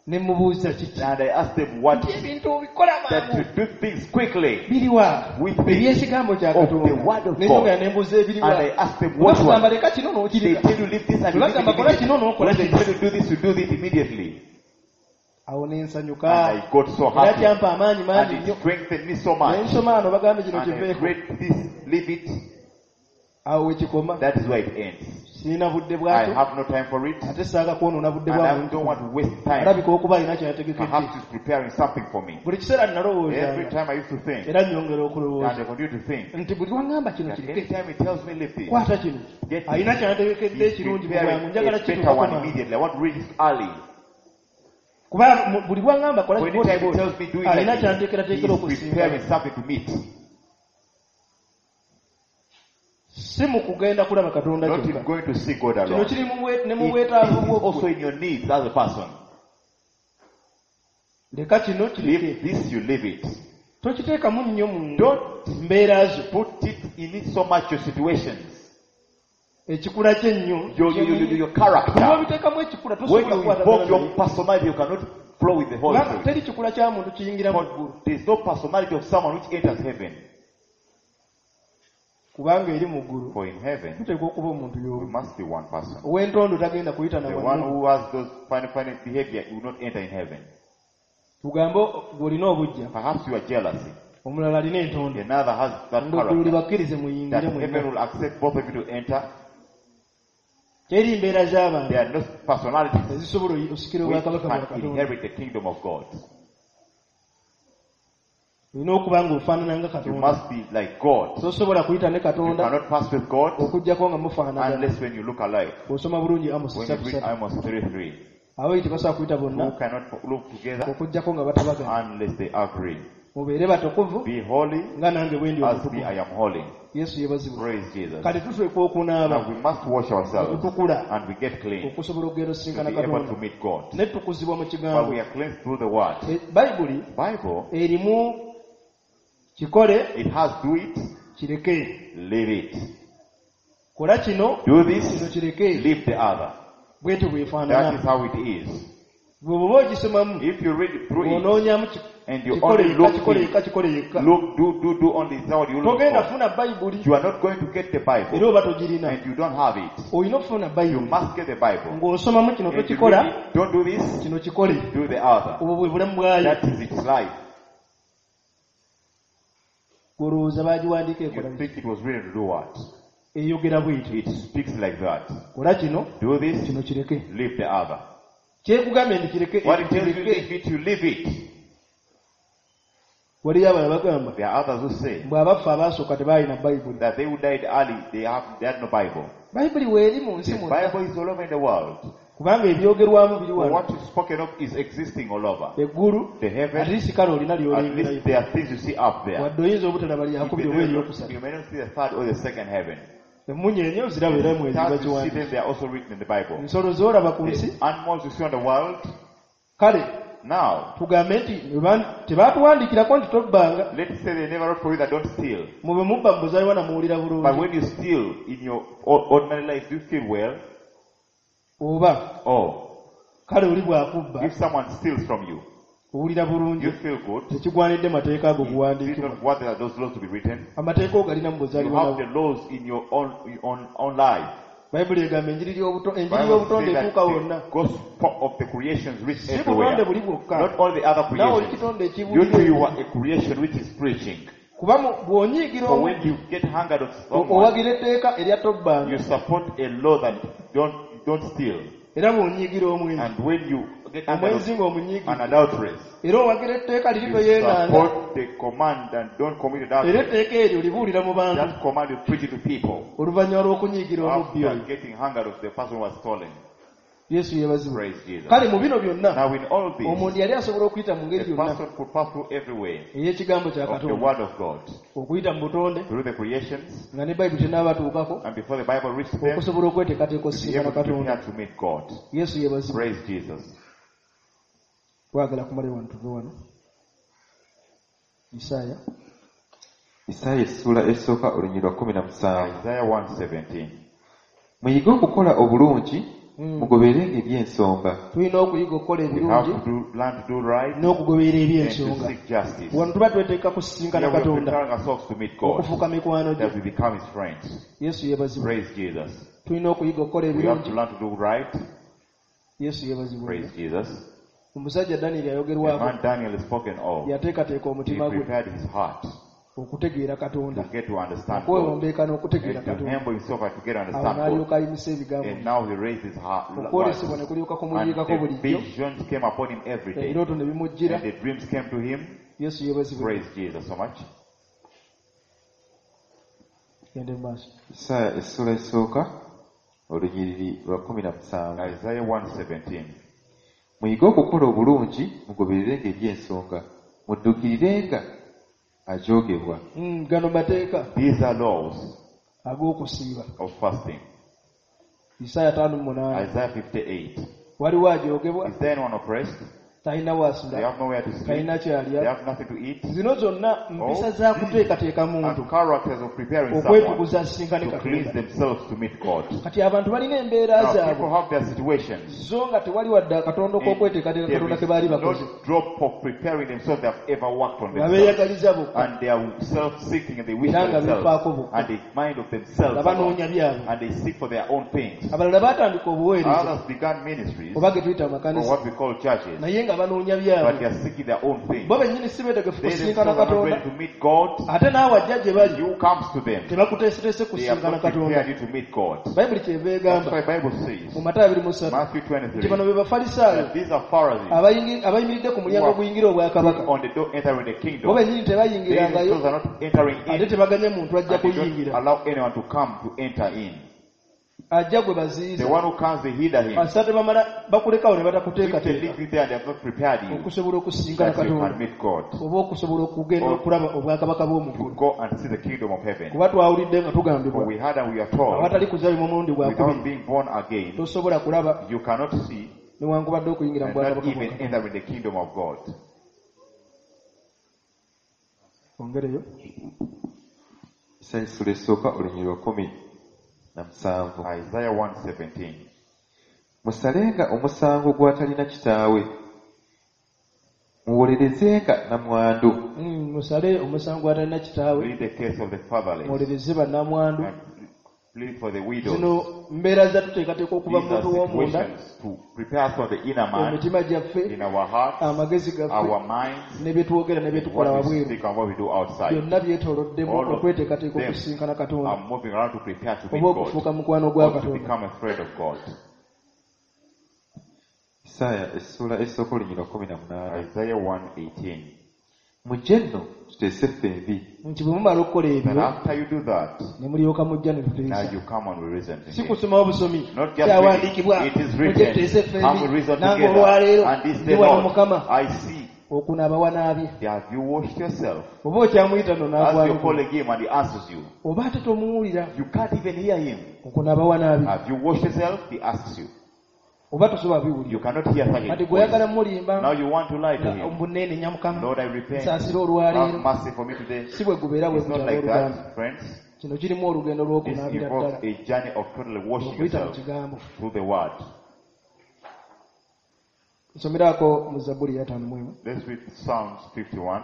C: ne mubuuza kiki
A: And I asked them what
C: nti ebintu obikola
A: that
C: mangu
A: to do things quickly.
C: biriwa
A: With the
C: ebyekigambo kya
A: of the
C: Katonda
A: word of
C: nenyongera
A: God.
C: ne mbuuza ebiriwa
A: And I asked them what
C: bakugamba
A: one.
C: leka kino
A: They
C: n'okireka
A: tell you leave this and you leave it
C: Tebagamba kola
A: immediately.
C: kino n'okola
A: When they
C: kino
A: tell you do this, you do this immediately.
C: awo ne nsanyuka
A: And I got so
C: era
A: happy.
C: kyampa amaanyi
A: And
C: mangi
A: it
C: nnyo
A: strengthened me so
C: ne
A: much.
C: nsoma ano bagambe kino
A: And I
C: kiveeko
A: read this, leave it.
C: awo wekikoma
A: That is where it ends.
C: sirina budde
A: I
C: bwakyo
A: have no time for it.
C: ate saaga kwonoona budde
A: And
C: bwa
A: I
C: muntu
A: don't want to waste time.
C: alabika okuba alina kyeyategekedde
A: Perhaps he's preparing something for me.
C: buli kiseera
A: Every
C: nalowoozanga
A: time I used to think,
C: era nnyongera
A: and
C: okulowooza
A: I continue to think,
C: nti buli lwaŋŋamba kino
A: that
C: kireke
A: anytime he tells me leave this,
C: kwata kino
A: get this,
C: alina kyategekedde
A: he's
C: ekirungi mu
A: preparing
C: bwangu njagala
A: a better
C: kituukako
A: one
C: mangu
A: immediately. I want to read it early.
C: kuba buli lwaŋŋamba kola
A: When anytime he tells me do it
C: alina
A: like this,
C: kyanteekerateekera
A: he's
C: okusinga
A: preparing something to meet.
C: Si mu kugenda kulaba Katonda
A: Not in
C: kyokka.
A: going to see God
C: Kino
A: alone.
C: kiri mu bwe- ne mu
A: It
C: bwetaavu
A: is
C: bwo
A: also
C: ggwe.
A: in your needs as a person.
C: Leka kino kireke.
A: Leave this, you leave it.
C: Tokiteekamu nnyo mu
A: Don't
C: mbeera zo.
A: put it in it so much your situations,
C: Ekikula kye ennyo.
A: your character.
C: Bw'obiteekamu ekikula
A: When
C: tosobola
A: you
C: kukwatagana
A: invoke your
C: naye.
A: personality, you cannot flow with the Holy
C: Kubanga
A: Spirit.
C: teri kikula kya muntu kiyingira mu ggulu.
A: But there is no personality of someone which enters heaven.
C: Kubanga eri mu ggulu
A: For in heaven,
C: tuteekwa okuba omuntu
A: we
C: y'omu.
A: must be one person.
C: Ow'entondo tagenda kuyita na
A: The one
C: wannu.
A: who has those funny, funny behavior will not enter in heaven.
C: Tugambe gw'olina obuggya,
A: Perhaps you are jealousy.
C: omulala alina entondo.
A: Another has that
C: Ng'eggulu
A: character.
C: libakkirize muyingire
A: That heaven
C: mwenna.
A: will accept both of you to enter.
C: Teri mbeera z'abantu
A: There are no personalities
C: ezisobola osikira
A: which
C: obwakabaka bwa
A: can
C: Katonda.
A: inherit the kingdom of God.
C: Olina okuba ng'ofaanana nga
A: You
C: Katonda.
A: must be like God.
C: Tosobola kuyita ne
A: You
C: Katonda
A: cannot pass with God
C: okuggyako nga mufaanagana.
A: unless when you look alike.
C: Bw'osoma bulungi Amosi
A: When you
C: ssatu
A: read
C: ssatu.
A: Amos 3:3,
C: Ababiri tebasobola kuyita
A: who
C: bonna
A: cannot look together
C: okuggyako nga batabagana.
A: unless they agree.
C: Mubeere batukuvu
A: Be holy
C: nga nange bwe ndi
A: as me
C: omutukuvu.
A: I am holy.
C: Yesu yeebazibwe.
A: Praise Jesus.
C: Kati tuteekwa okunaaba
A: Now we must wash ourselves
C: okutukula
A: and we get clean
C: okusobola okugenda
A: to
C: osisinkana
A: be able
C: Katonda.
A: to meet God.
C: Ne tukuzibwa mu
A: But
C: kigambo.
A: we are cleansed through the word.
C: Bayibuli
A: Bible,
C: erimu kikole
A: it has do it,
C: kireke.
A: leave it.
C: Kola kino
A: Do
C: kino
A: this,
C: kireke.
A: leave the other.
C: Bwetyo
A: That
C: bw'efaanana.
A: is how it is.
C: Bwe bw'oba ogisomamu
A: If you read it through it
C: bw'onoonyamu
A: and you
C: kikole
A: only
C: yekka
A: look,
C: kikole
A: in,
C: yekka kikole yekka.
A: look, do, do, do only is what you look
C: Togenda
A: for.
C: funa Bayibuli
A: You are not going to get the
C: era
A: Bible
C: oba togirina.
A: and you don't have it.
C: Olina okufuna
A: You
C: Bayibuli
A: must get the Bible.
C: ng'osomamu kino
A: And you
C: tokikola
A: read it, don't do this,
C: kino kikole.
A: do the other.
C: Obwo bwe bulamu bwayo.
A: That is its life.
C: Gw'olowooza baagiwandiika ekola
A: You
C: biki?
A: think it was written to do what?
C: Eyogera bw'etyo.
A: It speaks like that.
C: Kola kino
A: Do this,
C: kino kireke.
A: leave the other.
C: Kyekugambye nti kireke
A: What it tells you,
C: kireke.
A: leave it, you leave it.
C: Waliyo abalala bagamba
A: There are others who say
C: mbu abaffe abaasooka tebaalina Bayibuli.
A: that they who died early, they had no Bible.
C: Bayibuli weeri mu nsi
A: The
C: mwonna
A: Bible is all over in the world.
C: kubanga ebyogerwamu biri
A: For
C: wano.
A: what is spoken of is existing all over.
C: Eggulu
A: The heaven,
C: at least kale olina
A: at
C: ly'olengerayo.
A: least there are things you see up there.
C: Wadde oyinza obutalaba
A: You
C: lyakubiri oba
A: may, not,
C: eryokusatu.
A: you may not see the third or the second heaven.
C: Emmunyeenye oziraba era mwezi
A: Stars you see
C: bagiwandiise.
A: them, they are also written in the Bible.
C: Ensolo z'olaba ku nsi
A: The animals you see on the world,
C: kale
A: now,
C: tugambe nti tebaatuwandiikirako nti tobbanga.
A: let's say they never wrote for you that don't steal.
C: Mube mubba mu buzaaliwana muwulira
A: But
C: bulungi.
A: when you steal in your ordinary life, do you feel well?
C: Oba
A: Oh,
C: kale oli bw'akubba
A: if someone steals from you,
C: owulira
A: do you
C: bulungi.
A: feel good?
C: Tekigwanidde mateeka ago
A: Is it
C: kuwandiikibwa.
A: not what are those laws to be written?
C: Amateeka ogalina mu
A: You
C: buzaaliwana
A: have the laws in your own life.
C: Bayibuli egamba enjiri
A: Bible
C: y'obutonde
A: says that
C: etuuka wonna.
A: the gospel of the creations reach
C: Si butonde
A: everywhere.
C: buli bwokka.
A: Not all the other
C: Naawe oli
A: creations.
C: kitonde
A: You
C: ekibuulira
A: too, you
C: enjiri.
A: are a creation which is preaching.
C: Kuba bw'onyiigira
A: For when
C: omubbi
A: you get hungered of someone,
C: owagira etteeka erya tobbanga
A: you support a law that don't steal.
C: era bw'onyiigira omwenzi
A: And when you get hungered
C: omwenzi
A: of
C: ng'omunyiigira
A: an adulteress,
C: era owagira etteeka liri
A: you
C: toyeeganga
A: support the command and don't commit
C: era
A: adultery.
C: etteeka eryo libuulira mu bantu
A: That command you preach it to people
C: oluvannyuma lw'okunyiigira omubbi
A: after
C: oyo.
A: getting hungered of the person who was stolen.
C: Yesu yeebazibwe.
A: Praise Jesus.
C: Kale mu bino byonna
A: Now in all this,
C: omuntu yali asobola okuyita mu ngeri
A: the
C: yonna
A: person could pass through every way
C: ey'ekigambo kya
A: of the
C: Katonda
A: word of God
C: okuyita mu butonde
A: through the creations
C: nga ne Bayibuli tennaabatuukako
A: and before the Bible reached them,
C: okusobola okweteekateeka
A: to be
C: osisinkana
A: able to
C: Katonda.
A: prepare to meet God.
C: Yesu yeebazibwe.
A: Praise Jesus.
C: Twagala kumala wano tuve wano. Isaaya
D: Isaaya essuula esooka olunyiriri lwa 17.
A: Isaiah 1:17.
D: Muyige okukola obulungi, mugoberenga eby'ensonga.
C: Tulina okuyiga okukola
A: We have
C: ebirungi
A: to learn to do right
C: n'okugoberera
A: and to
C: eby'ensonga.
A: seek justice.
C: Wano tuba tweteeka kusisinkana
A: Here we are
C: Katonda
A: preparing ourselves to meet God,
C: okufuuka mikwano gye.
A: that we become His friends.
C: Yesu yeebazibwe.
A: Praise Jesus.
C: Tulina okuyiga okukola
A: We have
C: ebirungi.
A: to learn to do right.
C: Yesu yeebazibwe.
A: Praise Jesus.
C: Omusajja Daniel
A: The
C: ayogerwako
A: man Daniel is spoken of.
C: yateekateeka
A: He
C: omutima gwe
A: prepared his heart
C: okutegeera
A: to
C: Katonda,
A: get to understand God
C: okwewombeeka n'okutegeera
A: and to
C: Katonda.
A: humble himself and to get to
C: Awo
A: understand God.
C: n'alyoka ayimusa ebigambo
A: And now he raised his heart.
C: Okwolesebwa ne kulyoka
A: And
C: kumuyiikako
A: the
C: bulijjo,
A: visions came upon him every day.
C: ebirooto ne bimujjira.
A: And the dreams came to him.
C: Yesu yeebazibwe.
A: Praise Jesus so much.
C: Gende mu maaso.
D: Isaaya essuula esooka olunyiriri lwa 17.
A: Isaiah 1:17.
D: Muyige okukola obulungi, mugobererenga eby'ensonga, muddukirirenga ajoogebwa.
C: Gano mateeka
A: These are laws.
C: Ag'okusiiba.
A: Of fasting.
C: Isaaya 58.
A: Isaiah 58.
C: Waliwo ajogebwa?
A: Is there anyone oppressed?
C: Talina
A: They
C: w'asula.
A: have nowhere to sleep.
C: Talina
A: They
C: kyalya.
A: have nothing to eat.
C: Zino zonna mpisa za kuteekateeka muntu
A: And characters of preparing someone
C: okwetukuza asisinkane
A: to cleanse
C: Katonda.
A: themselves to meet God.
C: Kati abantu balina embeera
A: Now people
C: zaabwe
A: have their situations.
C: zo nga tewali wadde akatondo
A: And
C: k'okweteekateeka
A: there
C: Katonda
A: is
C: ke baali bakoze.
A: no drop of preparing themselves they have ever worked on
C: Nga
A: themselves.
C: beeyagaliza bokka.
A: And they are self-seeking and they wish
C: Era
A: for
C: nga
A: themselves.
C: beefaako bokka.
A: And they mind of themselves.
C: Nga banoonya
A: alone.
C: byabwe.
A: And they seek for their own things.
C: Abalala baatandika obuweereza
A: Others began ministries
C: oba ge tuyita
A: or
C: amakanisa
A: what we call churches.
C: naye nga banoonya
A: But they
C: byabwe.
A: are seeking their own things.
C: Bo bennyini si beetegefu
A: They
C: kusinkana
A: themselves are not
C: Katonda.
A: ready to meet God.
C: Ate naawe ajja gye bali
A: You comes to them.
C: tebakuteeseteese
A: They have
C: kusinkana
A: not
C: Katonda.
A: prepared you to meet God.
C: Bayibuli kyeva
A: That's
C: egamba
A: why Bible says,
C: mu Matayo 23
A: Matthew
C: nti bano
A: 23,
C: be Bafalisaayo
A: that these are Pharisees
C: abayimiridde ku mulyango
A: Who are
C: oguyingira obwakabaka.
A: on the door entering the
C: Bo
A: kingdom.
C: bennyini
A: They
C: tebayingirangayo
A: themselves are not entering
C: ate
A: in
C: tebaganye muntu ajja
A: and they don't
C: kuyingira.
A: allow anyone to come to enter in.
C: Ajja gwe
A: The
C: baziyiza.
A: one who comes, they hinder him.
C: Kasita tebamala bakulekawo ne
A: If they
C: batakuteekateeka
A: leave you there and they have not prepared you,
C: okusobola okusinkana
A: that you can
C: Katonda
A: meet God.
C: oba okusobola okugenda
A: Or
C: okulaba obwakabaka bw'omu
A: To
C: ggulu.
A: go and see the kingdom of heaven.
C: Kuba twawulidde nga
A: For
C: tugambibwa
A: we heard and we are told,
C: awatali kuzaalibwa omulundi gwa
A: without
C: kubiri
A: being born again,
C: tosobola kulaba
A: you cannot see
C: newankubadde okuyingira mu
A: and not
C: bwakabaka bwa
A: even
C: Katonda.
A: enter in the kingdom of God.
C: Ongereyo.
D: Isaaya essula esooka olunyiriri lwa 17.
A: Isaiah 1:17.
D: Musalenga omusango gw'atalina kitaawe, muwolerezenga nnamwandu.
C: Musale omusango gw'atalina kitaawe,
A: Plead the case of the fatherless
C: muwolereze bannamwandu.
A: and plead for the widows.
C: Zino mbeera zatuteekateeka okuva mu
A: These are
C: muntu w'omunda,
A: situations to prepare for the inner man,
C: emitima gyaffe,
A: in our hearts,
C: amagezi gaffe,
A: our minds,
C: ne bye twogera ne bye tukola
A: what we
C: wabweru.
A: speak and what we do outside.
C: Byonna byetooloddemu
A: All of
C: okweteekateeka
A: them
C: okusinkana Katonda
A: are moving around to prepare to meet
C: oba
A: God
C: okufuuka mukwano gwa
A: or to
C: Katonda.
A: become a friend of God.
D: Isaaya essula esooka olunyiriri lwa 18.
A: Isaiah 1:18.
D: Mujje nno tuteese ffembi.
C: Nti bwe mumala okukola
A: Then
C: ebyo
A: after you do that,
C: ne mulyoka mujja ne
A: now
C: tuteesa.
A: you come and we reason
C: Si
A: together.
C: kusomawo busomi
A: Not just
C: kyawandiikibwa
A: reading, it is
C: mujje tuteese
A: written. Come we
C: ffembi
A: reason
C: nange
A: together.
C: olwaleero
A: And this
C: ndi
A: day,
C: wano
A: Lord,
C: Mukama
A: I see.
C: okunaaba wanaabye.
A: Have you washed yourself?
C: Oba okyamuyita nno
A: As you're
C: n'agwanukula
A: calling him and he answers you.
C: oba ate tomuwulira
A: You can't even hear him.
C: okunaaba wanaabye
A: Have you washed yourself? He asks you.
C: oba tosobola biwulira.
A: You cannot hear such
C: Kati
A: a
C: gwe oyagala
A: voice.
C: mulimba
A: Now you want to lie to him.
C: mbu neenenya Mukama
A: Lord, I repent.
C: nsaasira olwaleero.
A: Have mercy for me today.
C: Si bwe gubeera bwe
A: It's not
C: gutyo
A: like
C: abooluganda.
A: that, friends.
C: Kino kirimu olugendo
A: This
C: lw'okunaabira
A: involves
C: ddala
A: a journey of totally washing
C: okuyita mu
A: yourself
C: kigambo.
A: through the word.
C: Nsomeraako mu Zabbuli 51.
A: Let's read Psalms 51.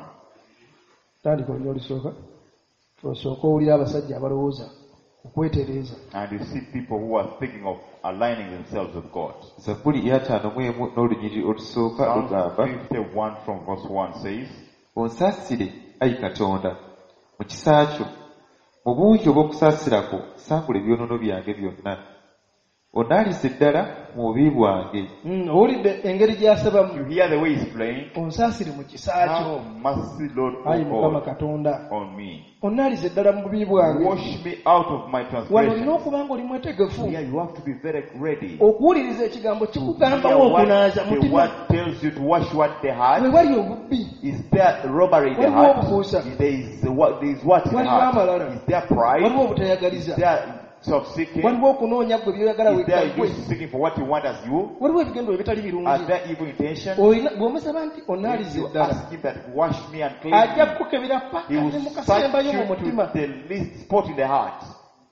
C: Tandika olunya olusooka osooke owulira abasajja abalowooza okwetereeza.
A: And you see people who are thinking of aligning themselves with God.
D: Zabbuli 51 n'olunyiriri olusooka
A: Psalms
D: lugamba
A: 51 from verse 1 says,
D: Onsaasire, ayi Katonda, mu kisa kyo, mu bungi obw'okusaasira kwo sangula ebyonoono byange byonna. Onaalize ddala mu bubi bwange.
C: Owulidde engeri gy'asabamu.
A: You hear the way he's praying.
C: Onsaasire mu kisa kyo
A: Have mercy, Lord, O
C: ayi Mukama
A: God,
C: Katonda.
A: on me.
C: Onnaalize ddala mu bubi bwange.
A: Wash me out of my
C: Wano olina
A: transgressions.
C: okuba nga oli mwetegefu
A: Yeah, you have to be very ready.
C: okuwuliriza ekigambo
A: Hear
C: kikugambawo
A: what
C: okunaaza
A: the
C: mutima.
A: word tells you to wash what the heart.
C: We wali obubbi
A: Is there robbery in the
C: Waliwo
A: heart?
C: obukuusa.
A: There is what in the
C: Waliwo
A: heart?
C: amalala.
A: Is there pride?
C: Waliwo
A: Is
C: obutayagaliza.
A: there self-seeking?
C: Waliwo okunoonya ggwe by'oyagala
A: Is there
C: wekka
A: you
C: ggwe.
A: seeking for what you want as you?
C: Waliwo ebigendwa ebitali
A: Are
C: birungi.
A: there evil intentions?
C: Olina bw'omusaba nti onaalize
A: You
C: ddala
A: ask him that wash me and cleanse
C: ajja
A: me.
C: kukukebera paka
A: He will
C: ne mu
A: search
C: kasembayo
A: you
C: mu mutima
A: to the least spot in the heart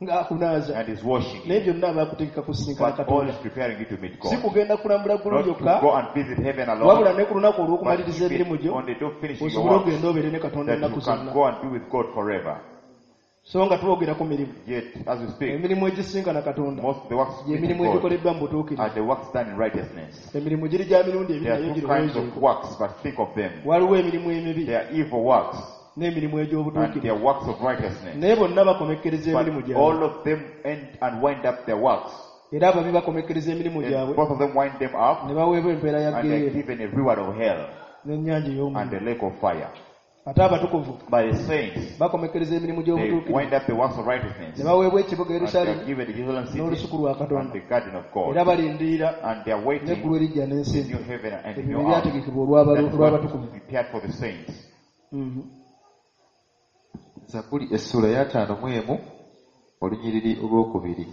C: ng'akunaaza.
A: and is washing
C: Naye
A: you.
C: byonna aba akutegeka kusinkana
A: But all
C: Katonda.
A: is preparing you to meet
C: Si
A: God.
C: kugenda kulambula ggulu
A: Not to
C: lyokka
A: go and visit heaven alone,
C: wabula ne ku lunaku
A: but
C: olw'okumaliriza emirimu
A: even
C: gyo
A: on the day of finishing your
C: osobole
A: work,
C: okugenda obeere ne Katonda
A: that you
C: ennaku
A: can
C: zonna.
A: go and be with God forever.
C: So nga twogera ku mirimu
A: Yet, as we speak,
C: emirimu egisinkana Katonda
A: most of the works
C: gye
A: meeting
C: mirimu
A: God
C: egikoleddwa mu butuukirivu.
A: are the works done in righteousness.
C: Emirimu giri gya mirundi ebiri
A: There
C: naye
A: are two kinds of
C: girowoozeeko.
A: works, but think of them.
C: Waliwo emirimu emibi
A: There are evil works
C: n'emirimu
A: and
C: egy'obutuukirivu.
A: there are works of righteousness.
C: Naye bonna bakomekkereza emirimu
A: But
C: gyabwe.
A: all of them end and wind up their works.
C: Era ababi bakomekkereza emirimu
A: And
C: gyabwe
A: both of them wind them up
C: ne baweebwa empeera ya
A: and they are
C: ggeyeena
A: given a reward of hell
C: n'ennyanja
A: and
C: ey'omuliro.
A: the lake of fire.
C: Ate abatukuvu
A: But the saints,
C: bakomekkereza emirimu
A: they
C: gy'obutuukirivu
A: wind up the works of righteousness
C: ne baweebwa ekibuga
A: and they are
C: Yerusaalemi
A: given the Jerusalem city
C: n'olusuku lwa
A: and
C: Katonda.
A: the garden of God.
C: Era balindirira
A: And they are waiting
C: n'eggulu eriggya n'ensi
A: the
C: empya.
A: new heaven and the
C: Ebyo
A: new
C: bye
A: earth.
C: byategekebwa
A: That is what
C: olw'abatukuvu.
A: prepared for the saints.
C: Mhm.
D: Zabbuli essula 51 Olunyiriri olwokubiri.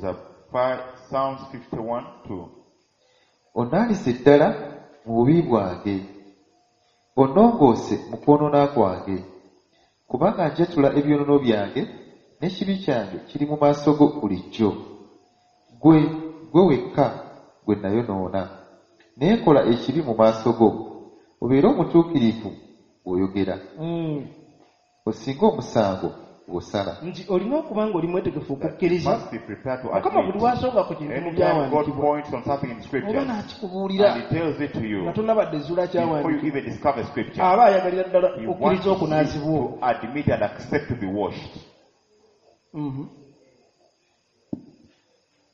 A: Psalms 51, 2.
D: Onnaalize ddala mu bubi bwange, onnongoose mu kwonoona kwange, kubanga njatula ebyonoono byange, n'ekibi kyange kiri mu maaso go bulijjo. Ggwe, ggwe wekka gwe nayonoona, ne nkola ekibi mu maaso go, obeere omutuukirivu bw'oyogera, osinge omusango bw'osala.
C: Nti olina okuba nga oli mwetegefu
A: That you
C: okukkiriza
A: must be prepared to
C: Mukama buli
A: admit.
C: lwasonga ku kintu mu
A: Anytime God
C: byawandiikibwa
A: points on something in
C: oba
A: scriptures
C: n'akikubuulira
A: and he tells it to you
C: nga tonabadde ezuula
A: before you
C: kyawandiikibwa,
A: even discover scripture,
C: aba ayagalira ddala
A: he wants
C: okkiriza
A: you
C: okunaazibwa okwo.
A: to admit and accept to be washed.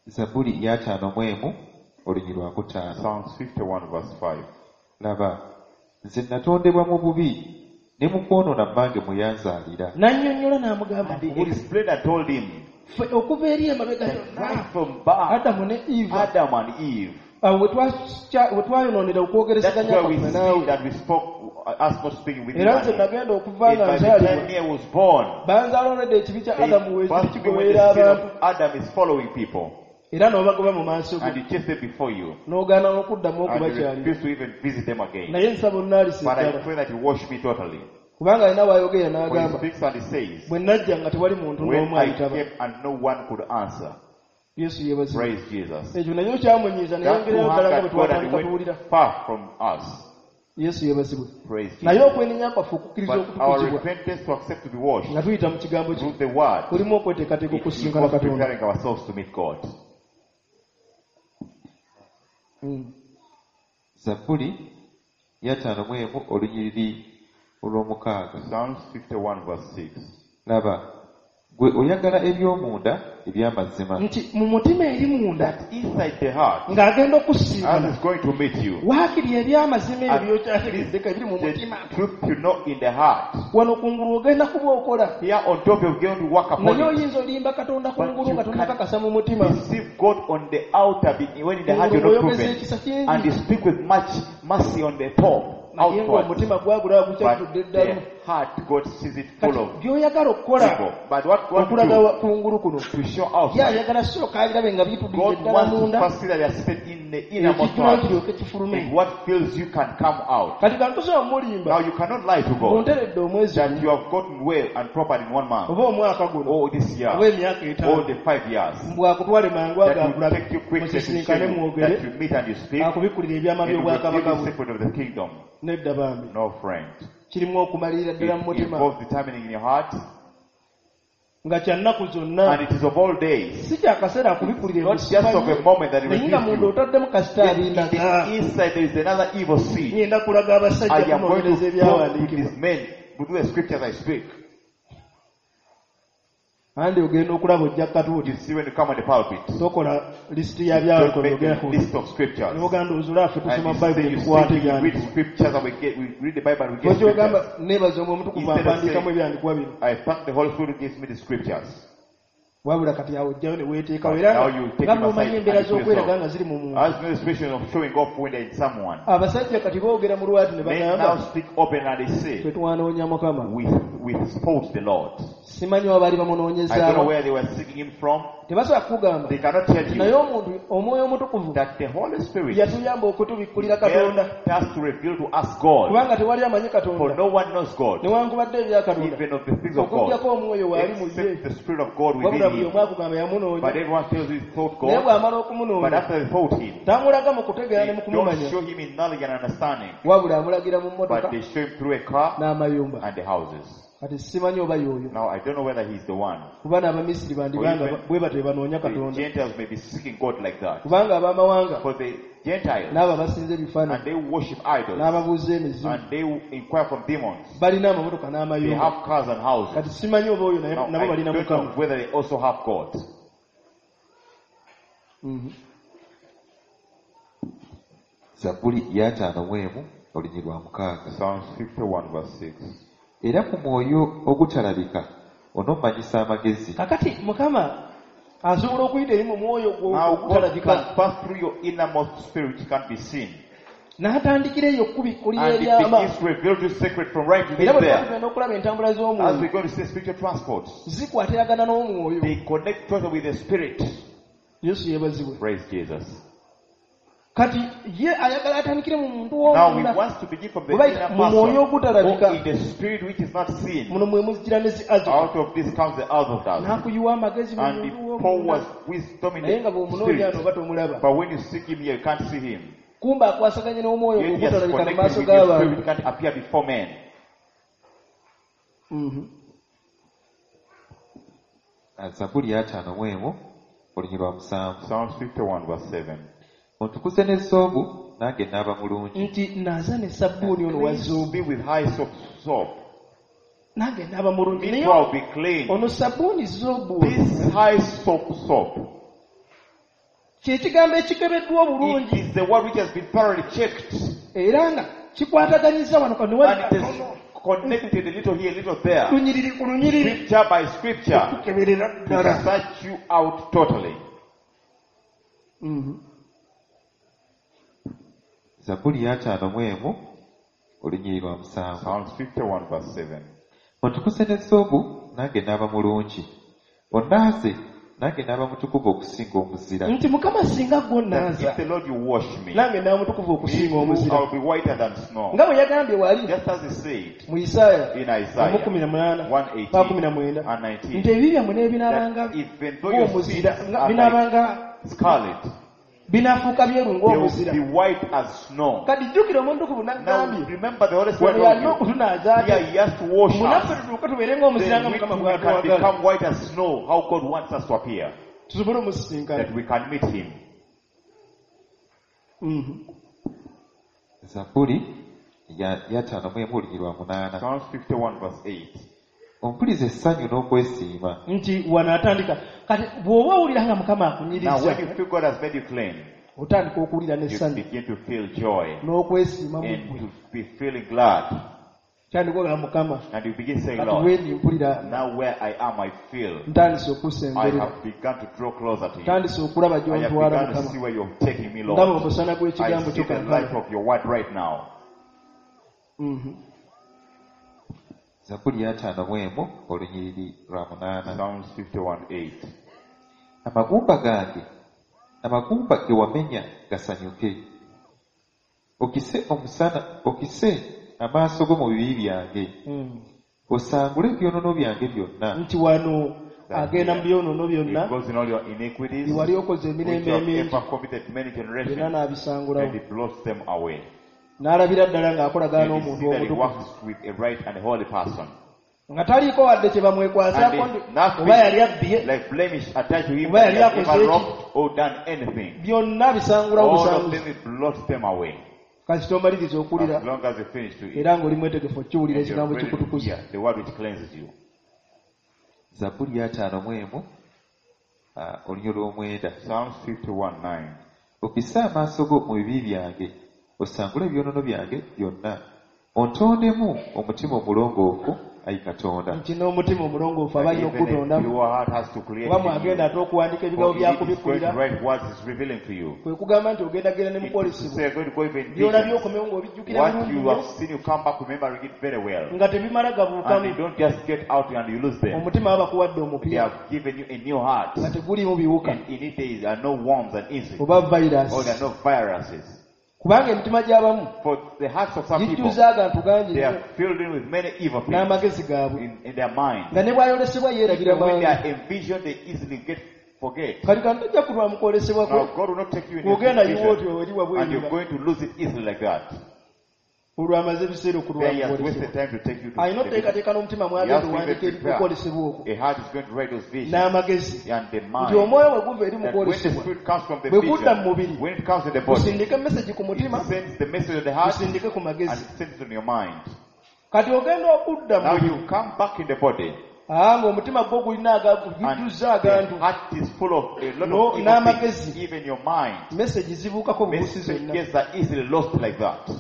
D: Zabbuli ya 51 olunyiriri lwa 5.
A: Psalms 51 verse 5.
D: Laba, nze natondebwa mu bubi, ne mu kwonoona mmange mwe yanzaalira.
C: N'annyonnyola n'amugamba,
A: And he explained and told him
C: ffe okuva eri emabega
A: that
C: yonna
A: right from birth,
C: Adamu ne Eva,
A: Adam and Eve,
C: awo we twayonoonera
A: that's
C: okwogerezeganya
A: where we
C: kwaffe
A: see
C: naawe.
A: that we spoke, us not speaking with you.
C: Era nze
A: And
C: nagenda okuva nga
A: by the time
C: nzaalibwa,
A: me I was born,
C: banzaala olwedde ekibi kya
A: they
C: Adamu weekiri
A: first when the
C: kigoberera
A: sin
C: abantu,
A: of Adam is following people,
C: era n'obagoba mu maaso go,
A: and you chase them before you,
C: n'ogaana n'okuddamu
A: and you
C: okubakyalira.
A: refuse to even visit them again.
C: Naye nsaba onnaalise
A: But I
C: ddala,
A: pray that you wash me totally.
C: kubanga alina w'ayogera
A: For he
C: n'agamba,
A: speaks and he says,
C: bwe najja nga tewali muntu
A: when
C: n'omu
A: I
C: ayitaba.
A: came and no one could answer.
C: Yesu yeebazibwe.
A: Praise Jesus.
C: Ekyo naye okyamunyiiza,
A: That
C: neyongereyo
A: who
C: ddala nga bwe
A: angered God and
C: twatandika tuwulira.
A: went far from us.
C: Yesu yeebazibwe.
A: Praise
C: Naye
A: Jesus.
C: okwenenya kwaffe okukkiriza
A: But our
C: okutukuzibwa
A: repentance to accept to be washed
C: nga tuyita mu kigambo kye
A: through the word,
C: kulimu okweteekateeka
A: it
C: okusisinkana
A: involves
C: Katonda.
A: preparing ourselves to meet God.
D: Zabbuli ya 51 olunyiriri olw'omukaaga.
A: Psalms 51 verse 6.
D: Laba, ggwe oyagala eby'omunda eby'amazima,
C: Nti mu mutima eri munda
A: Inside the heart,
C: ng'agenda
A: as
C: okusinkana
A: is going to meet you,
C: waakiri eby'amazima ebyo
A: At
C: by'okyategeddeko ebiri mu
A: the
C: mutima.
A: truth you know in the heart.
C: Wano kungulu ogenda kuba okola,
A: Here on top you're going to work upon
C: naye
A: it.
C: oyinza olimba Katonda
A: But
C: kungulu
A: you
C: nga tonnakakasa mu mutima.
A: Deceive God on the outer, when in the heart you're not
C: Kungulu oyogeza
A: proven.
C: ekisa kingi,
A: And you speak with much mercy on the top,
C: naye
A: outward.
C: ng'omutima gwagulaba
A: But
C: gukyajjudde eddalu.
A: the heart, God sees it full
C: Kati
A: of
C: by'oyagala okukola
A: evil. But what God
C: okulaga
A: do
C: kungulu kuno,
A: to show
C: ye
A: outside,
C: ayagala sooka abirabe nga bitudde
A: God
C: ddala
A: wants to
C: munda,
A: first see that they are seated in the innermost
C: ekijjulo
A: heart.
C: kiryoke kifulume.
A: And what fills you can come out.
C: Kati kantusobola mulimba,
A: Now you cannot lie to God
C: bunteredde omwezi
A: that
C: gumu
A: you have gotten well and proper in 1 month,
C: oba omwaka guno
A: or this year,
C: oba emyaka
A: or
C: 5,
A: the 5 years.
C: mbw akutwale mangu
A: That will
C: agakulabe
A: take you quickly to show
C: musisinkane
A: you
C: mwogere
A: that you meet and you speak,
C: akubikkulira ebyama
A: and you reveal
C: by'obwakabaka
A: the
C: bwe.
A: secret of the kingdom.
C: Nedda bambi,
A: No friend.
C: kirimu okumalirira
A: It
C: ddala mu mutima
A: involves determining in your heart,
C: nga kya nnaku zonna,
A: and it is of all days.
C: si kyakaseera akubikkulira
A: Not just of a moment that it
C: naye nga
A: reveals
C: munda
A: you.
C: otaddemu kasita
A: Then in
C: abindaga.
A: the inside there is another evil seed.
C: Ngenda kulaga abasajja
A: I am going
C: kunoonyereza
A: to talk to
C: ebyawandiikibwa.
A: these men through the scriptures I speak.
C: Andi ogenda okulaba ojja katuuti,
A: You see when you come on the pulpit,
C: tokola lisiti ya
A: don't
C: byawandiikibwa
A: make
C: byogerako
A: a list of scriptures.
C: noganda ozula ffe
A: And
C: tusoma
A: you say
C: bayibuli
A: you
C: tukwate
A: say we read
C: ebyandikibwa.
A: scriptures and we read the Bible and we get
C: Lwaki ogamba
A: scriptures.
C: neebaza omwoyo omutukuvu
A: Instead of
C: ampandiikamu
A: saying,
C: ebyandikibwa bino?
A: I thank the Holy Spirit who gives me the scriptures.
C: Wabula kati awo ojjayo ne weeteekawo
A: But
C: era
A: now you take
C: nga
A: him
C: bw'omanyi
A: aside
C: embeera
A: and you put
C: z'okweraga
A: yourself.
C: nga ziri mu muntu.
A: As no expression of showing off when there is someone.
C: Abasajja kati boogera mu lwatu ne
A: Men now
C: bagamba,
A: speak open and they
C: ffe
A: say,
C: twanoonya Mukama.
A: we spoke the Lord.
C: Simanyi oba baali
A: I don't know
C: bamunoonyezaawa.
A: where they were seeking him from.
C: Tebasobola kukugamba.
A: They cannot tell
C: Naye
A: you
C: omuntu omwoyo omutukuvu
A: that the Holy Spirit
C: yatuyamba okutubikkulira Katonda,
A: helped us to reveal to us God.
C: kubanga tewali amanyi
A: For
C: Katonda
A: no one knows God,
C: newankubadde ebya Katonda
A: even of the things of God,
C: okuggyako omwoyo waali mu ye.
A: except the Spirit of God
C: Wabula
A: within
C: buli
A: him.
C: omu akugamba yamunoonya,
A: But everyone tells you he thought
C: naye
A: God,
C: bw'amala
A: but
C: okumunoonya
A: after they thought him,
C: tamulaga mu kutegeera ne
A: they
C: mu
A: don't
C: kumumanya,
A: show him in knowledge and understanding,
C: wabula amulagira mu mmotoka
A: but they show him through a car
C: n'amayumba.
A: and the houses.
C: Kati simanyi oba y'oyo,
A: Now, I don't know whether he's the one.
C: kuba n'Abamisiri bandibanga
A: Or even
C: bwe batyo banoonya
A: The
C: Katonda,
A: Gentiles may be seeking God like that.
C: kubanga ab'amawanga
A: For the Gentiles,
C: n'abo abasinza ebifaananyi
A: and they worship idols,
C: n'ababuuza emizimu
A: and they inquire from demons.
C: balina amamotoka
A: They
C: n'amayumba.
A: have cars and houses.
C: Kati simanyi oba oyo
A: Now,
C: nabo
A: I
C: balina
A: don't know
C: Mukama.
A: whether they also have God.
D: Zabbuli ya 51 olunyiriri lwa 6.
A: Psalms 51 verse 6.
D: Era ku mwoyo ogutalabika onommanyisa amagezi.
C: Kakati Mukama asobola okuyita eri mu mwoyo gwo
A: Now God
C: ogutalabika
A: can pass through your innermost spirit which can't be seen.
C: N'atandikira eyo okubikkulira
A: And he
C: ebyama.
A: begins to reveal to secret from right
C: Era
A: within
C: bwe
A: there.
C: tugenda okulaba entambula
A: As
C: z'omwoyo
A: we're going to see spiritual transports,
C: zikwatagana n'omwoyo.
A: they connect totally with the spirit.
C: Yesu yeebazibwe.
A: Praise Jesus.
C: Kati ye ayagala atandikire mu muntu
A: Now he
C: w'omunda
A: wants to begin from the
C: Oba
A: inner
C: mu mwoyo
A: person
C: ogutalabika.
A: or in the spirit which is not seen.
C: Muno mwe muzijira ne zi azoka.
A: Out of this comes the Azotus.
C: N'akuyiwa amagezi mu
A: And he
C: muntu
A: pours
C: w'omunda
A: wisdom in
C: naye nga
A: the
C: bw'omunoonya
A: spirit.
C: ano oba tomulaba.
A: But when you seek him here, you can't see him.
C: Kumba akwasaganye n'omwoyo
A: Yet he has
C: ogutalabika mu
A: connected
C: maaso
A: with your
C: g'abantu.
A: spirit, which can't appear before men.
D: Zabbuli 51 olunyiriri lwa 7.
A: Psalms 51 verse 7.
D: Ontukuze ne zoobu nange naaba mulungi.
C: Nti naaza ne sabbuuni ono wa
A: Cleanse
C: zoobu
A: me with hyssop soap.
C: nange naaba mulungi.
A: Me
C: Naye
A: too, I'll be clean.
C: ono sabbuuni zoobu
A: This hyssop soap,
C: kyekigambo ekikebeddwa
A: it
C: obulungi
A: is the word which has been thoroughly checked.
C: era nga kikwataganyiza wano kano wali
A: And it is connected a little here, a little there.
C: lunyiriri ku lunyiriri
A: Scripture by scripture.
C: okukeberera
A: To
C: ddala.
A: search you out totally.
D: Zabbuli 51 olunyiriri lwa 7.
A: Psalms 51 verse 7.
D: Ontukuse ne zoobu nange naaba mulungi. Onnaaze nange naaba mutukuvu okusinga omuzira.
C: Nti Mukama singa gwo
A: That
C: nnaaza
A: if the Lord you wash me,
C: nange naaba mutukuvu
A: me
C: okusinga
A: too,
C: omuzira.
A: I'll be whiter than snow.
C: Nga bwe yagambye wali
A: Just as he said
C: mu Isaaya
A: in Isaiah
C: 18
A: 1:18
C: 19
A: and 19,
C: nti ebibi byammwe n'ebinaabanga
A: that even though your sins
C: ng'omuzira nga
A: are like
C: binaabanga
A: scarlet,
C: binaafuuka byeru
A: they will
C: ng'omuzira.
A: be white as snow.
C: Kati jjukira omuntu
A: Now
C: n'agambye
A: remember the Holy Spirit
C: wano yalina
A: told you,
C: okutunaaza
A: here
C: ate
A: he has to wash
C: munaffe
A: us.
C: tutuuke tubeere ng'omuzira
A: Then
C: nga
A: we
C: Mukama
A: too can
C: bw'atwagala
A: become white as snow, how God wants us to appear,
C: tusobole omusisinkana.
A: that we can meet him.
D: Zabbuli 51 olunyiriri lwa 8.
A: Psalms 51 verse 8.
D: Ompuliza essanyu n'okwesiima.
C: Nti wano atandika kati bw'oba owulira nga Mukama
A: Now
C: akunyiriza
A: when you feel God has made you clean,
C: otandika okuwulira
A: you
C: n'essanyu
A: begin to feel joy
C: n'okwesiima mu
A: and
C: ggwe.
A: to be feeling glad.
C: Tandika ogamba Mukama
A: And you begin saying,
C: kati
A: Lord,
C: wendi mpulira
A: now where I am, I feel
C: ntandise
A: I
C: okusemberera
A: have begun to draw closer to you.
C: ntandise okulaba
A: I have
C: gy'ontwala
A: begun to
C: Mukama
A: see where you're taking me,
C: ndaba
A: Lord.
C: omusana
A: I
C: gw'ekigambo
A: see
C: kyo
A: the light
C: kankano.
A: of your word right now.
D: Zabbuli 51 olunyiriri lwa 8.
A: Psalms 51:8.
D: Amagumba gange amagumba ge wamenya gasanyuke. Okise omusana okise amaaso go mu bibi byange. Osangule ebyonoono byange byonna.
C: Nti wano agenda mu byonoono byonna
A: It goes in all your iniquities,
C: bye wali okoze
A: which
C: emirembe
A: you have
C: emingi
A: ever committed many
C: byonna
A: generations, and
C: n'abisangulawo
A: it blows them away.
C: n'alabira ddala ng'akolagana
A: And you
C: n'omuntu
A: see that he
C: omutukuvu
A: works with a right and holy person.
C: nga taliiko wadde kye bamwekwasaako
A: And
C: nti
A: there's nothing
C: oba yali abbye
A: like blemish attached to him
C: Oba
A: that he
C: yali
A: has
C: akoze
A: ever
C: ki?
A: robbed or done anything.
C: Byonna bisangulawo
A: All of
C: busanguzi.
A: them, it blows them away.
C: Kasita omaliriza okuwulira
A: As long as you finish to eat,
C: era ng'oli mwetegefu okukiwulira
A: and you're
C: ekigambo
A: ready to
C: kikutukuza.
A: hear the word which cleanses you.
D: Zabbuli 51 olunyiriri lw'omwenda.
A: Psalms 51:9.
D: Okise amaaso go mu bibi byange osangule ebyonoono byange byonna. Ontondemu omutima omulongoofu ayi Katonda.
C: Nti n'omutima omulongoofu aba alina
A: Even a
C: okugutondamu
A: pure heart has to create
C: oba
A: in you.
C: mwagenda ate okuwandika ebigambo
A: For it is going to
C: byakubikkulira
A: write words is revealing to you.
C: kwe kugamba nti ogenda genda ne
A: It is to
C: mukwolesebwa
A: say you're going to go even
C: byolabye
A: visions.
C: okomewo ng'obijjukira
A: What
C: bulungi
A: you
C: nnyo
A: have seen, you come back remembering it very well.
C: nga tebimala
A: And you
C: gabuukamu.
A: don't just get out and you lose them.
C: Omutima baba bakuwadde
A: They
C: omupya
A: have given you a new heart.
C: nga teguliimu biwuka
A: And in it there are no worms and insects.
C: oba
A: Or there are
C: virus
A: no viruses.
C: kubanga emitima gy'abamu
A: For the hearts of some people,
C: gijjuza agantu gangi
A: they
C: nnyo
A: are filled in with many evil things
C: n'amagezi gaabwe
A: in their mind.
C: nga ne bw'ayolesebwa yeerabira
A: Even when they
C: mangu.
A: are envisioned, they easily get forget.
C: Kati kano tojja kulwa mu kwolesebwa kwe
A: Now God will not take you in your
C: bw'ogenda yiwa
A: vision,
C: otyo eri
A: and you're
C: wabweru
A: going to lose it easily like that.
C: olwo amaze ebiseera okulwa
A: There
C: mu
A: he has
C: kwolesebwa.
A: wasted time to take you to
C: Alina
A: the vision.
C: oteekateeka n'omutima
A: He
C: mwagenda
A: has to even
C: owandiika
A: prepare.
C: ebikwolesebwa okwo
A: A heart is going to write those visions
C: n'amagezi
A: and the
C: nti
A: mind.
C: omwoyo bwe guva eri mu
A: That when the
C: kwolesebwa
A: spirit comes from the
C: bwe gudda mu
A: vision,
C: mubiri
A: when it comes in the body,
C: gusindike mesegi ku mutima
A: it sends the message of the heart
C: gusindike ku
A: and
C: magezi.
A: it sends it on your mind.
C: Kati ogenda okudda mu
A: Now
C: mubiri
A: you come back in the body
C: aa ng'omutima gwo gulina
A: and
C: gujjuzza agantu
A: the heart is full of a lot
C: No-
A: of evil
C: n'amagezi.
A: things, even your mind.
C: Mesegi zibuukako bubuusi zonna.
A: Messages are easily lost like that.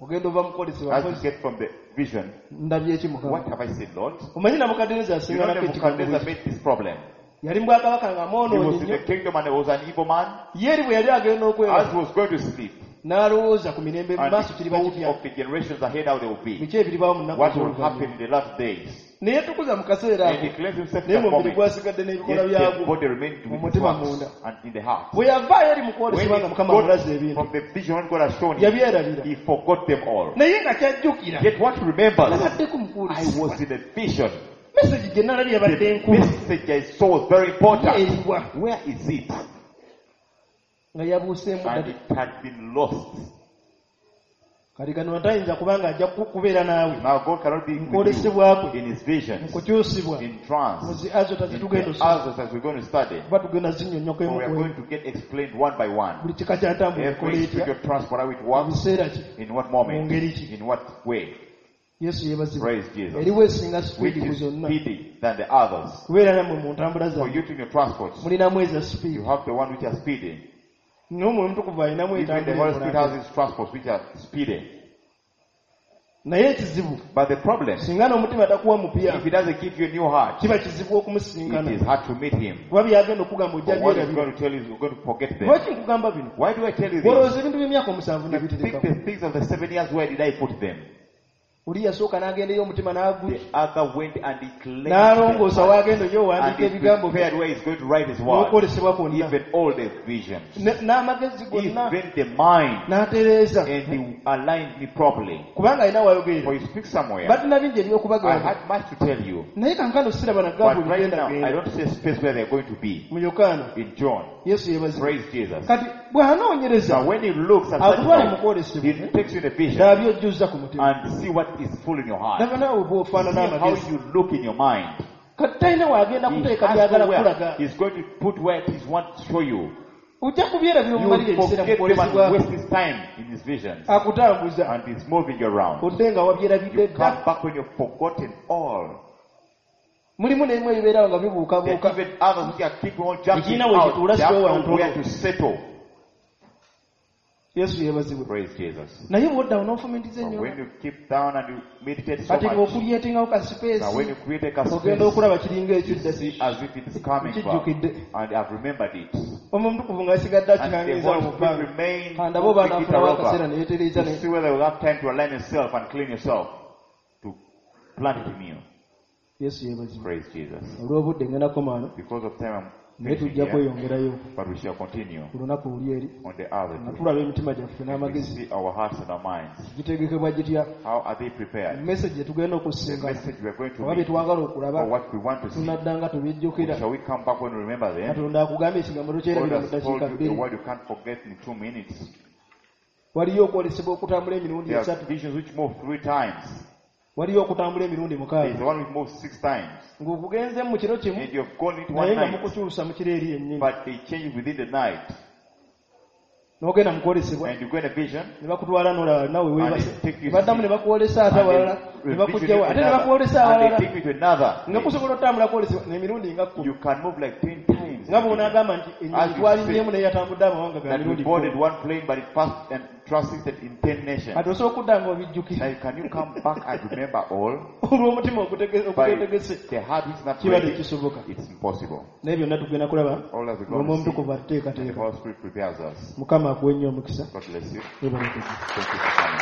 C: Ogenda ova mu kwolesebwa
A: As you get from the vision,
C: ndabye eki Mukama
A: what have I said, Lord?
C: omanyi Nabukadduneeza
A: You know
C: yasinganako ekigambo
A: Nebuchadnezzar
C: bwe
A: made this problem.
C: Yali mu bwakabaka nga
A: He
C: mwonoonyi
A: was in
C: nnyo.
A: the kingdom and he was an evil man.
C: Ye eri bwe yali agenda
A: As
C: okwebaka
A: he was going to sleep,
C: n'alowooza ku mirembe mu
A: and
C: maaso
A: he
C: kiriba
A: thought
C: kitya
A: of the generations ahead how they will be,
C: biki ebiribaawo mu nnaku
A: what will happen
C: ez'oluvannyuma
A: in the last days.
C: Ne yeetukuza mu kaseera
A: And
C: ako
A: he cleansed himself in
C: naye
A: that
C: mu mubiri
A: moment.
C: gwasigadde n'ebikolwa
A: Yet the
C: byagwo
A: body remained
C: mu
A: with its
C: mutima
A: works
C: munda
A: and in the heart.
C: Bwe yavaayo eri mu
A: When
C: kwolesebwa
A: he
C: nga Mukama amulaze
A: got
C: ebintu
A: from the vision what God has shown him,
C: yabyerabira
A: he forgot them all.
C: Naye nga kyajjukira
A: Yet what he remembers,
C: nabaddeko mu
A: I
C: kwolesebwa
A: was in a vision.
C: Message gye nalabye yabadde
A: The
C: enkulu
A: message I saw was very important.
C: Eriwa
A: Where is it?
C: Nga yabuuseemu
A: And
C: dda
A: it had been lost.
C: Kati kano tayinza kubanga ajja kubeera naawe
A: Now God cannot be with you
C: kwolesebwa kwe
A: in his
C: mu
A: visions,
C: kukyusibwa
A: in
C: mu
A: trance,
C: zi azota
A: in
C: zetugenda
A: the
C: osoma
A: others as we're going to study.
C: kuba tugenda zinnyonnyoka
A: For
C: emu
A: we are
C: ku emu
A: going to get explained one by one.
C: Buli kika kya ntambula ekola
A: Every
C: etya
A: spiritual transport, how it
C: mu
A: works,
C: biseera ki
A: in what
C: mu
A: moment,
C: ngeri ki
A: in what way.
C: Yesu yeebazibwe
A: Praise Jesus.
C: Eriwo esinga
A: Which
C: sipiidi ku
A: is
C: zonna
A: speedy than the others.
C: Kubeera nammwe mu ntambula
A: For
C: zammwe
A: you to in your transports,
C: mulinamu eza
A: you
C: sipiidi
A: have the one which are speedy.
C: N'omwoyo omutukuvu alinamu
A: Even the
C: entambula
A: Holy Spirit
C: ekola
A: has his transports which are speedy.
C: Naye ekizibu
A: But the problem,
C: singa n'omutima takuwa mupya
A: if he doesn't give you a new heart,
C: kiba kizibu
A: it
C: okumusisinkana
A: is hard to meet him.
C: Kuba byagenda okugamba ojja
A: For what he's
C: byerabira
A: going to tell you, you're going to forget them.
C: Lwaki nkugamba bino
A: Why do I tell you this?
C: Olowooza ebintu by'emyaka 7
A: You think
C: nabiterekako
A: the things of the 7 years, where did I put them?
C: Oli yasooka n'agendayo omutima n'agu
A: The other went and he cleansed
C: n'alongoosa
A: them.
C: waagenda oyo
A: And
C: owandiika
A: he
C: ebigambo bye
A: prepared where he's going to write his words.
C: N'okwolesebwa kwonna
A: Even all the visions.
C: N'amagezi gonna
A: Even the mind.
C: N'atereeza
A: And he aligned me properly.
C: Kubanga alina
A: For
C: wayogerera
A: he speaks somewhere.
C: Balina bingi
A: I
C: ebyokubagamba
A: had much to tell you.
C: Naye kankano siraba nagamba
A: But right now, I
C: ebigenda
A: don't see a space where they're going to be.
C: Mu Yokaana
A: In John.
C: Yesu yeebazibwe
A: Praise Jesus.
C: Kati bw'anoonyereza
A: Now when he looks at
C: akutwale mu
A: such
C: kwolesebwa
A: he takes you in a vision
C: n'abyojjuzza ku mutima
A: and see what is full in your heart.
C: Laba naawe bw'ofaanana
A: See how
C: amagezi
A: you look in your mind.
C: Kati talina waagenda
A: He
C: kuteeka
A: has
C: byagala
A: nowhere.
C: kukulaga
A: He's going to put where he wants to show you.
C: Ojja kubyerabira
A: You
C: omumalira
A: will
C: ebiseera mu
A: forget them
C: kwolesebwa
A: and waste his time in his visions.
C: Akutambuza
A: And he's moving you around.
C: Odde nga wabyerabidde
A: You
C: dda
A: come back when you've forgotten all.
C: Mulimu n'ebimu ebibeerawo nga
A: There
C: bibuukabuuka
A: are even others which are keeping on jumping
C: Ekiina we
A: out.
C: kituula
A: They have
C: siwe
A: nowhere
C: wantono.
A: to settle.
C: Yesu yeebazibwe
A: Praise Jesus.
C: Naye bw'oddawo n'ofumintiza
A: But
C: ennyo
A: when you keep down and you meditate so
C: kati
A: much,
C: ng'okulyetingawo ka
A: now when
C: sipeesi
A: you create a
C: ogenda
A: space,
C: okulaba kiringa
A: you
C: ekidda
A: see as if it's coming back.
C: Kijjukidde
A: And I've remembered it.
C: Omwo omutukuvu ng'asigadde
A: And the
C: akikangiza
A: Holy
C: mu
A: Spirit
C: bbanga
A: remains
C: Kandabe oba
A: to pick it
C: anaafunawo akaseera
A: over.
C: ne yeetereeza
A: To
C: ne
A: see whether you'll have time to align yourself and clean yourself to plant it in you.
C: Yesu yeebazibwe
A: Praise Jesus.
C: Olw'obudde ngenda komaano
A: Because of time, I'm
C: naye
A: finishing
C: tujja
A: here,
C: kweyongerayo
A: but we shall continue
C: ku lunaku luli eri
A: on the other
C: nga
A: day.
C: tulaba emitima gyaffe
A: We
C: n'amagezi
A: see our hearts and our minds.
C: gitegekebwa gitya
A: How are they prepared?
C: Message gye tugenda
A: The
C: okusisinkana
A: message we are going to
C: oba bye
A: read
C: twagala
A: or
C: okulaba
A: what we want to see.
C: tunadda nga tubijjukira
A: Shall we come back when we remember them?
C: Katonda akugambye ekigambo
A: God
C: tokyerabira mu
A: has told
C: ddakiika
A: you a
C: 2
A: word you can't forget in 2 minutes.
C: Waliyo okwolesebwa okutambula emirundi
A: There are
C: esatu
A: visions which move three times.
C: Waliyo okutambula emirundi
A: There is
C: 6
A: the one which moves six times.
C: Ng'okugenze mu kiro kimu
A: And you've gone into
C: naye
A: one
C: nga
A: night,
C: mukukyusa mu kiro eri yennyini
A: but they change within the night.
C: N'ogenda mu kwolesebwa
A: And you go in a vision,
C: ne bakutwala n'olaba nawe
A: and
C: weebase
A: they take you
C: baddamu ne bakwolesa ate
A: and
C: awalala
A: they
C: ne
A: revision you
C: bakuggyawo
A: to
C: ate ne
A: another,
C: bakwolesa
A: and they
C: awalala
A: take you to another.
C: Nga kusobola otambula kwolesebwa n'emirundi nga 10
A: You can move like 10 times.
C: Nga bw'onaagamba nti
A: As
C: ennyonyi
A: you
C: twalinnyemu naye yatambudde amawanga ga
A: That we
C: mirundi
A: boarded
C: 10
A: one plane, but it passed and transited in 10 nations.
C: Kati osobola okudda nga obijjukira
A: Now, can you come back and remember all?
C: Olw'omutima
A: By
C: oguteetegese
A: the heart is not
C: kiba
A: ready,
C: tekisoboka
A: it's impossible.
C: Naye byonna tugenda kulaba
A: All that we're
C: ng'omwoyo
A: going to see,
C: omutukuvu
A: and the
C: atuteekateeka
A: Holy Spirit prepares us.
C: Mukama akuwe nnyo omukisa
A: God bless you.
C: Weebale kujja.
A: Thank you for coming.